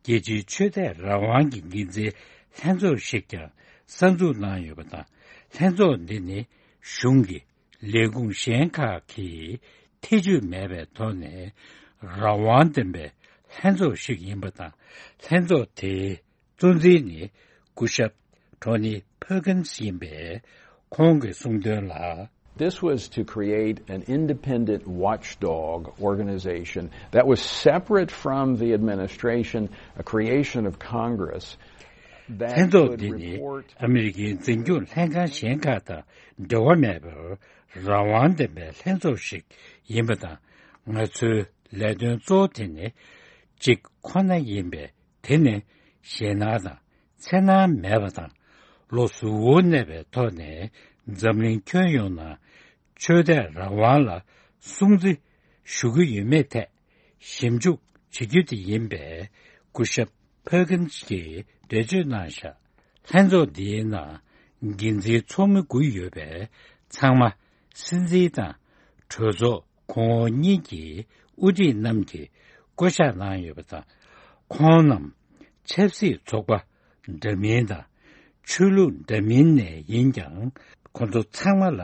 རྒྱལ་སྤྱིའི་ཆོས་དད་རང་དབང་གི་འགན་འཛིན་ལྷན་ཚོགས་ཤིག་ཀྱང་གསར་འཛུགས་གནང་ཡོད་པ་དང་། ལྷན་ཚོགས་འདི་ནི་གཞུང་གི་ལས་ཁུངས་གཞན་ཁག་གིས་ཐེ་བྱུས་མེད་པའི་ཐོག་ནས་རང་དབང་ལྡན་པའི་ལྷན་ཚོགས་ཤིག་ཡིན་པ་དང་། ལྷན་ཚོགས་དེའི་གཙོ་འཛིན་ནི་སྐུ་ཞབས་ཊོ་ནི་ཕར་ཀིན་སི་ཡིན་པས། ཁོང་གིས་གསུངས་དོན་ལ། This was to create an independent watchdog organization that was separate from the administration, a creation of Congress that ལྷན་ཚོགས་འདི་ནི་ཨ་མི་རི་ཀའི་འཛིན་སྐྱོང་ལྷན་ཁང་གཞན་ཁག་དང་འབྲེལ་བ་མེད་པར་རང་དབང་ལྡན་པའི་ལྷན་ཚོགས་ཤིག་ཡིན་པ་དང་། ང་ཚོའི་ལས་དོན་གཙོ་བོ་དེ་ནི་གཅིག་ཁོ་ན་ཡིན་པས། དེ་ནི་ཞེད་སྣང་དང་འཚེར་སྣང་མེད་པ་དང་། བློ་གཟུ་བོར་གནས་པའི་ཐོག་ནས་འཛམ་གླིང་ཁྱོན་ཡོངས་ནང་ཆོས་དད་རང་དབང་ལ་སྲུང་བརྩི་ཞུ་གི་ཡོད་མེད་ཐད་ཞིབ་འཇུག་བྱེད་རྒྱུ་དེ་ཡིན་པས། སྐུ་ཞབས་ཕར་ཀིན་སི་གིས་འགྲེལ་བརྗོད་གནང་བཞག་ལྷན་ཚོགས་འདིའི་ནང་འགན་འཛིན་ཚོགས་མི་དགུ་ཡོད་པས། ཚང་མ་སྲིད་འཛིན་དང་གྲོས་ཚོགས་གོང་འོག་གཉིས་ཀྱི་དབུ་ཁྲིད་རྣམས་ཀྱིས་བསྐོ་གཞག་གནང་ཡོད་པ་དང་། ཁོང་རྣམས་ཆབ་སྲིད་ཚོགས་པ་འདྲ་མིན་དང་ཆོས་ལུགས་འདྲ་མིན་ནས་ཡིན་ཀྱང་། ཁོང་ཚོ་ཚང་མ་ལ་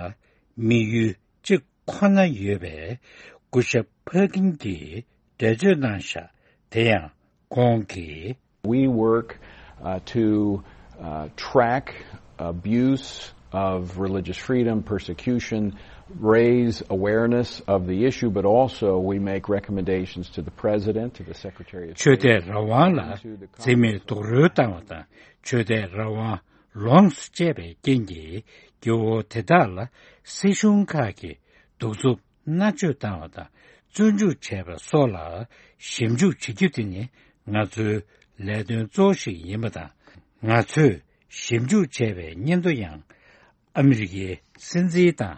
དམིགས་ཡུལ་གཅིག་ཁོ་ན་ཡོད་པས། སྐུ་ཞབས་ཕར་ཀིན་གྱིས་འགྲེལ་བརྗོད་གནང་བཞག་དེ་ཡང་ཁོང་གིས། We work, uh, to, uh, track abuse of religious freedom, persecution, raise awareness of the issue, but also we make recommendations to the President, to the Secretary of State, ཆོས་དད་རང་དབང་ལ་and to the Congress. འཛིན་མེད་རྡོག་རོལ་བཏང་བ་དང་། ཆོས་དད་རང་དབང་ལོངས་སུ་སྤྱད་པའི་རྐྱེན་གྱིས་སྐྱེ་བོ་དེ་དག་ལ་སྲིད་གཞུང་ཁག་གིས་གདུག་རྩུབ་མནར་གཅོད་བཏང་བ་དང་། བཙོན་འཇུག་བྱས་པ་སོགས་ལ་ཞིབ་འཇུག་བྱེད་རྒྱུ་དེ་ནི་ང་ཚོའི་ལས་དོན་གཙོ་བོ་ཞིག་ཡིན་པ་དང་། ང་ཚོས་ཞིབ་འཇུག་བྱས་པའི་སྙན་ཐོ་ཡང་ཨ་མི་རི་ཀའི་སྲིད་འཛིན་དང་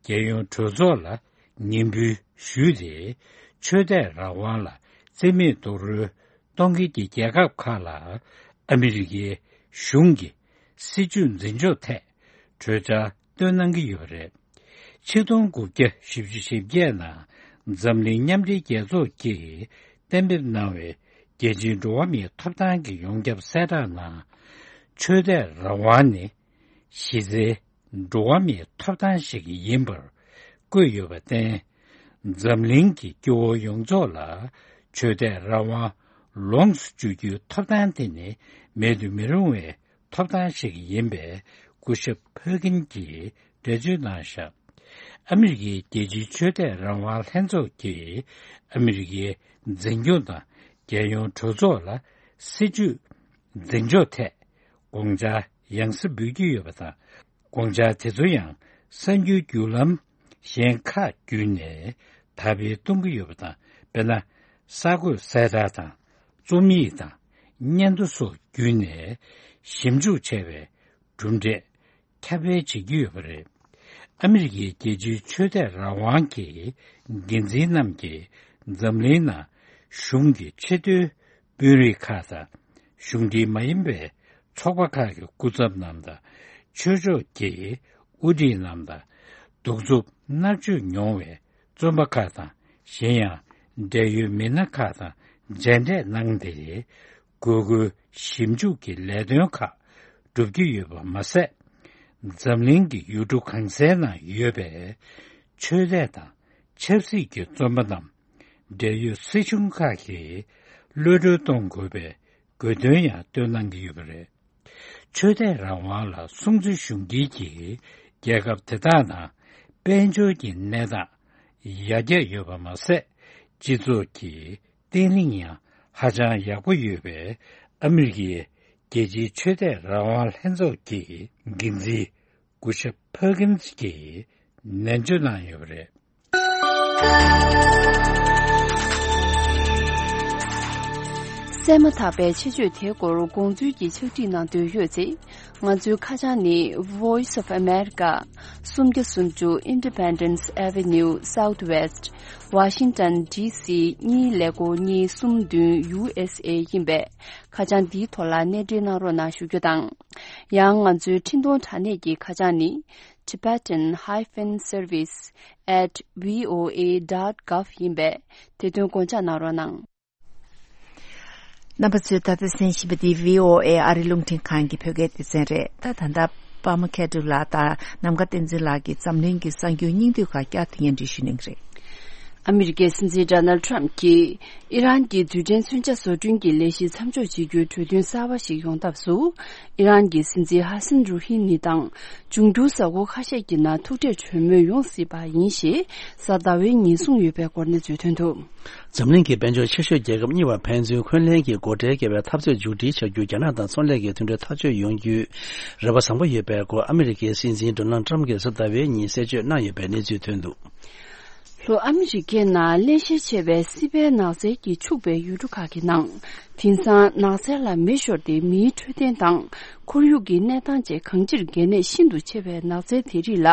རྒྱལ་ཡོངས་གྲོས་ཚོགས་ལ་ཉན་འབུལ་ཞུས་ཏེ། ཆོས་དད་རང་དབང་ལ་བརྩི་མེད་རྡོག་རོལ་གཏོང་མཁན་གྱི་རྒྱལ་ཁབ་ཁག་ལ་ཨ་མི་རི་ཀའི་གཞུང་གི་སྲིད་ཇུས་འཛིན་ཕྱོགས་ཐད་གྲོས་འཆར་བཏོན་གནང་གི་ཡོད་པ་རེད། ཆིག་སྟོང་དགུ་བརྒྱ་བཞི་བཅུ་ཞེ་བརྒྱད་ནང་འཛམ་གླིང་མཉམ་འབྲེལ་རྒྱལ་ཚོགས་ཀྱིས་གཏན་འབེབས་གནང་བའི་རྒྱལ་སྤྱིའི་འགྲོ་བ་མིའི་ཐོབ་ཐང་གི་ཡོངས་ཁྱབ་གསལ་བསྒྲགས་ནང་། ཆོས་དད་རང་དབང་ནི་གཞི་རྩའི་འགྲོ་བ་མིའི་ཐོབ་ཐང་ཞིག་ཡིན་པར་བཀོད་ཡོད་པར་བརྟེན། འཛམ་གླིང་གི་སྐྱེ་བོ་ཡོངས་རྫོགས་ལ་ཆོས་དད་རང་དབང་ལོངས་སུ་སྤྱོད་རྒྱུའི་ཐོབ་ཐང་དེ་ནི་མེད་དུ་མི་རུང་བའི་ཐོབ་ཐང་ཞིག་ཡིན་པས། སྐུ་ཞབས་ཕར་ཀིན་གྱིས་འགྲེལ་བརྗོད་གནང་བཞག་ཨ་མི་རི་ཀའི་རྒྱལ་སྤྱིའི་ཆོས་དད་རང་དབང་ལྷན་ཚོགས་ཀྱིས་ཨ་མི་རི་ཀའི་འཛིན་སྐྱོང་དང་རྒྱལ་ཡོངས་གྲོས་ཚོགས་ལ་སྲིད་ཇུས་འཛིན་ཕྱོགས་ཐད་དགོངས་འཆར་ཡང་སེ་འབུལ་གྱི་ཡོད་པ་དང་། དགོངས་འཆར་དེ་ཚོ་ཡང་ གསར་འགྱུར་བརྒྱུད་ལམ་གཞན་ཁག་བརྒྱུད་ནས་དར་སྤེལ་གཏོང་གི་ཡོད་པ་དང་། དཔེར་ན། གསར་འགོད་གསལ་བསྒྲགས་དང་རྩོམ་ཡིག་དང་སྙན་ཐོ་སོགས་བརྒྱུད་ནས་ཞིབ་འཇུག་བྱས་པའི་གྲུབ་འབྲས་ཁྱབ་སྤེལ་བྱེད་ཀྱི་ཡོད་པ་རེད། ཨ་མི་རི་ཀའི་རྒྱལ་སྤྱིའི་ཆོས་དད་རང་དབང་གི་འགན་འཛིན་རྣམས་ཀྱིས་འཛམ་གླིང་ནང་གཞུང་གི་ཆེས་མཐོའི་དཔོན་རིགས་ཁག་དང་། གཞུང་འབྲེལ་མ་ཡིན་པའི་ཚོགས་པ་ཁག་གི་སྐུ་ཚབ་རྣམས་དང་། ཆོས་ཕྱོགས་ཀྱི་དབུ་ཁྲིད་རྣམས་དང་། གདུག་རྩུབ་མནར་གཅོད་མྱོང་བའི་བཙོན་པ་ཁག་དང་། གཞན་ཡང་འབྲེལ་ཡོད་མི་སྣ་ཁག་དང་མཇལ་འཕྲད་གནང་སྟེ། དགོས་མཁོའི་ཞིབ་འཇུག་གི་ལས་དོན་ཁག་སྒྲུབ་ཀྱི་ཡོད་པ་མ་ཟད། འཛམ་གླིང་གི་ཡུལ་གྲུ་གང་སའི་ནང་ཡོད་པའི་ཆོས་དད་དང་ཆབ་སྲིད་ཀྱི་བཙོན་པ་རྣམས་འབྲེལ་ཡོད་སྲིད་གཞུང་ཁག་གིས་གློད་གྲོལ་གཏོང་དགོས་པའི་དགོས་འདུན་ཡང་བཏོན་གནང་གི་ཡོད་པ་རེད། ཆོས་དད་རང་དབང་ལ་སྲུང་བརྩི་ཞུ་མཁན་གྱི་རྒྱལ་ཁབ་དེ་དག་ནང་དཔལ་འབྱོར་གྱི་གནས་སྟངས་ཡར་རྒྱས་ཡོད་པ་མ་ཟད། སྤྱི་ཚོགས་ཀྱི་བརྟན་ལྷིང་ཡང་ཧ་ཅང་ཡག་པོ་ཡོད་པའི་ཨ་མི་རི་ཀའི་རྒྱལ་སྤྱིའི་ཆོས་དད་རང་དབང་ལྷན་ཚོགས་ཀྱི་འགན་འཛིན་གུ་ཤ་ཕར་ཀིན་སི་གྱིས་ནན་བརྗོད་གནང་ཡོད་པ་རེད། གསན་མ་ཐག་པའི་ཆེད་བརྗོད་དེའི་སྐོར་དགོངས་ཚུལ་གྱི་ཕྱག་བྲིས་གནང་འདོད་ཡོད་ཚེ། ང་ཚོའི་ཁ་བྱང་ནི། Voice of America, སུམ་བརྒྱ་སུམ་ཅུ་Independence Avenue Southwest, Washington D C གཉིས་ཀླད་ཀོར་གཉིས་གསུམ་བདུན། U S A ཡིན་པས། ཁ་བྱང་འདིའི་ཐོག་ལ་གནས་འབྲེལ་གནང་རོགས་གནང་ཞུ་རྒྱུ་དང་། ཡང་ང་ཚོའི་འཕྲིན་གཏོང་དྲ་གནས་ཀྱི་ཁ་བྱང་ནི། Tibetan hyphen service at V O A dot gov ཡིན་པས། དེ་དོན་དགོངས་འཇགས་གནང་རོགས་གནང་། རྣམ་པ་ཚོས་ད་ལྟ་གསན་བཞིན་པ་འདི་V O A ཨ་རི་རླུང་འཕྲིན་ཁང་གི་བོད་སྐད་སྡེ་ཚན་རེད། ད་ད་ལྟ་པདྨ་མཁས་གྲུབ་ལགས་དང་ནམ་མཁའ་བསྟན་འཛིན་ལགས་ཀྱིས་འཛམ་གླིང་གི་གསར་འགྱུར་སྙིང་བསྡུས་ཁག་བསྐྱར་དུ་སྙན་སྒྲོན་ཞུ་གནང་གི་རེད། ཨ་མི་རི་ཀའི་སྲིད་འཛིན་ཌོ་ནལ་ཊམ་གྱིས་ཨི་རན་གྱི་རྡུལ་ཕྲན་མཚོན་ཆ་བཟོ་སྐྲུན་གྱི་ལས་གཞི་མཚམས་འཇོག་བྱེད་རྒྱུའི་གྲོས་མཐུན་གསར་པ་ཞིག་ཡོང་ཐབས་སུ། ཨི་རན་གྱི་སྲིད་འཛིན་ཧ་སན་རུ་ཧི་ནི་དང་འབྱུང་འགྱུར་གཟའ་འཁོར་ཁ་ཤས་ཀྱི་ནང་ཐུག་འཕྲད་གྲོས་མོལ་ཡོང་སྲིད་པ་ཡིན་ཞེས་གཟའ་ཟླ་བའི་ཉིན་གསུངས་ཡོད་པའི་སྐོར་གནས་ཚུལ་ཐོན་འདུག། འཛམ་གླིང་གི་དཔལ་འབྱོར་ཆེ་ཤོས་རྒྱལ་ཁབ་གཉིས་བར་ཕན་ཚུན་འཁོན་ལན་གྱི་སྒོ་ཁྲལ་བཀལ་བའི་འཐབ་རྩོད་མཇུག་སྒྲིལ་བྱ་རྒྱུ། རྒྱ་ནག་དང་ཚོང་ལས་ཀྱི་མཐུན་གྲོས་ཐག་གཅོད་ཡོང་རྒྱུའི་རེ་བ་བཟང་པོ་ཡོད་པའི་སྐོར། ཨ་མི་རི་ཀའི་སྲིད་འཛིན་ཌོ་ནལ་ཊམ་གྱིས་གཟའ་ཟླ་བའི་ཉིན་གསལ་བརྗོད་གནང་ཡོད་པའི་གནས་ཚུལ་ཐོན་འདུག། ལྷོ་ཨ་མི་རི་ཀའི་ནང་བརླན་གཤེར་ཆེ་བའི་སྲིད་པའི་ནགས་ཚལ་གྱིས་ཕྱུག་པའི་ཡུལ་གྲུ་ཁག་གི་ནང་། དེང་སང་ནགས་ཚལ་ལ་མེ་ཤོར་ཏེ་མེའི་འཕྲོད་བསྟེན་དང་། ཁོར་ཡུག་གི་གནས་སྟངས་བཅས་གང་ཅིར་གལ་གནད་ཤིན་ཏུ་ཆེ་བའི་ནགས་ཚལ་དེ་རིགས་ལ།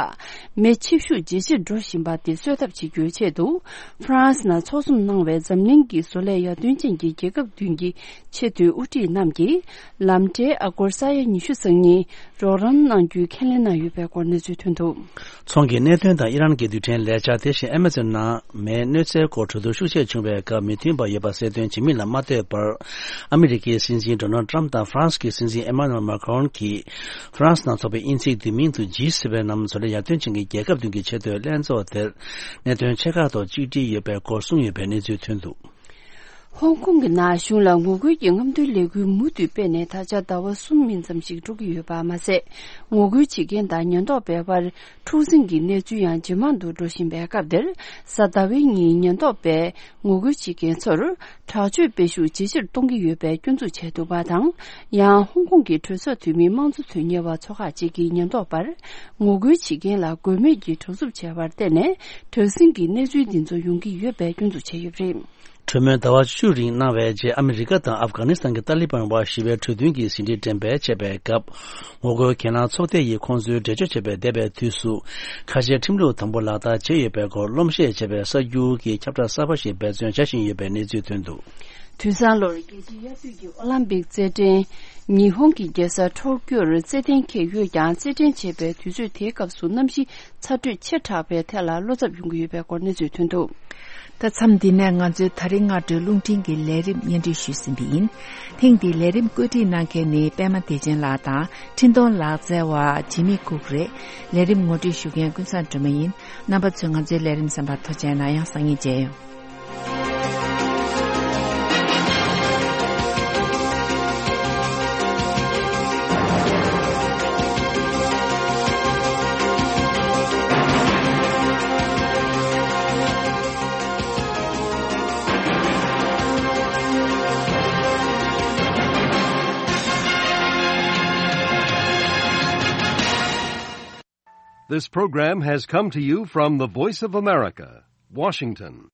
མེ་མཆེད་ཤུགས་ཇེ་ཆེར་འགྲོ་བཞིན་པ་དེ་གསོད་ཐབས་བྱེད་རྒྱུའི་ཆེད་དུ། ཧྥ་རན་སི་ནང་འཚོགས་འཛོམས་གནང་བའི་འཛམ་གླིང་གི་བཟོ་ལས་ཡར་ཐོན་ཅན་གྱི་རྒྱལ་ཁབ་བདུན་གྱི་ཆེས་མཐོའི་དབུ་ཁྲིད་རྣམས་ཀྱིས། ལམ་ཁྲལ་ཨ་སྒོར་ས་ཡ་ཉི་ཤུ་རྩ་གཉིས་རོགས་རམ་གནང་རྒྱུའི་ཁས་ལེན་གནང་ཡོད་པའི་སྐོར་གནས་ཚུལ་ཐོན་འདུག། ཚོང་གི་གནད་དོན་དང་ཨི་རན་གྱི་རྡུལ་ཕྲན་ལས་འཆར། དེ་བཞིན་ཨ་མ་ཛོན་ནང་མེའི་གནོད་འཚེའི་སྐོར་གྲོས་བསྡུར་ཤུགས་ཆེ་བྱུང་བའི་སྐབས། མི་མཐུན་པ་ཡོད་པ་གསལ་སྟོན་བྱེད་མིན་ལ་མ་ལྟོས་པར། ཨ་མི་རི་ཀའི་སྲིད་འཛིན་ཌོ་ནལ་ཊམ་དང་ཧྥ་རན་སི་གི་སྲིད་འཛིན་ཨེ་མ་ནུ་ཨེལ་མཱ་ཁི་རོན་གྱིས། ཧྥ་རན་སི་ནང་འཚོགས་པའི་དབྱིན་ཚིག་བསྡུས་མིང་དུ་ཇི་སི་སེ་ཝེན་ནམ། བཟོ་ལས་ཡར་ཐོན་ཅན་གྱི་རྒྱལ་ཁབ་བདུན་གྱི་ཆེས་མཐོའི་ལྷན་ཚོགས་དེར། གནད་དོན་ཆེ་ཁག་ཐོག་གཅིག་སྒྲིལ་ཡོད་པའི་སྐོར་གསུངས་ཡོད་པའི་གནས་ཚུལ་ཐོན་འདུག། ཧོང་ཀོང་གི་ནང་གཞུང་ལ་ངོ་རྒོལ་གྱི་རྔམ་སྟོན་ལས་འགུལ་མུ་མཐུད་སྤེལ་ནས་ད་ཆ་ཟླ་བ་གསུམ་མིན་ཙམ་ཞིག་འགྲོ་གི་ཡོད་པ་མ་ཟད། ངོ་རྒོལ་བྱེད་མཁན་དང་ཉེན་རྟོག་པའི་བར་འཁྲུག་འཛིང་གི་གནས་ཚུལ་ཡང་ཇེ་མང་དུ་འགྲོ་བཞིན་པའི་སྐབས་འདིར། གཟའ་ཟླ་བའི་ཉིན་ཉེན་རྟོག་པས་ངོ་རྒོལ་བྱེད་མཁན་ཚོར་དྲག་སྤྱོད་སྤེལ་ཤུགས་ཇེ་ཆེར་གཏོང་གི་ཡོད་པའི་སྐྱོན་འཛུགས་བྱས་འདུག་པ་དང་། ཡང་ཧོང་ཀོང་གི་གྲོས་ཚོགས་འཐུས་མི་དམངས་གཙོ་དོན་གཉེར་བ་ཚོ་ཁག་ཅིག་གིས་ཉེན་རྟོག་པར་ངོ་རྒོལ་བྱེད་མཁན་ལ་དགོས་མེད་ཀྱི་དྲག་རྩུབ་བྱས་པར་བརྟེན་ནས། དྲག་ཟིང་གི་གནས་ཚུལ་འདི་ཚོ་ཡོང་གི་ཡོད་པའི་སྐྱོན་འཛུགས་བྱས་ཡོད་པ་རེད། གྲོས་མོལ་ཟླ་བ་བཅུ་རིང་གནང་བའི་རྗེས། ཨ་མི་རི་ཀ་དང་ཨབ་གྷ་ནི་སི་ཐན་གྱི་ཏཱ་ལི་བན་དབར་ཞི་བའི་གྲོས་མཐུན་གྱི་ཟིན་བྲིས་འགྲེམས་སྤེལ་བྱས་པའི་སྐབས། ངོ་རྒོལ་གྱེན་ལངས་ཚོགས་སྡེ་ཡིས་ཁོང་ཚོའི་འགྲེལ་བརྗོད་བྱས་པའི་འདས་པའི་དུས་སུ། ཁ་ཆེའི་ཁྲིམས་ལུགས་དམ་པོ་ལག་བསྟར་བྱས་ཡོད་པའི་སྐོར་སློབ་བཤད་བྱས་པའི་གསར་འགྱུར་གྱི་ཁྱབ་བསྒྲགས་གསར་པ་ཞིག་འབད་བརྩོན་བྱ་བཞིན་ཡོད་པའི་གནས་ཚུལ་ཐོན་འདུག། དུས་སང་ལོར་རྒྱལ་སྤྱིའི་དབྱར་དུས་ཀྱི་ཨོ་ལམ་པིག་རྩེད་འགྲན། ཉི་ཧོང་གི་རྒྱལ་ས་ཊོ་ཀྱོར་རྩེད་གཏན་འཁེལ་ཡོད་ཀྱང་། རྩེད་འགྲན་བྱེད་པའི་དུས་ཚོད་དེའི་སྐབས་སུ་གནམ་གཤིས་ཚ་དྲོད་ཆེ་དྲགས་པའི་ཐད་ལ་བློ་འཚབ་ཡོང་གི་ཡོད་པའི་སྐོར་གནས་ཚུལ་ཐོན་འདུག། ད་མཚམས་འདི་ནས་ང་ཚོའི་ད་རིང་སྔ་དྲོའི་རླུང་འཕྲིན་གྱི་ལས་རིམ་སྙན་སྒྲོན་ཞུས་ཟིན་པ་ཡིན། ཐེངས་འདིའི་ལས་རིམ་བཀོད་སྒྲིག་གནང་མཁན་ནི་པད་མ་བདེ་ཆེན་ལགས་དང་། འཕྲིན་གཏོང་ལག་རྩལ་བ་ཇི་མི་ཀུག་རེད། ལས་རིམ་ངོ་སྤྲོད་ཞུ་མཁན་ཀུན་བཟང་སྒྲོལ་མ་ཡིན། རྣམ་པ་ཚོས་ང་ཚོའི་ལས་རིམ་གསན་པར་ཐུགས་རྗེ་གནང་། ཡང་སང་ཉིན་མཇལ་ཡོང་། This program has come to you from the Voice of America, Washington.